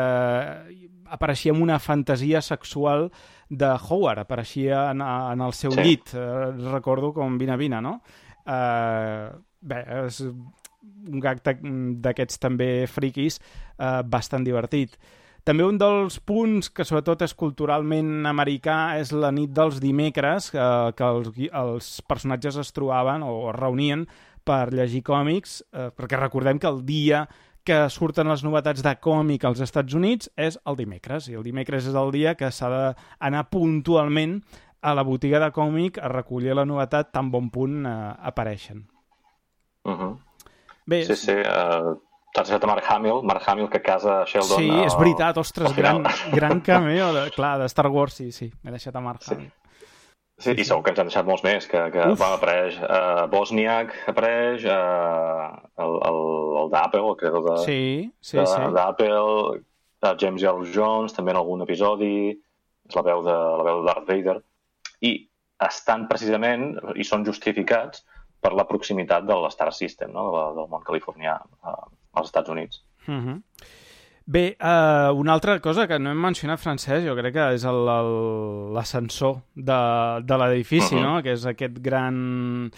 apareixia en una fantasia sexual de Howard, apareixia en, en el seu sí. llit, eh, recordo com Vina Vina, no? Eh, bé, és un gag d'aquests també friquis eh, bastant divertit. També un dels punts que sobretot és culturalment americà és la nit dels dimecres, eh, que els, els personatges es trobaven o es reunien per llegir còmics, eh, perquè recordem que el dia que surten les novetats de còmic als Estats Units és el dimecres, i el dimecres és el dia que s'ha d'anar puntualment a la botiga de còmic a recollir la novetat tan bon punt eh, apareixen. Uh-huh. Bé, sí, sí, uh... T'has deixat a Mark Hamill, Mark Hamill que casa Sheldon... Sí, és veritat, ostres, gran, gran cameo, de, clar, de Star Wars, sí, sí, m'he deixat a Mark sí. Hamill. Sí, sí, i segur que ens han deixat molts més, que, que va, apareix uh, Bosniak, apareix uh, el, el, el d'Apple, el creador de, sí, sí, de, sí. d'Apple, uh, James Earl Jones, també en algun episodi, és la veu de, la veu de Darth Vader, i estan precisament, i són justificats per la proximitat de l'Star System, no? de, del món californià, uh, als Estats Units. Uh-huh. Bé, uh, una altra cosa que no hem mencionat, Francesc, jo crec que és el, el, l'ascensor de, de l'edifici, uh-huh. no? Que és aquest gran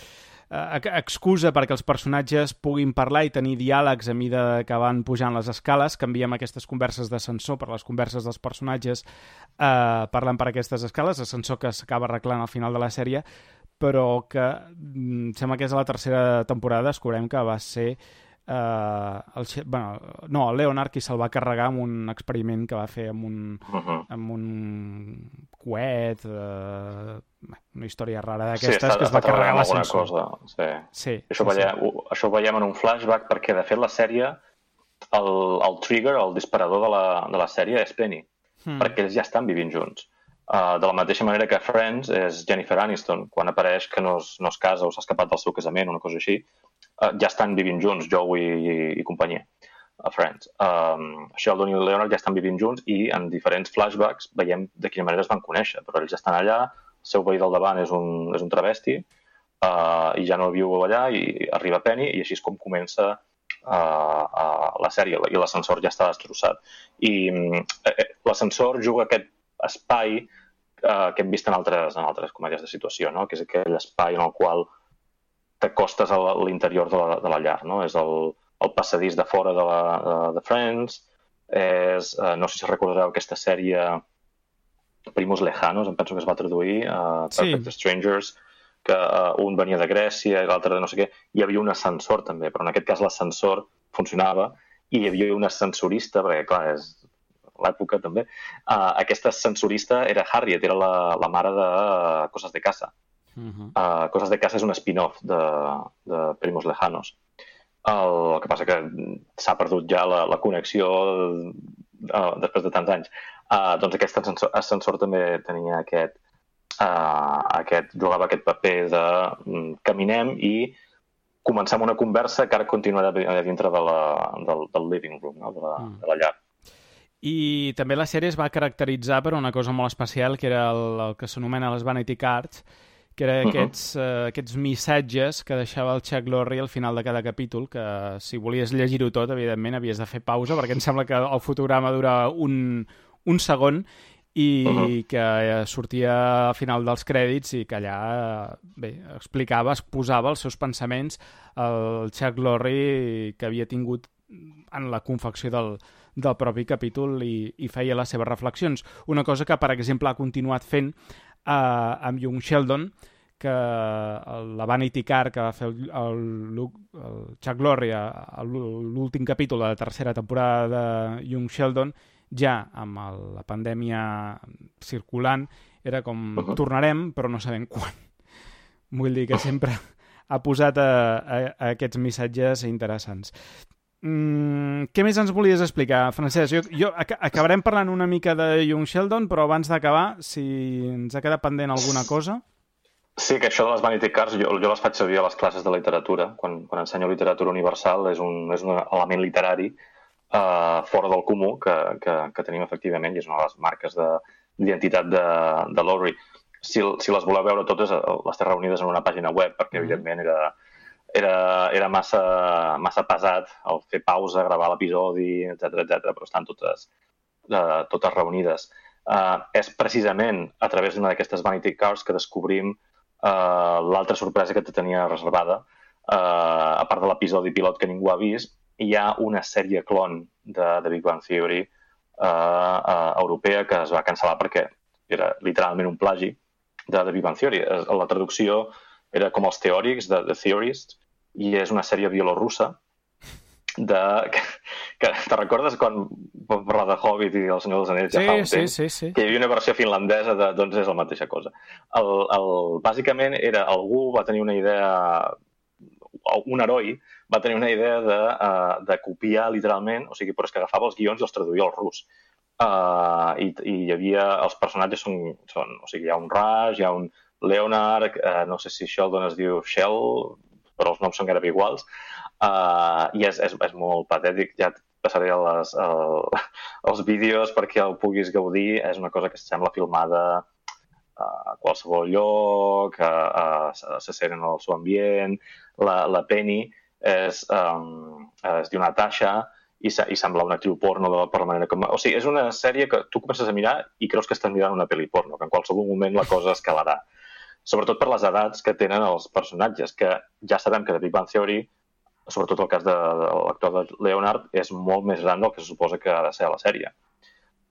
excusa perquè els personatges puguin parlar i tenir diàlegs a mida que van pujant les escales. Canviem aquestes converses d'ascensor per les converses dels personatges eh, parlant per aquestes escales, ascensor que s'acaba arreglant al final de la sèrie, però que mm, sembla que és a la tercera temporada, descobrem que va ser Uh, el, bueno, no, el Leonard qui se'l va carregar amb un experiment que va fer amb un, uh-huh. amb un coet, uh, una història rara d'aquestes, sí, que es va carregar l'ascensor. Sí. Sí, això, sí, veiem, sí. això ho veiem en un flashback perquè, de fet, la sèrie, el, el trigger, el disparador de la, de la sèrie és Penny, hmm. perquè ells ja estan vivint junts. Uh, de la mateixa manera que Friends és Jennifer Aniston, quan apareix que no es, no es casa o s'ha escapat del seu casament, una cosa així, uh, ja estan vivint junts, Joey i, i companyia, a Friends. Um, Sheldon i Leonard ja estan vivint junts i en diferents flashbacks veiem de quina manera es van conèixer, però ells estan allà, el seu veí del davant és un, és un travesti uh, i ja no viu allà i arriba Penny i així és com comença uh, uh, la sèrie i l'ascensor ja està destrossat. I uh, l'ascensor juga aquest espai eh, que hem vist en altres, en altres comèdies de situació, no? Que és aquell espai en el qual t'acostes a l'interior de, la, de la llar. No? És el, el passadís de fora de, la, de, de Friends, és, eh, no sé si recordareu aquesta sèrie Primos Lejanos, em penso que es va traduir, uh, Perfect sí. Strangers, que uh, un venia de Grècia i l'altre de no sé què. Hi havia un ascensor també, però en aquest cas l'ascensor funcionava i hi havia un ascensorista, perquè clar, és l'època també, uh, aquesta ascensorista era Harriet, era la, la mare de uh, Cosas de Casa. Uh-huh. uh, Cosas de Casa és un spin-off de, de Primos Lejanos. El, el que passa que s'ha perdut ja la, la connexió uh, després de tants anys. Uh, doncs aquest ascensor, ascensor també tenia aquest, uh, aquest, jugava aquest paper de um, caminem i començar una conversa que ara continuarà dintre de la, del, del living room, no? de, la, uh. de la llar. I també la sèrie es va caracteritzar per una cosa molt especial, que era el, el que s'anomena les Vanity Cards, que eren aquests, uh-huh. uh, aquests missatges que deixava el Chuck Lorre al final de cada capítol, que si volies llegir-ho tot, evidentment, havies de fer pausa, perquè em sembla que el fotograma dura un, un segon i uh-huh. que sortia al final dels crèdits i que allà bé, explicava, exposava els seus pensaments el Chuck Lorre que havia tingut en la confecció del, del propi capítol i, i feia les seves reflexions. Una cosa que, per exemple, ha continuat fent eh, amb Young Sheldon, que la Vanity Car que va fer el, el, el Chuck Lorre a l'últim capítol de la tercera temporada de Young Sheldon, ja amb el, la pandèmia circulant, era com uh-huh. tornarem, però no sabem quan. Vull dir que sempre ha posat a, a, a aquests missatges interessants. Mm, què més ens volies explicar, Francesc? Jo, jo ac acabarem parlant una mica de Young Sheldon, però abans d'acabar, si ens ha quedat pendent alguna cosa... Sí, que això de les Vanity Cards jo, jo les faig servir a les classes de literatura. Quan, quan ensenyo literatura universal és un, és un element literari uh, fora del comú que, que, que tenim efectivament i és una de les marques d'identitat de, de, de Lorre. Si, si les voleu veure totes, les té reunides en una pàgina web perquè evidentment era... Era, era massa, massa pesat el fer pausa, gravar l'episodi, etcètera, etcètera, però estan totes, uh, totes reunides. Uh, és precisament a través d'una d'aquestes Vanity Cards que descobrim uh, l'altra sorpresa que te tenia reservada. Uh, a part de l'episodi pilot que ningú ha vist, hi ha una sèrie clon de, de Big Bang Theory uh, uh, europea que es va cancel·lar perquè era literalment un plagi de, de Big Bang Theory. La traducció era com els teòrics, de The Theorists, i és una sèrie bielorussa de... Que, que te recordes quan vam parlar de Hobbit i El Senyor dels Anells ja sí, fa un sí, temps? Sí, sí. Que hi havia una versió finlandesa de... Doncs és la mateixa cosa. El, el, bàsicament era... Algú va tenir una idea... Un heroi va tenir una idea de, uh, de copiar literalment, o sigui, però és que agafava els guions i els traduïa al rus. Uh, i, I hi havia... Els personatges són... són o sigui, hi ha un Raj, hi ha un Leonard, uh, no sé si Sheldon es diu Shell, però els noms són gairebé iguals, uh, i és, és, és molt patètic. Ja et passaré les, el, els vídeos perquè el puguis gaudir. És una cosa que sembla filmada a qualsevol lloc, uh, uh, se sent en el seu ambient. La, la Penny és, um, es diu Natasha i, i sembla una actriu porno de, per la manera com... O sigui, és una sèrie que tu comences a mirar i creus que estàs mirant una pel·li porno, que en qualsevol moment la cosa escalarà. sobretot per les edats que tenen els personatges, que ja sabem que The Big Bang Theory, sobretot el cas de, de l'actor de Leonard, és molt més gran del que se suposa que ha de ser a la sèrie.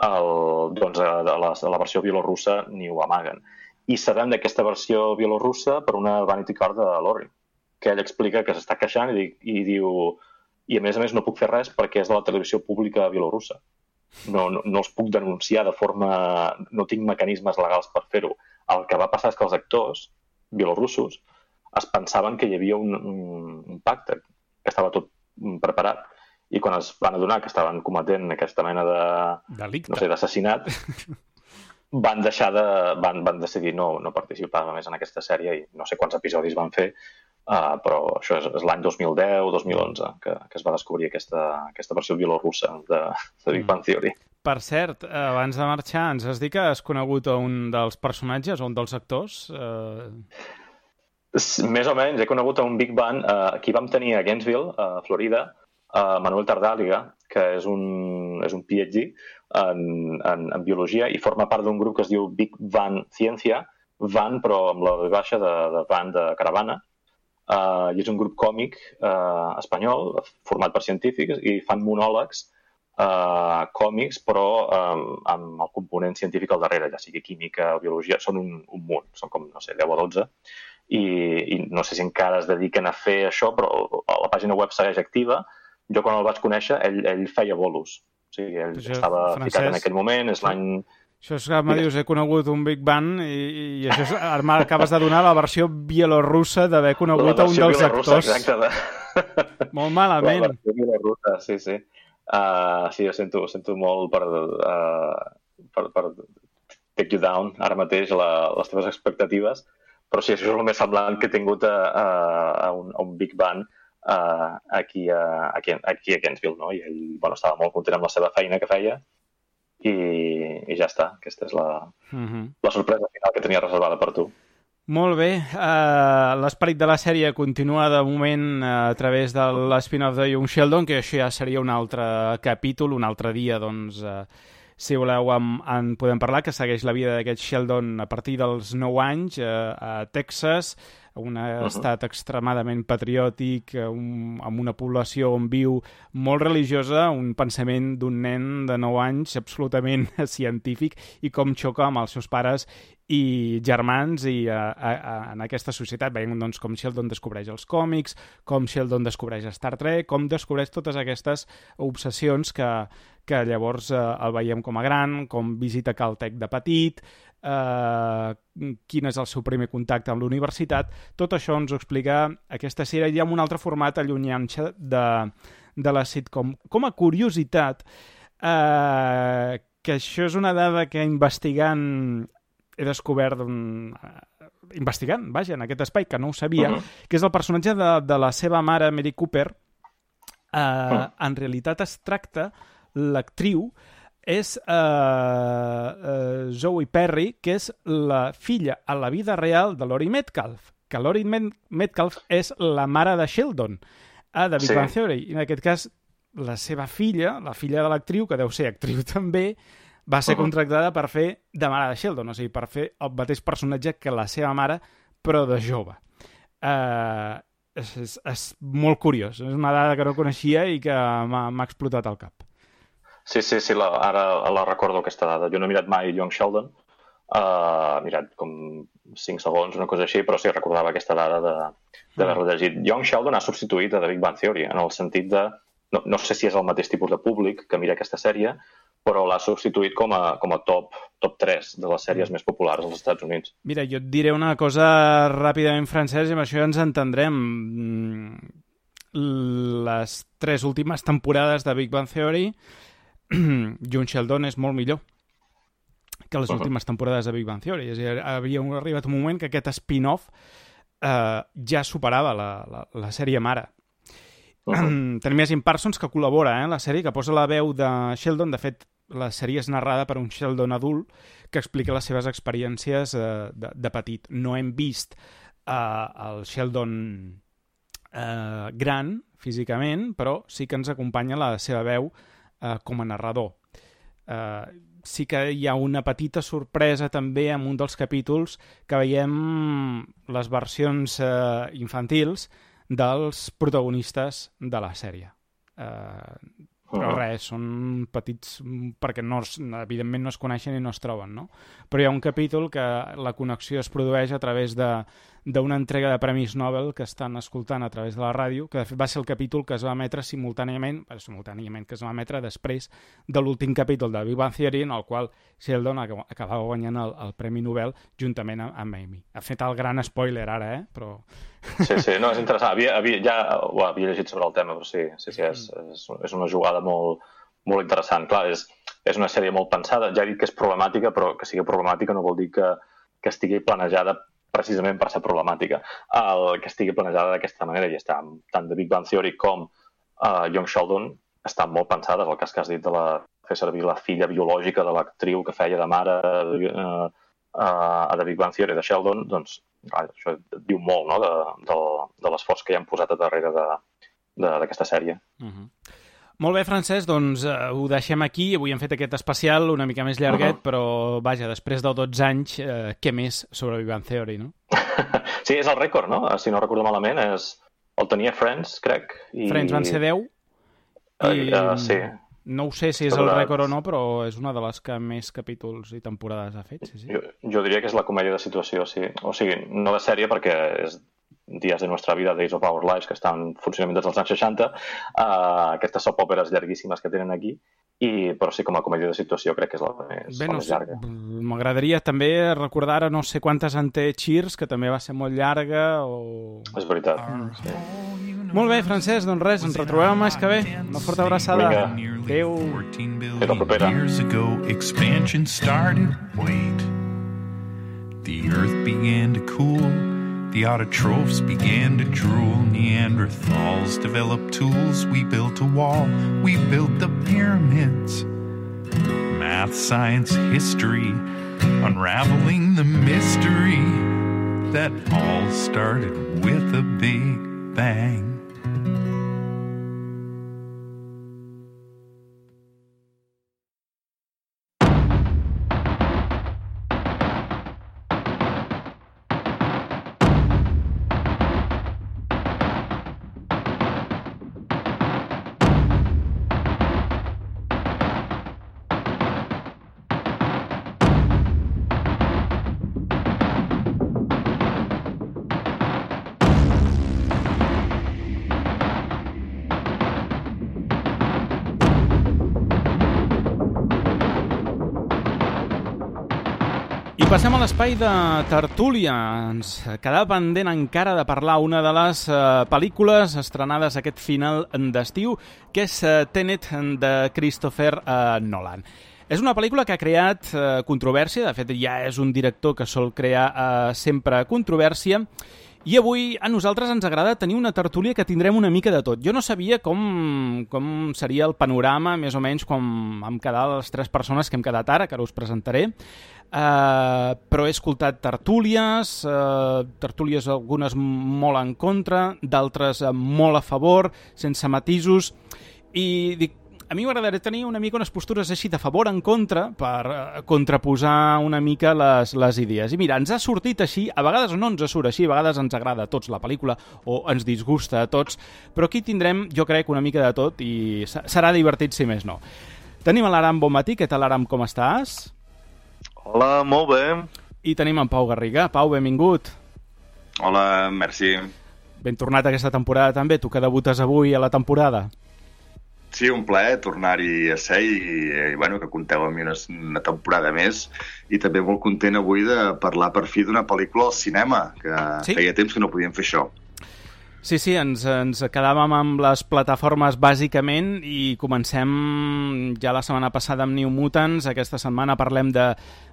El, doncs a la, a la versió bielorussa ni ho amaguen. I sabem d'aquesta versió bielorussa per una Vanity Card de Laurie, que ell explica que s'està queixant i, i diu i a més a més no puc fer res perquè és de la televisió pública bielorussa. No, no, no els puc denunciar de forma... No tinc mecanismes legals per fer-ho. El que va passar és que els actors bielorussos es pensaven que hi havia un, un, un pacte, que estava tot preparat. I quan es van adonar que estaven cometent aquesta mena de... Delicte. No sé, d'assassinat, van deixar de... Van, van decidir no, no participar més en aquesta sèrie i no sé quants episodis van fer, uh, però això és, és l'any dos mil deu dos mil onze que, que es va descobrir aquesta, aquesta versió bielorussa de, de Big Bang Theory. Per cert, abans de marxar, ens has dit que has conegut a un dels personatges o un dels actors? Uh... Més o menys, he conegut a un Big Bang. Uh, aquí vam tenir a Gainesville, a Florida, a Manuel Tardàliga, que és un, és un P H D en, en, en biologia i forma part d'un grup que es diu Big Van Ciencia, Van però amb la baixa de, de Van de Caravana, uh, i és un grup còmic uh, espanyol format per científics i fan monòlegs uh, còmics però um, amb el component científic al darrere, ja sigui química o biologia, són un, un munt, són com, no sé, deu o dotze. I, i no sé si encara es dediquen a fer això, però la pàgina web segueix activa. Jo quan el vaig conèixer, ell, ell feia bolos. O sigui, ell això, estava Francesc, ficat en aquell moment, és l'any... Això és que me dius, he conegut un Big Bang i, i això és, ara m'acabes de donar la versió bielorussa d'haver conegut a un dels actors. Exacte. De... Molt malament. La versió bielorussa, sí, sí. Uh, sí, ho sento, ho sento molt per, uh, per, per take you down ara mateix la, les teves expectatives. Però sí, això és el més semblant que he tingut a, a, a, un, a un Big Bang uh, aquí, a, aquí, aquí a Gainesville, no? I ell bueno, estava molt content amb la seva feina que feia i, i ja està. Aquesta és la, uh-huh. la sorpresa final que tenia reservada per tu. Molt bé. Uh, l'esperit de la sèrie continua de moment uh, a través de l'spin-off de Young Sheldon, que això ja seria un altre capítol, un altre dia, doncs... Uh, si voleu en, en podem parlar, que segueix la vida d'aquest Sheldon a partir dels nou anys eh, a Texas, un uh-huh. estat extremadament patriòtic, un, amb una població on viu molt religiosa, un pensament d'un nen de nou anys absolutament científic i com xoca amb els seus pares i germans i a, a, a, en aquesta societat veiem doncs, com Sheldon descobreix els còmics, com Sheldon descobreix Star Trek, com descobreix totes aquestes obsessions que, que llavors eh, el veiem com a gran, com visita Caltech de petit, eh, quin és el seu primer contacte amb la universitat. Tot això ens ho explica aquesta sèrie i amb un altre format allunyant-se de, de la sitcom. Com a curiositat, eh, que això és una dada que investigant he descobert un... investigant, vaja, en aquest espai, que no ho sabia, uh-huh. que és el personatge de, de la seva mare, Mary Cooper. Uh, uh-huh. En realitat es tracta, l'actriu és uh, uh, Zoe Perry, que és la filla a la vida real de Laurie Metcalf, que Laurie Metcalf és la mare de Sheldon, a The Big Bang Theory. I en aquest cas, la seva filla, la filla de l'actriu, que deu ser actriu també, va ser contractada per fer de mare de Sheldon, o sigui, per fer el mateix personatge que la seva mare, però de jove. Uh, és, és, és molt curiós, és una dada que no coneixia i que m'ha explotat al cap. Sí, sí, sí, la, ara la recordo aquesta dada. Jo no he mirat mai Young Sheldon, uh, he mirat com cinc segons, una cosa així, però sí, recordava aquesta dada de, de haver-la llegit. Young Sheldon ha substituït a The Big Bang Theory, en el sentit de... No, no sé si és el mateix tipus de públic que mira aquesta sèrie, però l'ha substituït com a, com a top, top tres de les sèries més populars als Estats Units. Mira, jo et diré una cosa ràpidament, Francesc, i amb això ja ens entendrem. Les tres últimes temporades de Big Bang Theory, Young Sheldon és molt millor que les uh-huh. últimes temporades de Big Bang Theory. És a dir, havia arribat un moment que aquest spin-off eh, ja superava la, la, la sèrie mare. Uh-huh. Tenim Jim Parsons, que col·labora eh, en la sèrie, que posa la veu de Sheldon. De fet, la sèrie és narrada per un Sheldon adult que explica les seves experiències eh, de, de petit. No hem vist eh, el Sheldon eh, gran, físicament, però sí que ens acompanya la seva veu eh, com a narrador. Eh, sí que hi ha una petita sorpresa també en un dels capítols que veiem les versions eh, infantils dels protagonistes de la sèrie. Eh, però res, són petits perquè no es, evidentment no es coneixen i no es troben, no? Però hi ha un capítol que la connexió es produeix a través de d'una entrega de Premis Nobel que estan escoltant a través de la ràdio, que de fet va ser el capítol que es va emetre simultàniament, simultàniament que es va emetre després de l'últim capítol de Big Bang Theory, en el qual Sheldon acabava guanyant el, el Premi Nobel juntament amb, amb Amy. Ha fet el gran spoiler ara, eh? Però... Sí, sí, no, és interessant. Havia, havia, ja ho havia llegit sobre el tema, però sí, sí, sí és, és, és una jugada molt, molt interessant. Clar, és, és una sèrie molt pensada. Ja he dit que és problemàtica, però que sigui problemàtica no vol dir que, que estigui planejada precisament per ser problemàtica. El que estigui planejada d'aquesta manera, i està tant de Big Bang Theory com uh, Young Sheldon, estan molt pensades. El cas que has dit de la, fer servir la filla biològica de l'actriu que feia de mare uh, uh, a The Big Bang Theory de Sheldon, doncs clar, això diu molt, no?, de, de, de l'esforç que hi han posat a darrere d'aquesta sèrie. Uh-huh. Molt bé, Francesc, doncs eh, ho deixem aquí. Avui hem fet aquest especial una mica més llarguet, uh-huh. però vaja, després de dotze anys, eh, què més sobre Big Bang Theory, no? Sí, és el rècord, no? Si no recordo malament, és... el tenia Friends, crec. I... Friends van ser deu. I... Uh, uh, sí. No ho sé si és el rècord o no, però és una de les que més capítols i temporades ha fet, sí, sí. Jo, jo diria que és la comèdia de situació, sí. O sigui, no de sèrie, perquè és Dies de Nuestra Vida, Days of Our Lives, que estan en funcionament des dels anys seixanta, uh, aquestes soap òperes llarguíssimes que tenen aquí, i, però sí, com a comèdia de situació crec que és la més, Bé, la no més sé, llarga. M'agradaria també recordar ara no sé quantes en té Cheers, que també va ser molt llarga, o... És veritat. Sí. Molt bé, Francesc, doncs res, ens retrobem el mes que ve. Una forta abraçada. Vinga. Adéu. Fins la propera. Years ago, expansion started. Wait. The earth began to cool. The autotrophs began to drool. Neanderthals developed tools. We built a wall. We built the pyramids. Math, science, history. Unraveling the mystery that all started with a big bang. Passem a l'espai de tertúlia. Ens quedava pendent encara de parlar una de les eh, pel·lícules estrenades aquest final d'estiu, que és eh, Tenet de Christopher eh, Nolan. És una pel·lícula que ha creat eh, controvèrsia, de fet ja és un director que sol crear eh, sempre controvèrsia, i avui a nosaltres ens agrada tenir una tertúlia que tindrem una mica de tot. Jo no sabia com, com seria el panorama, més o menys, com vam quedar les tres persones que hem quedat ara, que ara us presentaré, Uh, però he escoltat tertúlies, uh, tertúlies algunes molt en contra, d'altres uh, molt a favor, sense matisos, i dic, a mi m'agradaria tenir una mica unes postures així de favor en contra per uh, contraposar una mica les, les idees. I mira, ens ha sortit així, a vegades no ens surt així, a vegades ens agrada a tots la pel·lícula o ens disgusta a tots, però aquí tindrem, jo crec, una mica de tot i serà divertit si més no. Tenim l'Aram, bon matí, què tal Aram, com estàs? Hola, molt bé. I tenim en Pau Garriga. Pau, benvingut. Hola, merci. Ben tornat aquesta temporada també, tu que debutes avui a la temporada. Sí, un plaer tornar-hi a ser i, i bueno, que compteu amb mi una, una temporada més, i també molt content avui de parlar per fi d'una pel·lícula al cinema, que sí? Feia temps que no podíem fer això. Sí, sí, ens, ens quedàvem amb les plataformes bàsicament i comencem ja la setmana passada amb New Mutants, aquesta setmana parlem de,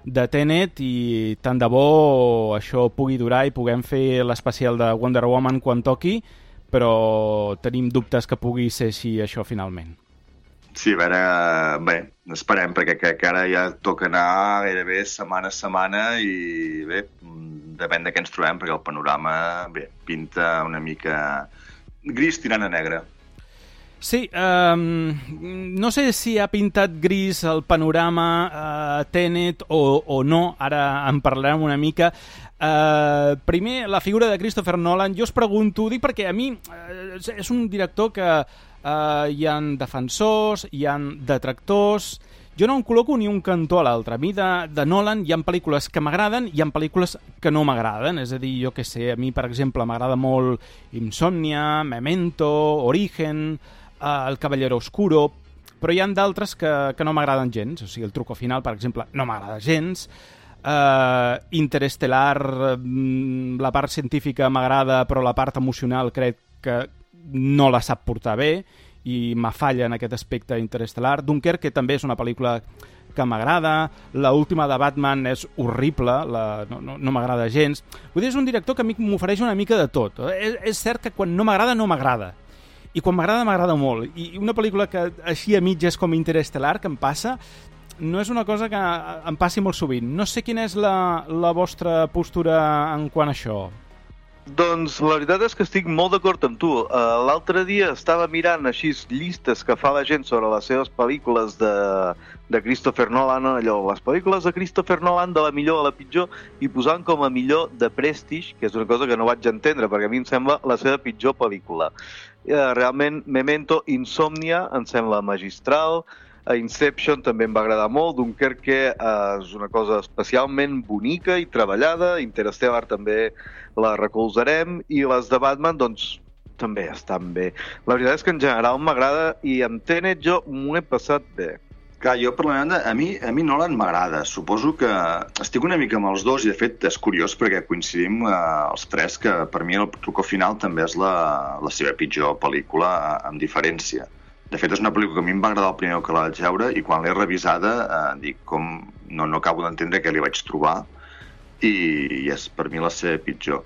de Tenet i tant de bo això pugui durar i puguem fer l'especial de Wonder Woman quan toqui, però tenim dubtes que pugui ser així això finalment. Sí, a veure, bé, esperem, perquè crec que ara ja toca anar gairebé setmana a setmana i bé, depèn de què ens trobem, perquè el panorama, bé, pinta una mica gris tirant a negre. Sí, um, no sé si ha pintat gris el panorama uh, Tenet o, o no, ara en parlarem una mica. Uh, primer, la figura de Christopher Nolan, jo us pregunto, dic perquè a mi uh, és un director que uh, hi ha defensors, hi ha detractors, jo no em col·loco ni un cantó a l'altre. A mi de, de Nolan hi ha pel·lícules que m'agraden i hi ha pel·lícules que no m'agraden. És a dir, jo què sé, a mi, per exemple, m'agrada molt Insomnia, Memento, Origen, uh, El Caballero Oscuro, però hi ha d'altres que, que no m'agraden gens. O sigui, El Truco Final, per exemple, no m'agrada gens. Uh, Interestelar, uh, la part científica m'agrada, però la part emocional crec que no la sap portar bé, i m'afalla en aquest aspecte Interestelar. Dunkerque també és una pel·lícula que m'agrada, l'última de Batman és horrible, la, no, no, no m'agrada gens. Vull dir, és un director que a mi m'ofereix una mica de tot. És, és cert que quan no m'agrada, no m'agrada. I quan m'agrada, m'agrada molt. I una pel·lícula que així a mitges com Interestelar, que em passa, no és una cosa que em passi molt sovint. No sé quina és la, la vostra postura en quant a això. Doncs la veritat és que estic molt d'acord amb tu. Uh, L'altre dia estava mirant així llistes que fa la gent sobre les seves pel·lícules de, de Christopher Nolan, allò, les pel·lícules de Christopher Nolan de la millor a la pitjor, i posant com a millor The Prestige, que és una cosa que no vaig entendre, perquè a mi em sembla la seva pitjor pel·lícula. Uh, realment, Memento, Insomnia, em sembla magistral, a Inception també em va agradar molt, Dunkerque uh, és una cosa especialment bonica i treballada, Interstellar també la recolzarem, i les de Batman doncs també estan bé. La veritat és que en general m'agrada, i amb Tenet jo m'ho he passat bé. Clar, jo per la banda, a mi, a mi Nolan m'agrada. Suposo que estic una mica amb els dos, i de fet és curiós perquè coincidim eh, els tres que per mi El Truco Final també és la, la seva pitjor pel·lícula, amb diferència. De fet, és una pel·lícula que a mi em va agradar el primer que la vaig veure, i quan l'he revisada eh, dic, com no, no acabo d'entendre què li vaig trobar, i, i és per mi la seva pitjor.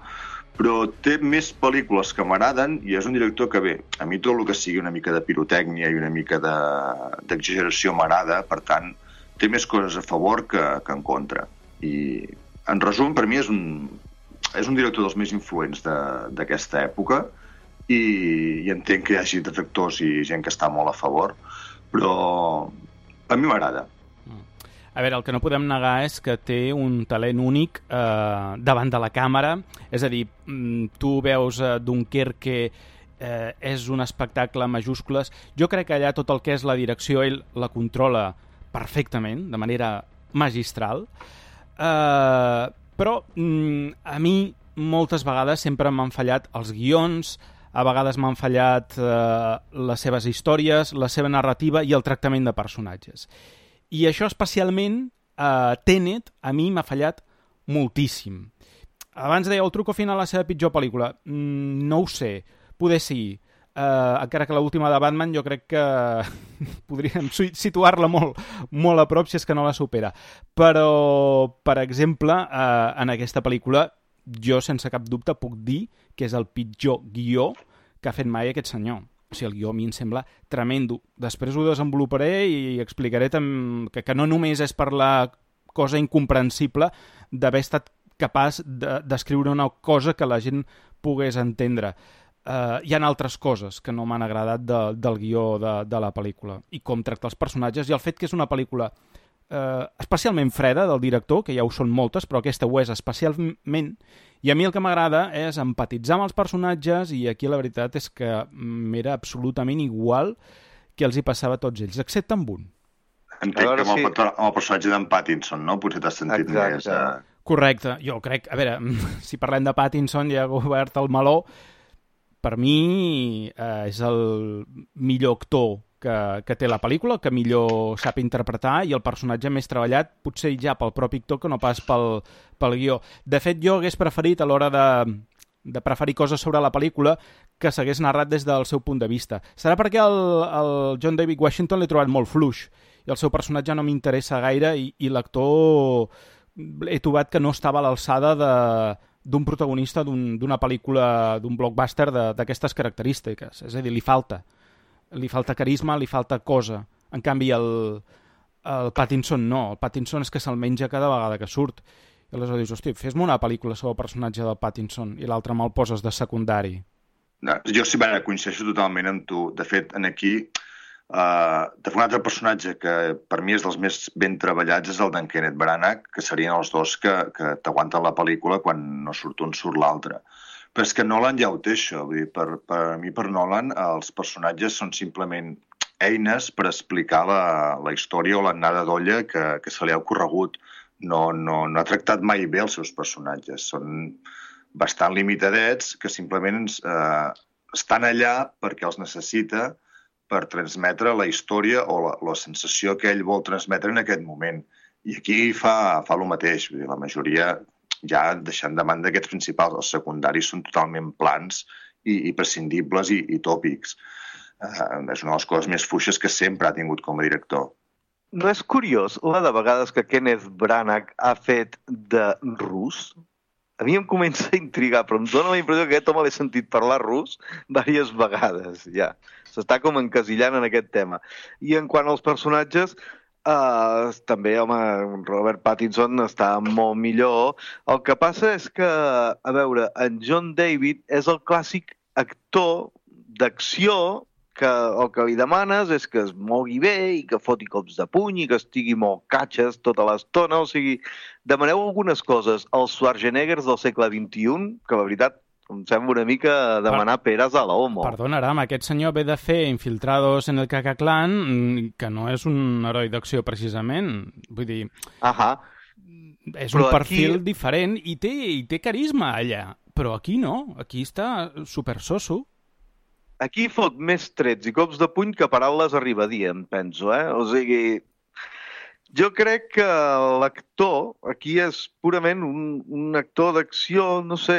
Però té més pel·lícules que m'agraden, i és un director que, bé, a mi tot el que sigui una mica de pirotècnia i una mica d'exageració m'agrada, per tant, té més coses a favor que, que en contra. I, en resum, per mi és un, és un director dels més influents d'aquesta època, i, i entenc que hi hagi detractors i gent que està molt a favor, però a mi m'agrada. A veure, el que no podem negar és que té un talent únic eh, davant de la càmera, és a dir, tu veus eh, Dunkerque, eh, és un espectacle en majúscules. Jo crec que allà tot el que és la direcció ell la controla perfectament, de manera magistral, eh, però mm, a mi moltes vegades sempre m'han fallat els guions, a vegades m'han fallat eh, les seves històries, la seva narrativa i el tractament de personatges. I això especialment, eh, Tenet, a mi m'ha fallat moltíssim. Abans deia El Truco Final, la seva pitjor pel·lícula. Mm, no ho sé, poder sí. Eh, encara que l'última de Batman jo crec que podríem situar-la molt, molt a prop si és que no la supera. Però, per exemple, eh, en aquesta pel·lícula jo sense cap dubte puc dir que és el pitjor guió que ha fet mai aquest senyor. O sigui, el guió a mi em sembla tremendo. Després ho desenvoluparé i explicaré que, que no només és per la cosa incomprensible d'haver estat capaç d'escriure una cosa que la gent pogués entendre. Uh, hi ha altres coses que no m'han agradat de, del guió de, de la pel·lícula, i com tracta els personatges, i el fet que és una pel·lícula Uh, especialment freda del director, que ja ho són moltes, però aquesta ho és especialment, i a mi el que m'agrada és empatitzar amb els personatges, i aquí la veritat és que m'era absolutament igual que els hi passava a tots ells, excepte amb un. Entenc que amb, sí. el, amb el personatge d'en Pattinson, no? Potser t'has sentit Exacte. més... Uh... Correcte, jo crec, a veure, si parlem de Pattinson ja ha obert el meló, per mi uh, és el millor actor Que, que té la pel·lícula, que millor sap interpretar, i el personatge més treballat potser ja pel propi actor que no pas pel, pel guió. De fet, jo hagués preferit a l'hora de, de preferir coses sobre la pel·lícula que s'hagués narrat des del seu punt de vista. Serà perquè el, el John David Washington l'he trobat molt fluix i el seu personatge no m'interessa gaire, i, i l'actor he trobat que no estava a l'alçada de d'un protagonista d'una un, pel·lícula, d'un blockbuster d'aquestes característiques. És a dir, li falta. Li falta carisma, li falta cosa. En canvi, el, el Pattinson no. El Pattinson és que se'l menja cada vegada que surt. I aleshores dius, hosti, fes-me una pel·lícula sobre el personatge del Pattinson i l'altre me'l poses de secundari. No, jo sí, bueno, coincideixo totalment amb tu. De fet, en aquí, uh, de un altre personatge que per mi és dels més ben treballats és el d'en Kenneth Branagh, que serien els dos que, que t'aguanten la pel·lícula quan no surt un, surt l'altre. Però és que Nolan ja ho té, això. Vull dir, per, per mi, per Nolan, els personatges són simplement eines per explicar la, la història o l'anada d'olla que, que se li ha ocorregut. No, no, no ha tractat mai bé els seus personatges. Són bastant limitadets que simplement eh, estan allà perquè els necessita per transmetre la història o la, la sensació que ell vol transmetre en aquest moment. I aquí fa, fa el mateix. Vull dir, la majoria, ja deixant de banda aquests principals, els secundaris són totalment plans i, i prescindibles i, i tòpics. Eh, és una de les coses més fluixes que sempre ha tingut com a director. No és curiós la de vegades que Kenneth Branagh ha fet de rus? A mi em comença a intrigar, però em dóna la impressió que aquest home l'he sentit parlar rus diverses vegades, ja. S'està com encasillant en aquest tema. I en quant als personatges, eh, també, home, Robert Pattinson està molt millor. El que passa és que, a veure, en John David és el clàssic actor d'acció que el que li demanes és que es mogui bé i que foti cops de puny i que estigui molt catxes tota l'estona. O sigui, demaneu algunes coses als Schwarzeneggers del segle vint-i-un que, la veritat, em sembla una mica demanar per... peres a la homo. Perdona, Aram, aquest senyor ve de fer Infiltrados en el Ku Klux Klan, que no és un heroi d'acció, precisament. Vull dir... Ahà. És un però perfil aquí... diferent i té, i té carisma allà. Però aquí no, aquí està supersoso. Aquí fot més trets i cops de puny que paraules arriba a dir, em penso, eh? O sigui, jo crec que l'actor aquí és purament un, un actor d'acció, no sé,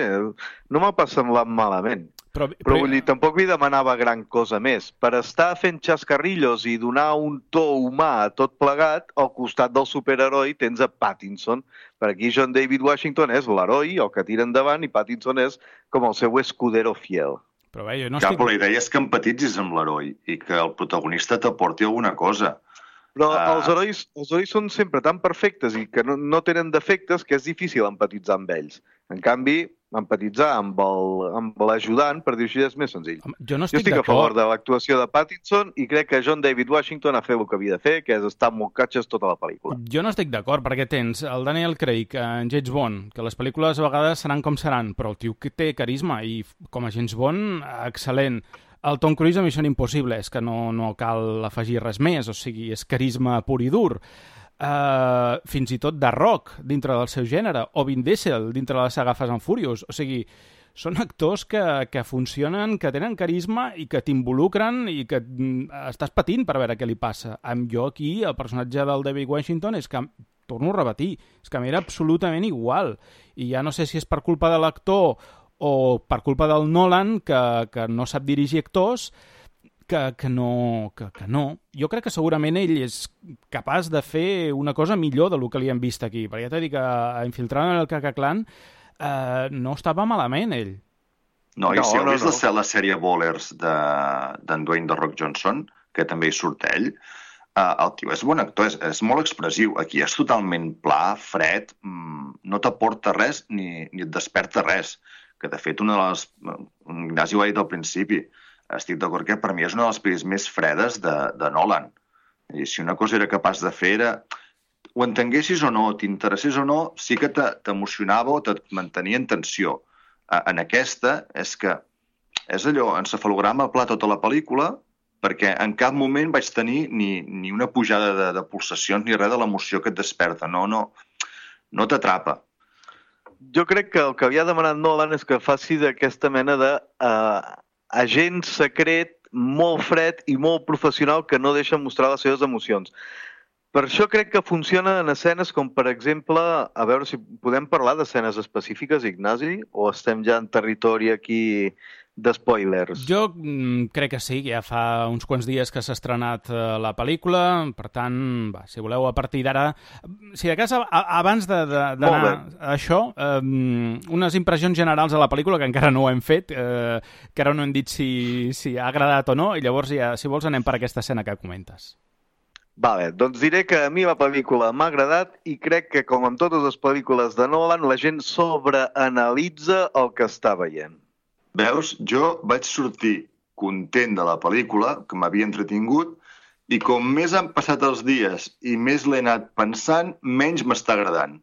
no m'ha pas semblat malament. Però, però... però vull dir, tampoc li demanava gran cosa més. Per estar fent xascarrillos i donar un to humà a tot plegat, al costat del superheroi tens a Pattinson. Per aquí John David Washington és l'heroi, el que tira endavant, i Pattinson és com el seu escudero fiel. Però bé, jo no Clar, estic... però la idea és que empatitzis amb l'heroi i que el protagonista t'aporti alguna cosa. Però uh... els, herois, els herois són sempre tan perfectes i que no, no tenen defectes que és difícil empatitzar amb ells. En canvi, empatitzar amb el- amb l'ajudant, per dir-ho així, és més senzill. Jo no Jo estic estic a favor d'acord. de l'actuació de Pattinson i crec que John David Washington ha fet el que havia de fer, que és estar molt catxes tota la pel·lícula. Jo no estic d'acord, perquè tens el Daniel Craig en James Bond, que les pel·lícules a vegades seran com seran, però el tio que té carisma i com a James Bond, excel·lent. El Tom Cruise a Missió Impossible, és que no, no cal afegir res més, o sigui, és carisma pur i dur. Uh, fins i tot The Rock, dintre del seu gènere, o Vin Diesel, dintre de la saga Fast and Furious. O sigui, són actors que, que funcionen, que tenen carisma i que t'involucren i que mm, estàs patint per veure què li passa. Amb jo aquí, el personatge del David Washington, és que, torno a repetir, és que m'era absolutament igual. I ja no sé si és per culpa de l'actor o per culpa del Nolan, que, que no sap dirigir actors, que, que, no, que, que no. Jo crec que segurament ell és capaç de fer una cosa millor del que li hem vist aquí. Perquè ja t'he dit que a Infiltrado en el Ku Klux Klan eh, no estava malament, ell. No, i No, si heu no, vist no. la, la sèrie Ballers de- d'en Dwayne The Rock Johnson, que també hi surt ell, eh, el tio és bon actor, és, és molt expressiu. Aquí és totalment pla, fred, mm, no t'aporta res ni, ni et desperta res. Que, de fet, una de les... Ignasi ho ha dit al principi. Estic d'acord que per mi és una de les pel·lis més fredes de, de Nolan. I si una cosa era capaç de fer era... Ho entenguessis o no, t'interessés o no, sí que te- t'emocionava o te mantenia en tensió. Eh, En aquesta és que és allò, encefalograma pla tota la pel·lícula, perquè en cap moment vaig tenir ni, ni una pujada de, de pulsacions ni res de l'emoció que et desperta. No, no, no t'atrapa. Jo crec que el que havia demanat Nolan és que faci d'aquesta mena de uh, agent secret molt fred i molt professional que no deixa mostrar les seves emocions. Per això crec que funciona en escenes com, per exemple, a veure si podem parlar d'escenes específiques, Ignasi, o estem ja en territori aquí de spoilers? Jo mm, crec que sí, que ja fa uns quants dies que s'ha estrenat eh, la pel·lícula, per tant, va, si voleu a partir d'ara... Si de cas, a, a, abans de- de- d'anar a això, eh, unes impressions generals de la pel·lícula, que encara no ho hem fet, eh, que ara no hem dit si, si ha agradat o no, i llavors ja, si vols, anem per aquesta escena que comentes. Vale, doncs diré que a mi la pel·lícula m'ha agradat i crec que, com amb totes les pel·lícules de Nolan, la gent sobreanalitza el que està veient. Veus, jo vaig sortir content de la pel·lícula, que m'havia entretingut, i com més han passat els dies i més l'he anat pensant, menys m'està agradant.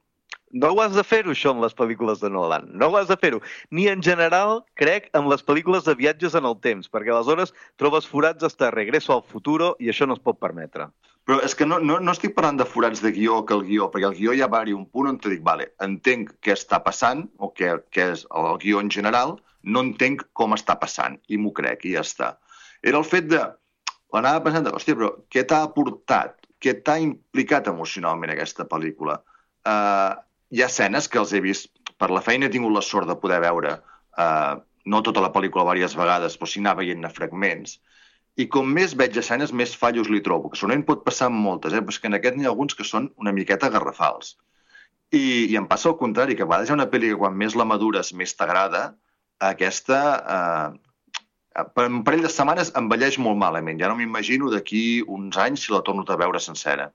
No ho has de fer-ho, això, amb les pel·lícules de Nolan. No ho has de fer-ho. Ni en general, crec, amb les pel·lícules de viatges en el temps, perquè aleshores trobes forats hasta Regreso al futuro i això no es pot permetre. Però és que no, no, no estic parlant de forats de guió que el guió, perquè el guió ja va haver-hi un punt on te dic, vale, entenc què està passant, o què, què és el guió en general, no entenc com està passant, i m'ho crec, i ja està. Era el fet de... L'anava pensant, hòstia, però què t'ha aportat? Què t'ha implicat emocionalment aquesta pel·lícula? Uh, hi ha escenes que els he vist, per la feina he tingut la sort de poder veure, uh, no tota la pel·lícula diverses vegades, però sí anar veient fragments, i com més veig escenes, més fallos li trobo, que segurament pot passar amb moltes, eh? Però és que en aquest n'hi ha alguns que són una miqueta garrafals. I, i em passa el contrari, que a vegades hi ha una pel·li que quan més la madures, més t'agrada, aquesta... Uh, per un parell de setmanes envelleix molt malament. Ja no m'imagino d'aquí uns anys si la torno a veure sencera.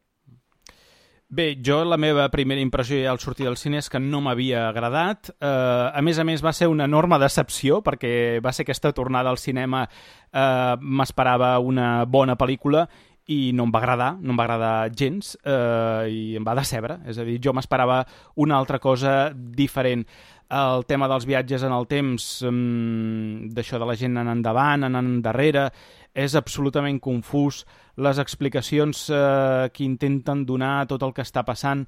Bé, jo la meva primera impressió al sortir del cine és que no m'havia agradat. Uh, a més a més va ser una enorme decepció perquè va ser aquesta tornada al cinema, uh, m'esperava una bona pel·lícula i no em va agradar, no em va agradar gens uh, i em va decebre. És a dir, jo m'esperava una altra cosa diferent. El tema dels viatges en el temps, um, d'això de la gent anant endavant, anant endarrere, és absolutament confús. Les explicacions eh, que intenten donar tot el que està passant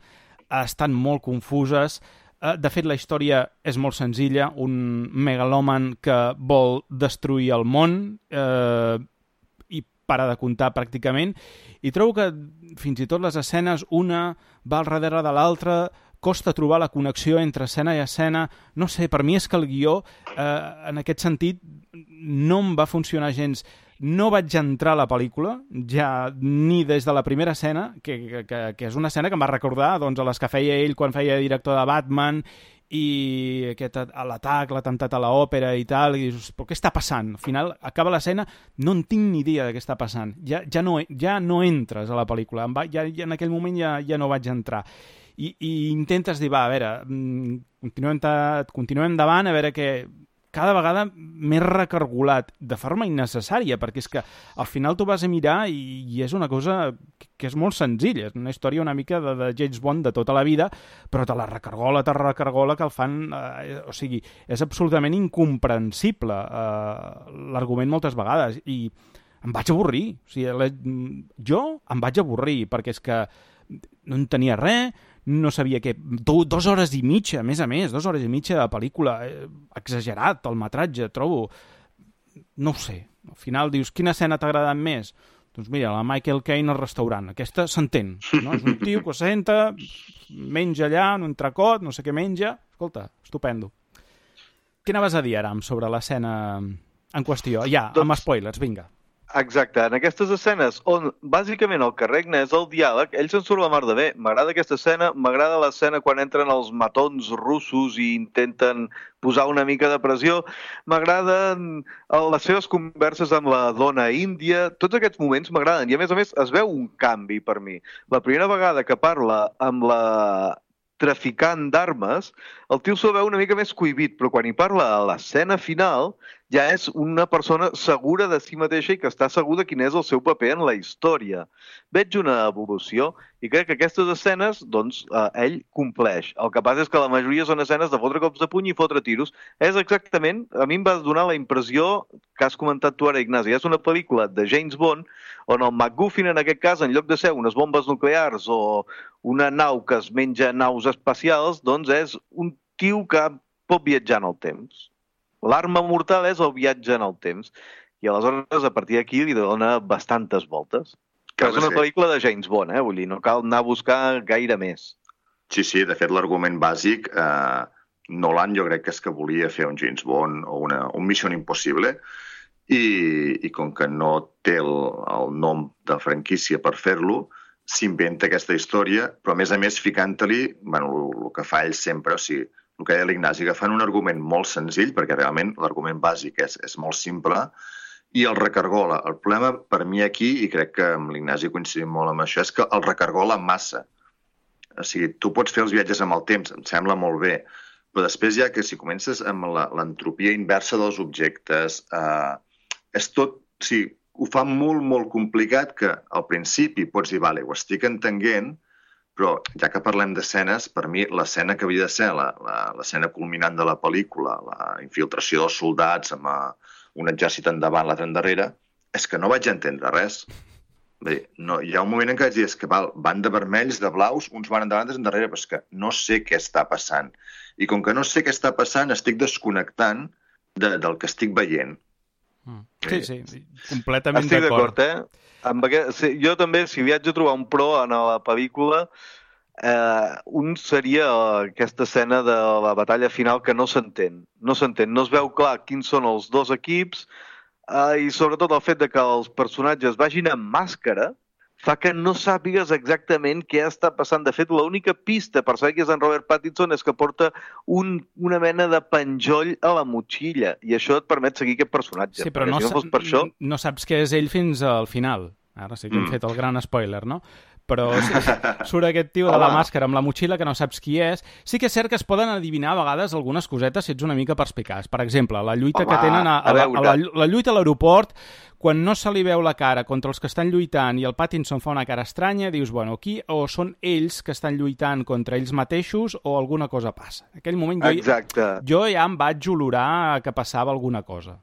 estan molt confuses. Eh, de fet, la història és molt senzilla. Un megalòman que vol destruir el món eh, i para de comptar pràcticament. I trobo que fins i tot les escenes, una va al darrere de l'altra, costa trobar la connexió entre escena i escena. No sé, per mi és que el guió, eh, en aquest sentit, no em va funcionar gens. No vaig entrar a la pel·lícula, ja ni des de la primera escena, que, que, que és una escena que em va recordar doncs, a les que feia ell quan feia director de Batman i aquest, l'atac, l'atemptat a l'òpera i tal, i dius, però què està passant? Al final, acaba l'escena, no en tinc ni idea de què està passant. Ja, ja, no, ja no entres a la pel·lícula. Va, ja, ja en aquell moment ja, ja no vaig entrar. I, i intentes dir, va, a veure, continuem, continuem endavant, a veure què... cada vegada més recargolat, de forma innecessària, perquè és que al final tu vas a mirar i, i és una cosa que és molt senzilla, és una història una mica de, de James Bond de tota la vida, però te la recargola, te la recargola, que el fan... Eh, o sigui, és absolutament incomprensible eh, l'argument moltes vegades, i em vaig avorrir. O sigui, la, jo em vaig avorrir, perquè és que no en tenia res, no sabia què... Do, dos hores i mitja, a més a més, dos hores i mitja de pel·lícula. Eh, exagerat, el metratge, trobo. No ho sé. Al final dius, quina escena t'ha agradat més? Doncs mira, la Michael Caine al restaurant. Aquesta s'entén, no? És un tio que senta, menja allà, un entrecot, no sé què menja. Escolta, estupendo. Què anaves a dir, Aram, sobre l'escena en qüestió? Ja, doncs... amb spoilers, vinga. Exacte, en aquestes escenes on bàsicament el que regna és el diàleg, ell se'n surt la mar de bé. M'agrada aquesta escena, m'agrada l'escena quan entren els matons russos i intenten posar una mica de pressió, m'agraden les seves converses amb la dona índia, tots aquests moments m'agraden i a més a més es veu un canvi per mi. La primera vegada que parla amb la traficant d'armes, el tio s'ho veu una mica més cohibit, però quan hi parla a l'escena final ja és una persona segura de si mateixa i que està segura quin és el seu paper en la història. Veig una evolució i crec que aquestes escenes, doncs, eh, ell compleix. El que passa és que la majoria són escenes de fotre cops de puny i fotre tiros. És exactament, a mi em va donar la impressió que has comentat tu ara, Ignasi. És una pel·lícula de James Bond on el MacGuffin, en aquest cas, en lloc de ser unes bombes nuclears o una nau que es menja naus espacials, doncs és un tio que pot viatjar en el temps. L'arma mortal és el viatge en el temps. I aleshores, a partir d'aquí, li dona bastantes voltes. Que és una pel·lícula de James Bond, eh? Vull dir, no cal anar a buscar gaire més. Sí, sí, de fet, l'argument bàsic, eh, Nolan jo crec que és que volia fer un James Bond o una, un Mission Impossible i, i com que no té el, el nom de franquícia per fer-lo, s'inventa aquesta història, però a més a més ficant-li, bueno, el, el que fa ell sempre, o sigui, el que deia l'Ignasi, que fan un argument molt senzill, perquè realment l'argument bàsic és, és molt simple, i el recargola. El problema per mi aquí, i crec que amb l'Ignasi coincidim molt amb això, és que el recargola massa. O sigui, tu pots fer els viatges amb el temps, em sembla molt bé, Però després ja que si comences amb l'entropia inversa dels objectes, eh, és tot... O sigui, ho fa molt, molt complicat que al principi pots dir, vale, ho estic entenent, però ja que parlem d'escenes, per mi l'escena que havia de ser l'escena culminant de la pel·lícula, la infiltració dels soldats amb un exèrcit endavant, l'altre endarrere, és que no vaig entendre res. Bé, no, hi ha un moment en què vaig dir, és que val, van de vermells, de blaus, uns van endavant, altres endarrere, però és que no sé què està passant. I com que no sé què està passant, estic desconnectant de, del que estic veient. Mm. Sí, sí, completament estic d'acord. d'acord, eh? Amb aquest, sí, jo també, si haig de trobar un pro en la pel·lícula, eh, un seria aquesta escena de la batalla final que no s'entén. No s'entén, no es veu clar quins són els dos equips, Uh, i sobretot el fet de que els personatges vagin amb màscara fa que no sàpigues exactament què està passant. De fet, l'única pista per saber que és en Robert Pattinson és que porta un, una mena de penjoll a la motxilla i això et permet seguir aquest personatge. Sí, però no, si no, fos per això... no saps què és ell fins al final. Ara sí que hem mm. fet el gran spoiler, no? Però surt aquest tio de la màscara amb la motxilla que no saps qui és. Sí que és cert que es poden adivinar a vegades algunes cosetes si ets una mica perspicaç. Per exemple, la lluita Home, que tenen a, a, la, a la, la lluita a l'aeroport, quan no se li veu la cara contra els que estan lluitant i el Pattinson fa una cara estranya, dius, bueno, aquí o són ells que estan lluitant contra ells mateixos o alguna cosa passa. En aquell moment jo, Exacte. jo ja em vaig olorar que passava alguna cosa.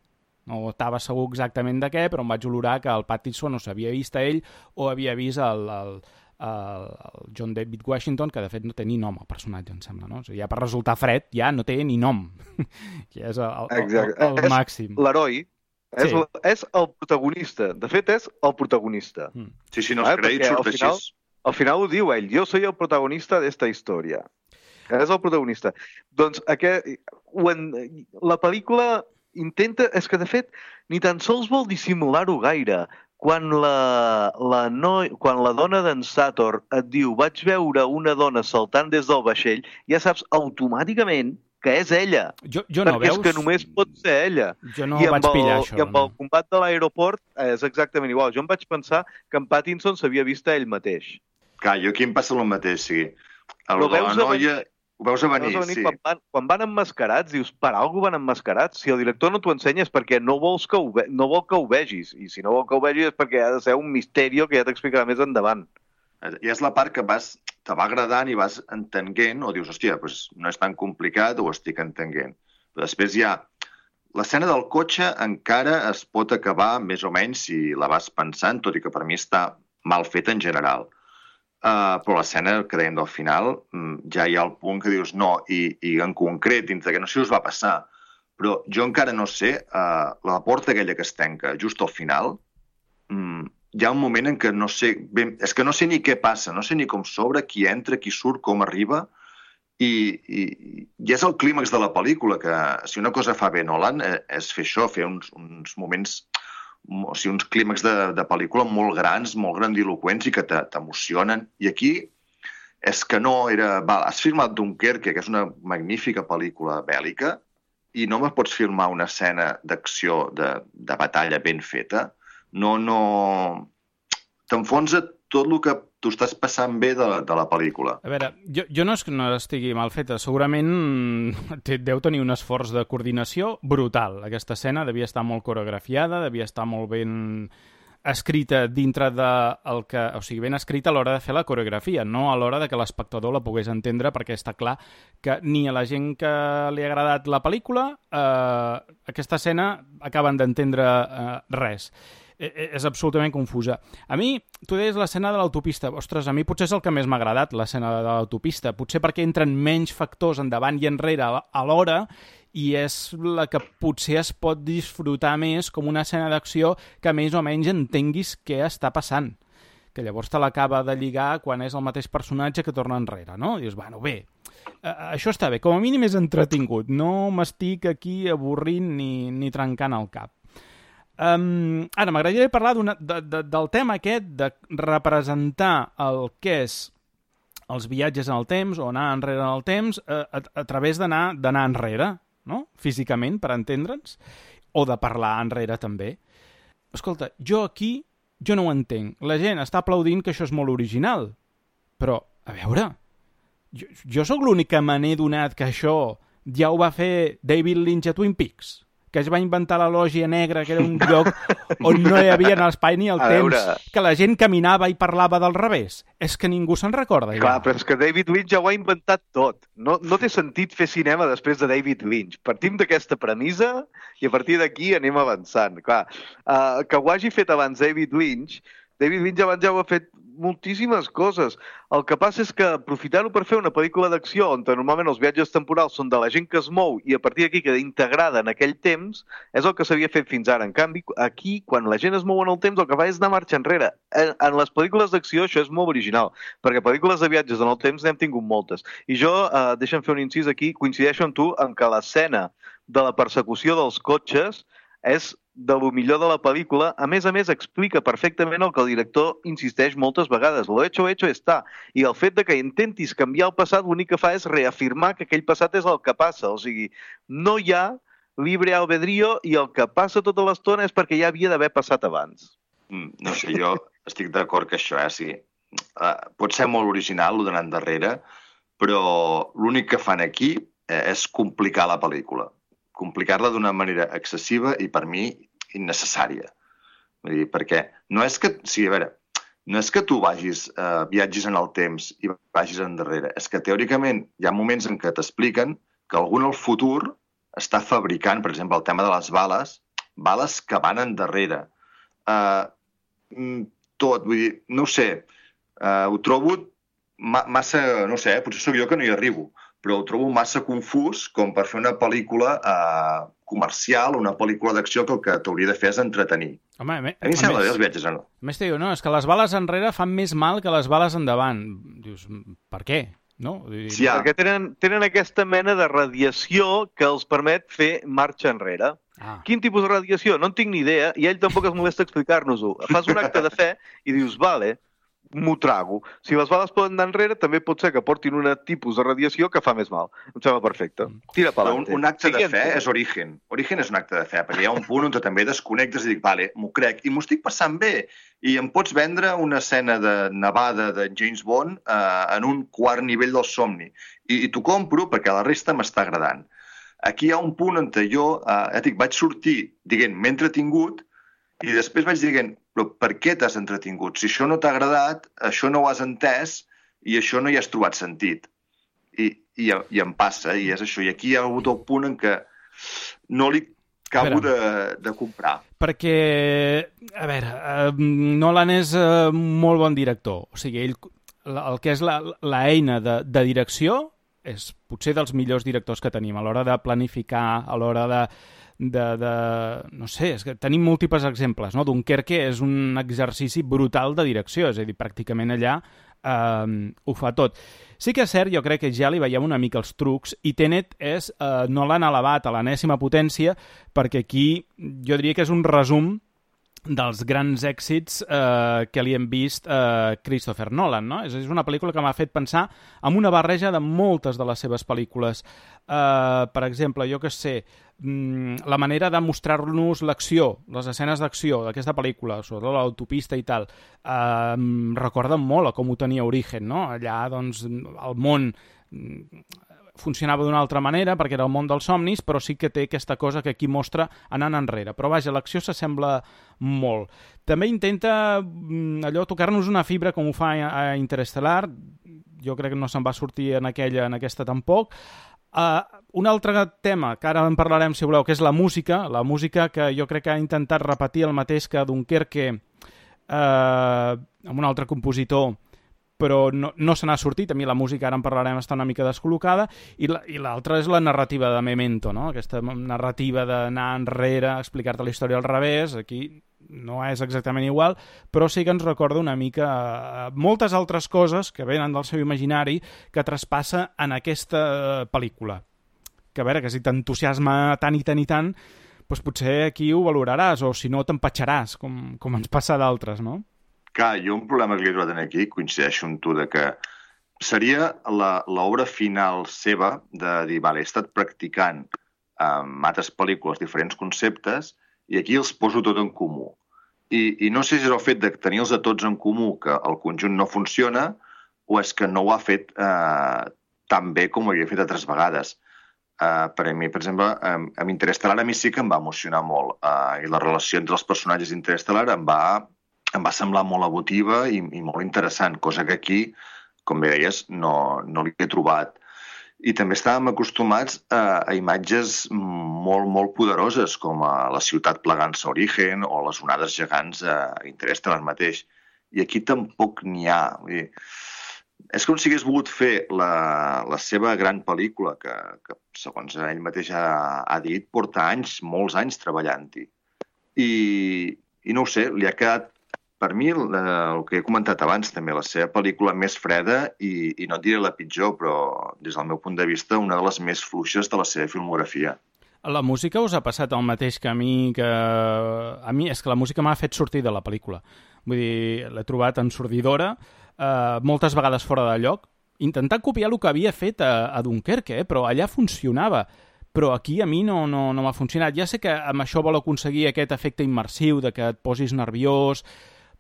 No estava segur exactament de què, però em vaig olorar que el Pattinson no s'havia vist a ell o havia vist el, el, el, el John David Washington, que de fet no té ni nom el personatge, em sembla, no? O sigui, ja per resultar fred ja no té ni nom. Que és el, el, el, el, el màxim. L'heroi és, sí. és el protagonista. De fet, és el protagonista. Mm. Sí, sí, no els crèdits surt així. Final, al final ho diu ell. Jo soy el protagonista d'esta història. És el protagonista. Doncs aquest, en, la pel·lícula... intenta, és que de fet ni tan sols vol dissimular-ho gaire. Quan la, la, no, quan la dona d'en Sator et diu vaig veure una dona saltant des del vaixell, ja saps automàticament que és ella. Jo, jo no, perquè veus? és que només pot ser ella. Jo no I vaig el, pillar això. I amb no. el combat de l'aeroport és exactament igual. Jo em vaig pensar que en Pattinson s'havia vist a ell mateix. Clar, jo aquí em passa el mateix, sí. El, Però veus la noia... Ho veus a venir, venir sí. Quan van, quan van emmascarats, dius, per algú van emmascarats? Si el director no t'ho ensenya és perquè no, vols que ho ve no vol que ho vegis. I si no vol que ho vegis és perquè ha de ser un misteri que ja t'explicarà més endavant. I és la part que vas te va agradant i vas entenent, o dius, hòstia, doncs no és tan complicat, ho estic entenent. Però després ja... L'escena del cotxe encara es pot acabar més o menys si la vas pensant, tot i que per mi està mal feta en general. Uh, però l'escena que dèiem del final ja hi ha el punt que dius no, i, i en concret, dintre que no sé si us va passar, però jo encara no sé, uh, la porta aquella que es tanca just al final, um, hi ha un moment en què no sé, ben, és que no sé ni què passa, no sé ni com s'obre, qui entra, qui surt, com arriba, i, i, i és el clímax de la pel·lícula, que si una cosa fa bé Nolan és fer això, fer uns, uns moments... o sigui, uns clímax de, de pel·lícula molt grans, molt grandiloquents i que t'emocionen. I aquí és que no era... Val, has filmat Dunkerque, que és una magnífica pel·lícula bèl·lica, i no me pots filmar una escena d'acció, de, de batalla ben feta. No, no... T'enfonsa tot el que tu estàs passant bé de, de la pel·lícula. A veure, jo, jo no és que no estigui mal feta. Segurament deu tenir un esforç de coordinació brutal. Aquesta escena devia estar molt coreografiada, devia estar molt ben escrita dintre de el que... O sigui, ben escrita a l'hora de fer la coreografia, no a l'hora de que l'espectador la pogués entendre, perquè està clar que ni a la gent que li ha agradat la pel·lícula eh, aquesta escena acaben d'entendre eh, res. És absolutament confusa. A mi, tu deies l'escena de l'autopista. Ostres, a mi potser és el que més m'ha agradat, l'escena de l'autopista. Potser perquè entren menys factors endavant i enrere alhora i és la que potser es pot disfrutar més com una escena d'acció que més o menys entenguis què està passant. Que llavors te l'acaba de lligar quan és el mateix personatge que torna enrere, no? I dius, bueno, bé, això està bé. Com a mínim és entretingut. No m'estic aquí avorrint ni, ni trencant el cap. Um, ara, m'agradaria parlar de, de, del tema aquest de representar el que és els viatges en el temps o anar enrere en el temps a, a, a través d'anar d'anar enrere, no? Físicament, per entendre'ns, o de parlar enrere també. Escolta, jo aquí jo no ho entenc. La gent està aplaudint que això és molt original, però, a veure, jo, jo sóc l'únic que me n'he donat que això ja ho va fer David Lynch a Twin Peaks, que es va inventar la lògia negra, que era un lloc on no hi havia l'espai ni el A temps, veure. que la gent caminava i parlava del revés. És que ningú se'n recorda. Ja. Clar, però és que David Lynch ja ho ha inventat tot. No, no té sentit fer cinema després de David Lynch. Partim d'aquesta premissa i a partir d'aquí anem avançant. Clar, uh, que ho hagi fet abans David Lynch, David Lynch abans ja ho ha fet moltíssimes coses. El que passa és que aprofitar-ho per fer una pel·lícula d'acció on normalment els viatges temporals són de la gent que es mou i a partir d'aquí queda integrada en aquell temps és el que s'havia fet fins ara. En canvi, aquí, quan la gent es mou en el temps, el que fa és anar marxa enrere. En, en les pel·lícules d'acció això és molt original, perquè pel·lícules de viatges en el temps n'hem tingut moltes. I jo, eh, deixa'm fer un incís aquí, coincideixo amb tu en que l'escena de la persecució dels cotxes és de lo millor de la pel·lícula. A més a més, explica perfectament el que el director insisteix moltes vegades. Lo hecho, hecho está. I el fet de que intentis canviar el passat, l'únic que fa és reafirmar que aquell passat és el que passa. O sigui, no hi ha libre albedrío i el que passa tota l'estona és perquè ja havia d'haver passat abans. Mm, no sé, jo estic d'acord que això, eh, sí. Uh, pot ser molt original, el d'anar endarrere, però l'únic que fan aquí eh, és complicar la pel·lícula. Complicar-la d'una manera excessiva i, per mi, innecessària. Vull dir, perquè no és que... Sí, a veure, no és que tu vagis, eh, viatgis en el temps i vagis endarrere. És que, teòricament, hi ha moments en què t'expliquen que algú en el futur està fabricant, per exemple, el tema de les bales, bales que van endarrere. Eh, tot, vull dir, no ho sé, eh, ho trobo ma massa... No sé, eh, potser sóc jo que no hi arribo, però ho trobo massa confús com per fer una pel·lícula eh, comercial, una pel·lícula d'acció que el que t'hauria de fer és entretenir. Home, a mi em sembla bé els viatges, no? A més, te diu, no, és que les bales enrere fan més mal que les bales endavant. Dius, per què? No? Sí, ja. Perquè tenen, tenen aquesta mena de radiació que els permet fer marxa enrere. Ah. Quin tipus de radiació? No en tinc ni idea, i ell tampoc es molesta explicar-nos-ho. Fas un acte de fe i dius, vale, m'ho trago. Si les bales poden anar enrere, també pot ser que portin un tipus de radiació que fa més mal. Em sembla perfecte. Tira per un, un acte de fe és Origen. Origen és un acte de fe, perquè hi ha un punt on també desconnectes i dic, vale, m'ho crec, i m'ho estic passant bé. I em pots vendre una escena de nevada de James Bond eh, en un quart nivell del somni. I, i t'ho compro perquè la resta m'està agradant. Aquí hi ha un punt on jo, eh, dic, vaig sortir dient, m'he entretingut, i després vaig dient, però per què t'has entretingut? Si això no t'ha agradat, això no ho has entès i això no hi has trobat sentit. I, i, i em passa, i és això. I aquí hi ha hagut el punt en què no li acabo de, de comprar. Perquè, a veure, eh, Nolan és eh, molt bon director. O sigui, ell, el que és l'eina de, de direcció és potser dels millors directors que tenim a l'hora de planificar, a l'hora de De, de, no sé, és que tenim múltiples exemples, no? Dunkerque és un exercici brutal de direcció, és a dir, pràcticament allà eh, ho fa tot. Sí que és cert, jo crec que ja li veiem una mica els trucs, i Tenet és, eh, no l'han elevat a l'enèsima potència, perquè aquí jo diria que és un resum dels grans èxits eh, que li hem vist a eh, Christopher Nolan, no? És, és una pel·lícula que m'ha fet pensar en una barreja de moltes de les seves pel·lícules. Eh, per exemple, jo que sé, mm, la manera de mostrar-nos l'acció, les escenes d'acció d'aquesta pel·lícula, sobretot l'autopista i tal, eh, recorden molt a com ho tenia Origen, no? Allà, doncs, el món funcionava d'una altra manera perquè era el món dels somnis, però sí que té aquesta cosa que aquí mostra anant enrere. Però vaja, l'acció s'assembla molt. També intenta allò tocar-nos una fibra com ho fa a Interestelar. Jo crec que no se'n va sortir en aquella, en aquesta tampoc. Uh, un altre tema, que ara en parlarem si voleu, que és la música. La música que jo crec que ha intentat repetir el mateix que Dunkerque uh, amb un altre compositor, però no, no se n'ha sortit. A mi la música, ara en parlarem, està una mica descol·locada, i l'altra és la narrativa de Memento, no? Aquesta narrativa d'anar enrere, explicar-te la història al revés. Aquí no és exactament igual, però sí que ens recorda una mica moltes altres coses que venen del seu imaginari que traspassa en aquesta pel·lícula. Que a veure, que si t'entusiasma tant i tant i tant, doncs potser aquí ho valoraràs, o si no t'empatxaràs, com, com ens passa d'altres, no? Clar, jo un problema que li he trobat aquí, coincideixo amb tu, de que seria l'obra final seva de dir, vale, he estat practicant amb altres pel·lícules diferents conceptes i aquí els poso tot en comú. I, i no sé si és el fet de tenir-los a tots en comú que el conjunt no funciona o és que no ho ha fet eh, tan bé com ho havia fet altres vegades. Uh, per a mi, per exemple, um, amb Interestelar a mi sí que em va emocionar molt. Uh, I la relació entre els personatges d'Interestelar em va, em va semblar molt emotiva i, i molt interessant, cosa que aquí, com bé deies, no, no l'hi he trobat. I també estàvem acostumats a, a imatges molt, molt poderoses, com a la ciutat plegant-se a Origen o les onades gegants a Interestelar mateix. I aquí tampoc n'hi ha. Vull dir, és com si hagués volgut fer la, la seva gran pel·lícula, que, que segons ell mateix ha, ha dit, porta anys, molts anys treballant-hi. I, I no ho sé, li ha quedat, per mi, el, el que he comentat abans també, la seva pel·lícula més freda i, i no et diré la pitjor, però des del meu punt de vista, una de les més fluixes de la seva filmografia. La música us ha passat el mateix que a mi, que a mi és que la música m'ha fet sortir de la pel·lícula. Vull dir, l'he trobat ensordidora, eh, moltes vegades fora de lloc, intentant copiar el que havia fet a, a Dunkerque, eh, però allà funcionava. Però aquí a mi no, no, no m'ha funcionat. Ja sé que amb això vol aconseguir aquest efecte immersiu, de que et posis nerviós,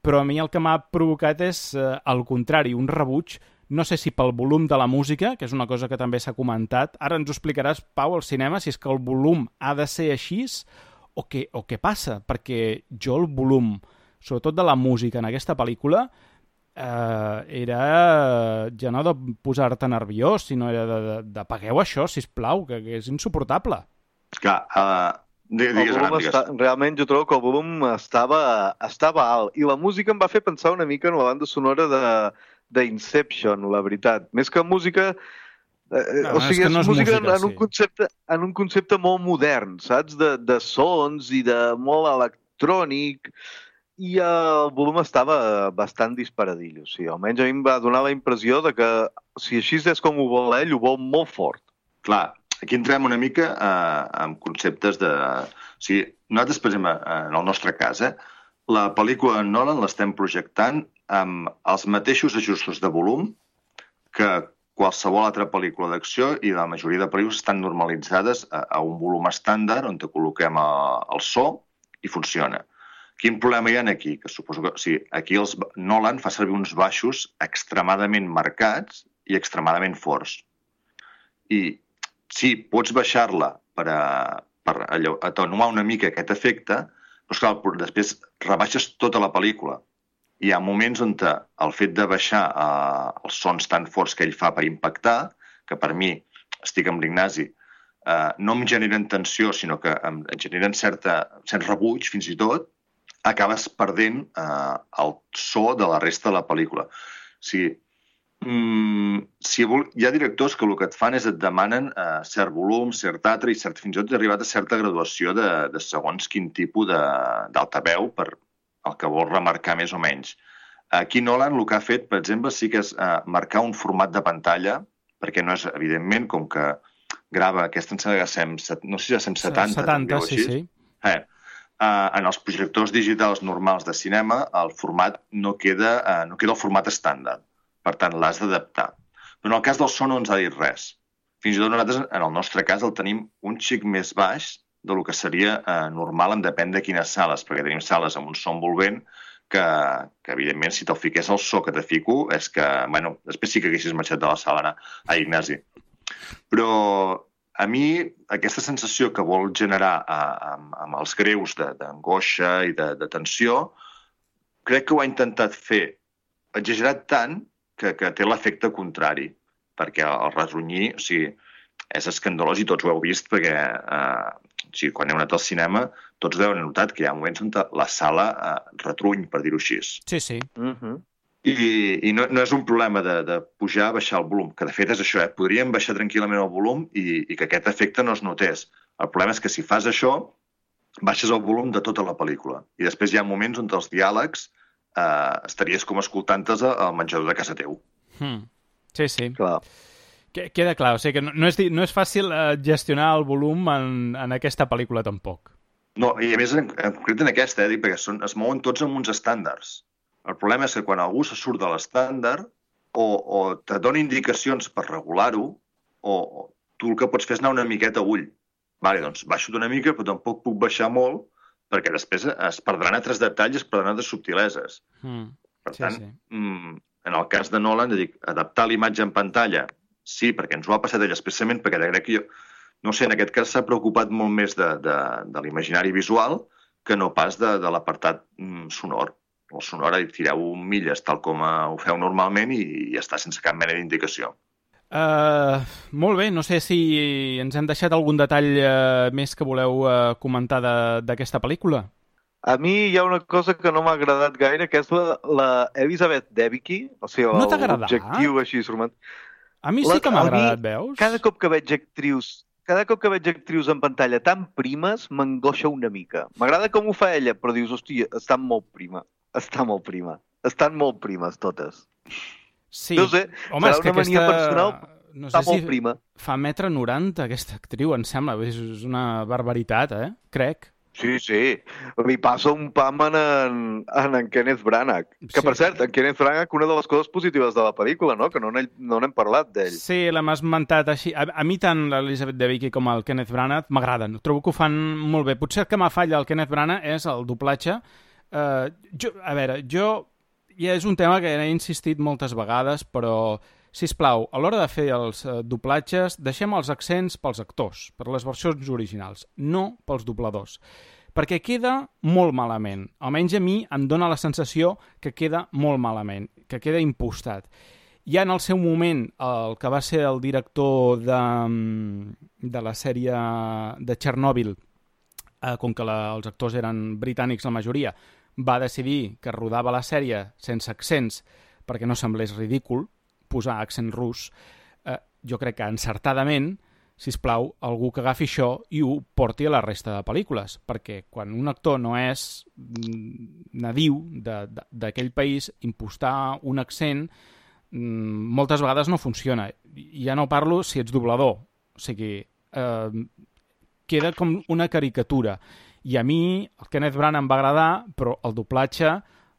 però a mi el que m'ha provocat és, eh, al contrari, un rebuig. No sé si pel volum de la música, que és una cosa que també s'ha comentat. Ara ens ho explicaràs, Pau, al cinema, si és que el volum ha de ser així o què, o què passa. Perquè jo el volum, sobretot de la música en aquesta pel·lícula, eh, era ja no de posar-te nerviós, sinó era de, de, de apagueu això, sisplau, que, que és insuportable. Clar, uh, digues, el volum està, realment jo trobo que el volum estava, estava alt i la música em va fer pensar una mica en la banda sonora de d'Inception, la veritat. Més que música... Eh, no, o sigui, és, no és música, música en, sí. un concepte, en un concepte molt modern, saps? De, de sons i de molt electrònic, i el volum estava bastant disparadillo. O sigui, almenys a mi em va donar la impressió de que si així és com ho vol ell, ho vol molt fort. Clar, aquí entrem una mica eh, en conceptes de... O sigui, nosaltres, per exemple, en el nostre cas, eh, la pel·lícula de Nolan l'estem projectant amb els mateixos ajustos de volum que qualsevol altra pel·lícula d'acció, i la majoria de pel·lícules estan normalitzades a, a un volum estàndard on te col·loquem a, el so i funciona. Quin problema hi ha aquí? Que suposo que, o sigui, aquí els, Nolan fa servir uns baixos extremadament marcats i extremadament forts. I sí, pots baixar-la per, a, per allò, atenuar una mica aquest efecte, però clar, després rebaixes tota la pel·lícula. Hi ha moments on el fet de baixar eh, els sons tan forts que ell fa per impactar, que per mi, estic amb l'Ignasi, eh, no em generen tensió, sinó que em generen certa, cert rebuig, fins i tot, acabes perdent eh, el so de la resta de la pel·lícula. O sigui, mm, si vol, hi ha directors que el que et fan és et demanen eh, cert volum, cert altre, i cert, fins i tot arribat a certa graduació de, de segons quin tipus d'altaveu per el que vol remarcar més o menys. Aquí Nolan el que ha fet, per exemple, sí que és eh, marcar un format de pantalla, perquè no és, evidentment, com que grava aquesta, no sé si és cent setanta. setanta, sí, sí. Eh, eh, en els projectors digitals normals de cinema, el format no queda, eh, no queda el format estàndard. Per tant, l'has d'adaptar. Però en el cas del so no ens ha dit res. Fins i tot nosaltres, en el nostre cas, el tenim un xic més baix del que seria eh, normal en depèn de quines sales, perquè tenim sales amb un so envolvent que, que evidentment, si te'l fiqués el so que te fico, és que, bueno, després sí que haguessis marxat de la sala, anar a Ignasi. Però a mi aquesta sensació que vol generar eh, amb, amb els greus d'angoixa i de, de tensió, crec que ho ha intentat fer exagerat tant que, que té l'efecte contrari, perquè el retronyir, o sigui, és escandalós i tots ho heu vist perquè eh, o sigui, quan heu anat al cinema tots deuen haver notat que hi ha moments on la sala eh, retruny, per dir-ho així. Sí, sí. Uh-huh. I, i no, no és un problema de, de pujar, baixar el volum, que de fet és això, eh? Podríem baixar tranquil·lament el volum i, i que aquest efecte no es notés. El problema és que si fas això, baixes el volum de tota la pel·lícula. I després hi ha moments on els diàlegs eh, estaries com escoltant-te al menjador de casa teu. Hmm. Sí, sí. Clar. Queda clar, o sigui que no, no, és, no és fàcil eh, gestionar el volum en, en aquesta pel·lícula tampoc. No, i a més, en, en concret en aquesta, eh, perquè són, es mouen tots amb uns estàndards. El problema és que quan algú se surt de l'estàndard o, o te dona indicacions per regular-ho, o, o tu el que pots fer és anar una miqueta a ull. Vale, doncs baixo una mica, però tampoc puc baixar molt, perquè després es perdran altres detalls, es perdran altres subtileses. Mm, per sí, tant, sí. Mm, en el cas de Nolan, dic, adaptar l'imatge en pantalla, sí, perquè ens ho ha passat ell expressament, perquè crec que jo, no sé, en aquest cas s'ha preocupat molt més de, de, de l'imaginari visual que no pas de, de l'apartat mm, sonor. El sonor, hi tireu milles tal com ho feu normalment i, i està sense cap mena d'indicació. Uh, molt bé, no sé si ens hem deixat algun detall uh, més que voleu uh, comentar d'aquesta pel·lícula. A mi hi ha una cosa que no m'ha agradat gaire, que és la, la Elizabeth Debicki, o sigui, no t'ha agradat? L'objectiu així romàntic. A mi sí que m'ha agradat, veus? Cada cop que veig actrius, cada cop que veig actrius en pantalla tan primes, m'angoixa una mica. M'agrada com ho fa ella, però dius, hòstia, estan molt prima, està molt prima, estan molt primes totes. Sí, no sé, home, és que una mania aquesta... personal, no està sé molt si prima. Fa metre noranta aquesta actriu, em sembla, és una barbaritat, eh? Crec. Sí, sí, li passa un pam en en, en, en Kenneth Branagh. Que, sí. Per cert, en Kenneth Branagh, una de les coses positives de la pel·lícula, no? Que no n'hem no parlat d'ell. Sí, l'hem esmentat així. A, a mi tant l'Elizabeth Debicki com el Kenneth Branagh m'agraden. Trobo que ho fan molt bé. Potser el que m'ha falla el Kenneth Branagh és el doblatge. Uh, jo, a veure, jo... Ja és un tema que he insistit moltes vegades, però, sisplau, a l'hora de fer els uh, doblatges, deixem els accents pels actors, per les versions originals, no pels dobladors. Perquè queda molt malament. Almenys a mi em dóna la sensació que queda molt malament, que queda impostat. Ja en el seu moment, el que va ser el director de, de la sèrie de Chernobyl, eh, com que la, els actors eren britànics la majoria, va decidir que rodava la sèrie sense accents perquè no semblés ridícul posar accent rus. Eh, jo crec que encertadament, sisplau, algú que agafi això i ho porti a la resta de pel·lícules, perquè quan un actor no és nadiu d'aquell país, impostar un accent moltes vegades no funciona. Ja no parlo si ets doblador, o sigui, eh, queda com una caricatura. I a mi el Kenneth Branagh em va agradar, però el doblatge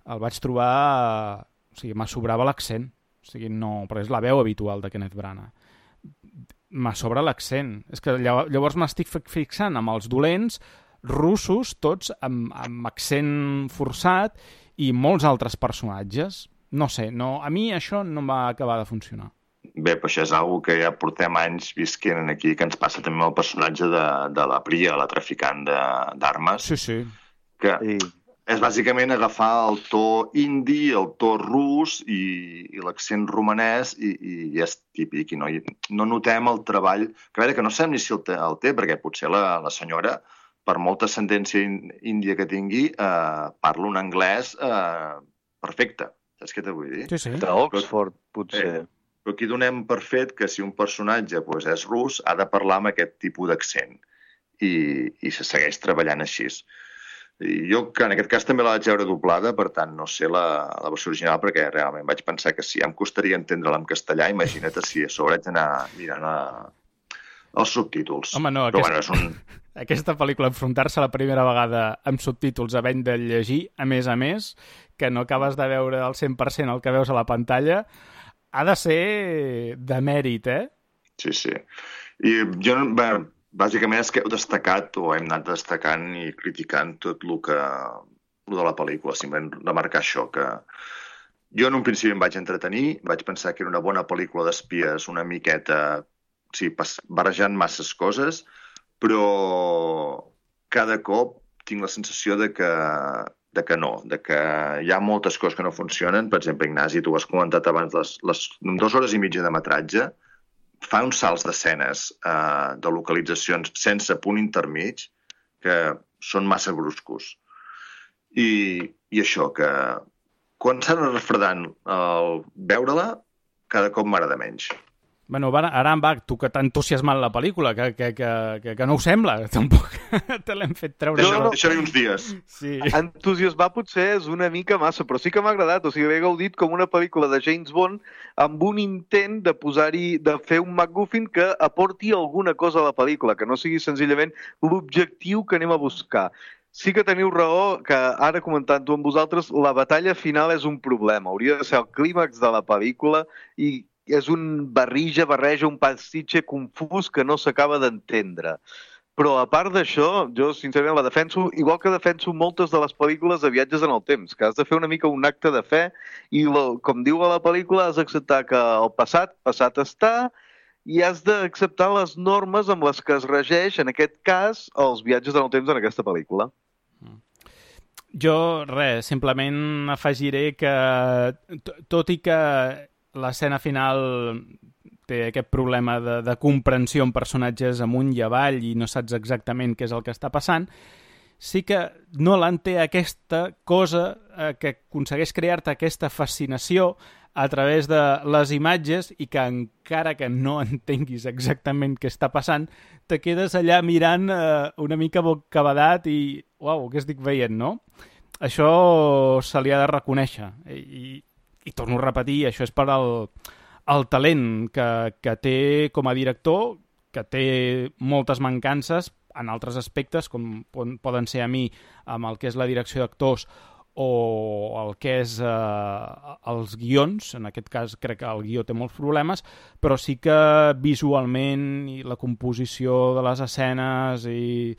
el vaig trobar... O sigui, m'assobrava l'accent. O sigui, no... Però és la veu habitual de Kenneth Branagh. M'assobra l'accent. És que llavors m'estic fixant amb els dolents russos, tots amb, amb accent forçat, i molts altres personatges. No sé, no, a mi això no em va acabar de funcionar. Bé, però això és una que ja portem anys visquent aquí, que ens passa també amb el personatge de, de la Priya, la traficant d'armes. Sí, sí. Que sí. És bàsicament agafar el to indi, el to rus i, i l'accent romanès i, i és típic. I no, i no notem el treball, que a veure, que no sabem ni si el té, el té perquè potser la, la senyora, per molta ascendència índia que tingui, eh, parla un anglès eh, perfecte. Saps què t'ho vull dir? Sí, sí. D'Oxford, potser. Eh, però aquí donem per fet que si un personatge pues, és rus, ha de parlar amb aquest tipus d'accent i, i se segueix treballant així. I jo, que en aquest cas també la vaig veure doblada, per tant, no sé la, la versió original, perquè realment vaig pensar que si ja em costaria entendre-la en castellà, imagina't si a sobre haig d'anar mirant a, els subtítols. Home, no, però, aquesta, bueno, és un... aquesta pel·lícula, enfrontar-se la primera vegada amb subtítols havent de llegir, a més a més, que no acabes de veure al cent per cent el que veus a la pantalla, ha de ser de mèrit, eh? Sí, sí. I jo, bé, bàsicament és que heu destacat, o hem anat destacant i criticant tot el que el de la pel·lícula, simplement remarcar això, que jo en un principi em vaig entretenir, vaig pensar que era una bona pel·lícula d'espies, una miqueta, sí, barrejant masses coses, però cada cop tinc la sensació de que de que no, de que hi ha moltes coses que no funcionen. Per exemple, Ignasi, tu ho has comentat abans, les, les dues hores i mitja de metratge fa uns salts d'escenes eh, de localitzacions sense punt intermig que són massa bruscos. I, i això, que quan s'ha anat refredant el veure-la, cada cop m'agrada menys. Bueno, Arambach, tu que t'ha entusiasmat la pel·lícula, que, que, que, que, que no ho sembla, tampoc te l'hem fet treure. Deixa, no, deixaré uns dies. Sí. Entusiasmar potser és una mica massa, però sí que m'ha agradat. O sigui, he gaudit com una pel·lícula de James Bond amb un intent de posar-hi, de fer un MacGuffin que aporti alguna cosa a la pel·lícula, que no sigui senzillament l'objectiu que anem a buscar. Sí que teniu raó, que ara comentant-ho amb vosaltres, la batalla final és un problema. Hauria de ser el clímax de la pel·lícula i és un barrija, barreja, un pastitxe confús que no s'acaba d'entendre. Però a part d'això, jo sincerament la defenso, igual que defenso moltes de les pel·lícules de viatges en el temps, que has de fer una mica un acte de fe i, com diu a la pel·lícula, has d'acceptar que el passat, passat està, i has d'acceptar les normes amb les que es regeix, en aquest cas, els viatges en el temps en aquesta pel·lícula. Jo, res, simplement afegiré que, tot i que l'escena final té aquest problema de, de comprensió en personatges amunt i avall i no saps exactament què és el que està passant, sí que Nolan té aquesta cosa eh, que aconsegueix crear-te aquesta fascinació a través de les imatges i que encara que no entenguis exactament què està passant, te quedes allà mirant eh, una mica bocabadat i, uau, què estic veient, no? Això se li ha de reconèixer. I, i torno a repetir, això és per al, el talent que, que té com a director, que té moltes mancances en altres aspectes, com poden ser a mi amb el que és la direcció d'actors o el que és eh, els guions. En aquest cas crec que el guió té molts problemes, però sí que visualment i la composició de les escenes i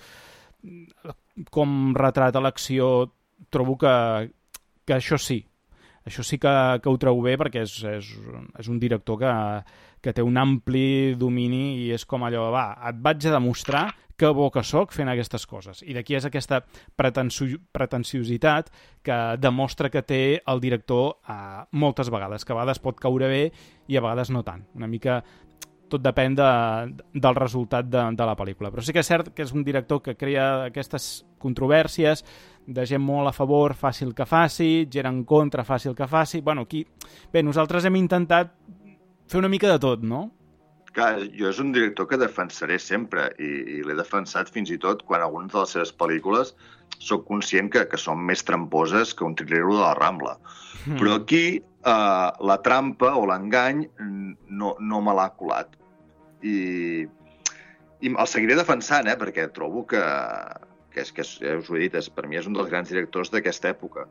com retrata l'acció, trobo que, que això sí, això sí que, que ho trobo bé, perquè és, és, és un director que, que té un ampli domini i és com allò, va, et vaig a demostrar que bo que soc fent aquestes coses. I d'aquí és aquesta pretensi pretensiositat que demostra que té el director eh, moltes vegades, que a vegades pot caure bé i a vegades no tant. Una mica tot depèn de, del resultat de, de la pel·lícula. Però sí que és cert que és un director que crea aquestes controvèrsies de gent molt a favor, fàcil que faci, gent en contra, fàcil que faci. Bueno, aquí... Bé, nosaltres hem intentat fer una mica de tot, no? Clar, jo és un director que defensaré sempre i, i l'he defensat fins i tot quan algunes de les seves pel·lícules soc conscient que, que són més tramposes que un trilero de la Rambla. Mm. Però aquí eh, la trampa o l'engany no, no me l'ha colat. I, i el seguiré defensant, eh, perquè trobo que, que, és, que és, ja us ho he dit, és, per mi és un dels grans directors d'aquesta època.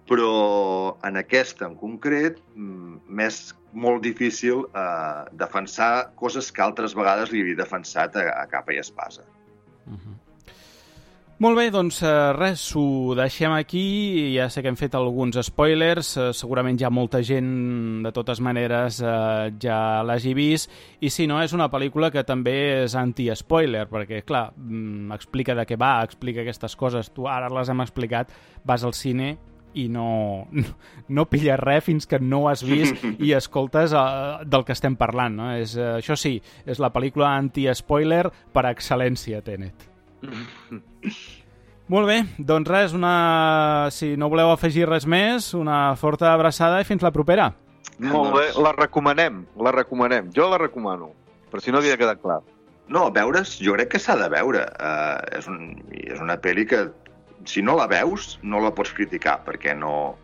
Però en aquesta en concret m'és molt difícil eh, defensar coses que altres vegades li havia defensat a, a capa i espasa. Uh-huh. Molt bé, doncs eh, res, ho deixem aquí. Ja sé que hem fet alguns spoilers, eh, segurament ja molta gent de totes maneres eh, ja l'hagi vist, i si no, és una pel·lícula que també és anti-spoiler, perquè clar, explica de què va, explica aquestes coses, tu ara les hem explicat, vas al cine i no, no, no pilles res fins que no ho has vist i escoltes uh, del que estem parlant, no? És, uh, això sí, és la pel·lícula anti-spoiler per excel·lència, Tenet. Molt bé, doncs res, una... si no voleu afegir res més, una forta abraçada i fins la propera. Molt bé, la recomanem, la recomanem. Jo la recomano, per si no havia quedat clar. No, veure's, jo crec que s'ha de veure. Uh, és, un, és una pel·li que si no la veus, no la pots criticar, perquè no,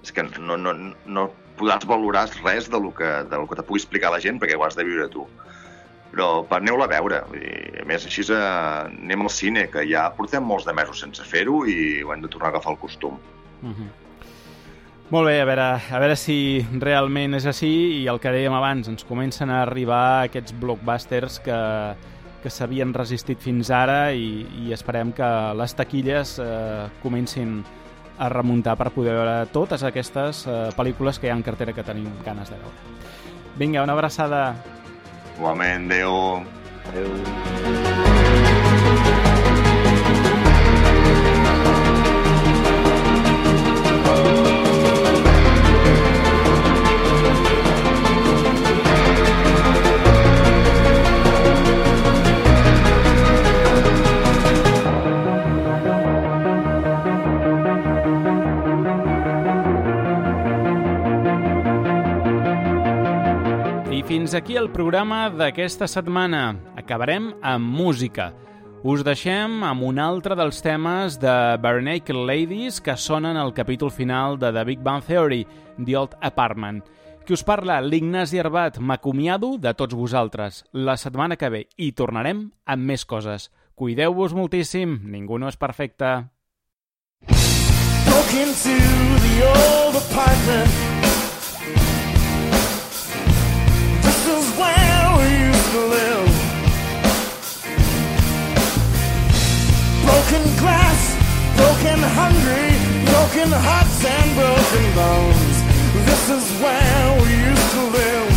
és que no, no, no podràs valorar res de lo que, de lo que te pugui explicar la gent, perquè ho has de viure tu. Però aneu-la a veure. I, a més, així eh, anem al cine, que ja portem molts de mesos sense fer-ho i ho hem de tornar a agafar el costum. Uh-huh. Molt bé, a veure, a veure si realment és així, i el que dèiem abans, ens comencen a arribar aquests blockbusters que... que s'havien resistit fins ara i, i esperem que les taquilles eh, comencin a remuntar per poder veure totes aquestes eh, pel·lícules que hi ha en cartera que tenim ganes de veure. Vinga, una abraçada. Igualment, adéu. Adéu. Fins aquí el programa d'aquesta setmana. Acabarem amb música. Us deixem amb un altre dels temes de Barenaked Ladies que sonen al capítol final de The Big Bang Theory, The Old Apartment. Qui us parla, l'Ignasi Arbat. M'acomiado de tots vosaltres. La setmana que ve hi tornarem amb més coses. Cuideu-vos moltíssim. Ningú no és perfecte. Broke into the old apartment. This is where we used to live. Broken glass, broken hungry, broken hearts and broken bones. This is where we used to live.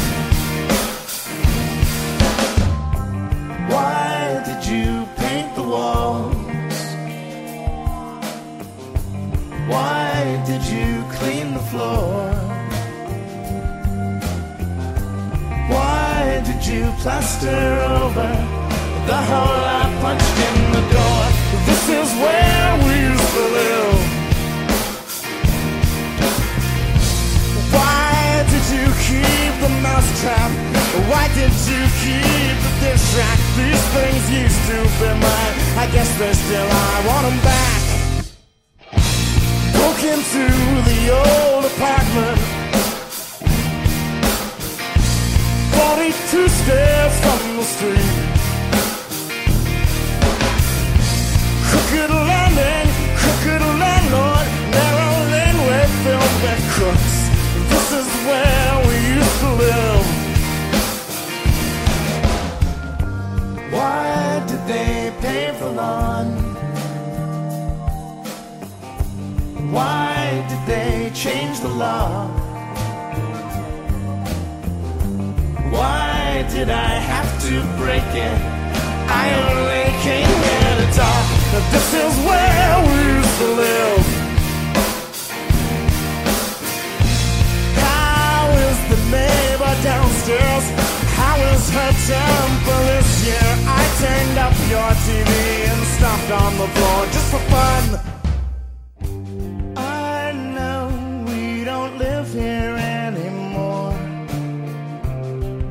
Why did you clean the floor? Why did you plaster over the hole I punched in the door? This is where we used to live. Why did you keep the mousetrap? Why did you keep the dish rack? These things used to be mine. I guess they still are. I want them back. Broke into the old apartment, forty-two steps from the street. Crooked landing, crooked landlord, narrow laneway filled with crooks. This is where we used to live. Why did they pave the lawn? Why did they change the law? Why did I have to break it? I only came here to talk. This is where we used to live. How is the neighbor downstairs? How is her temper this year? I turned up your T V and stomped on the floor just for fun. I know we don't live here anymore.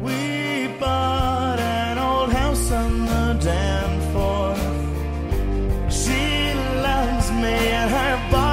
We bought an old house on the Danforth. She loves me and her body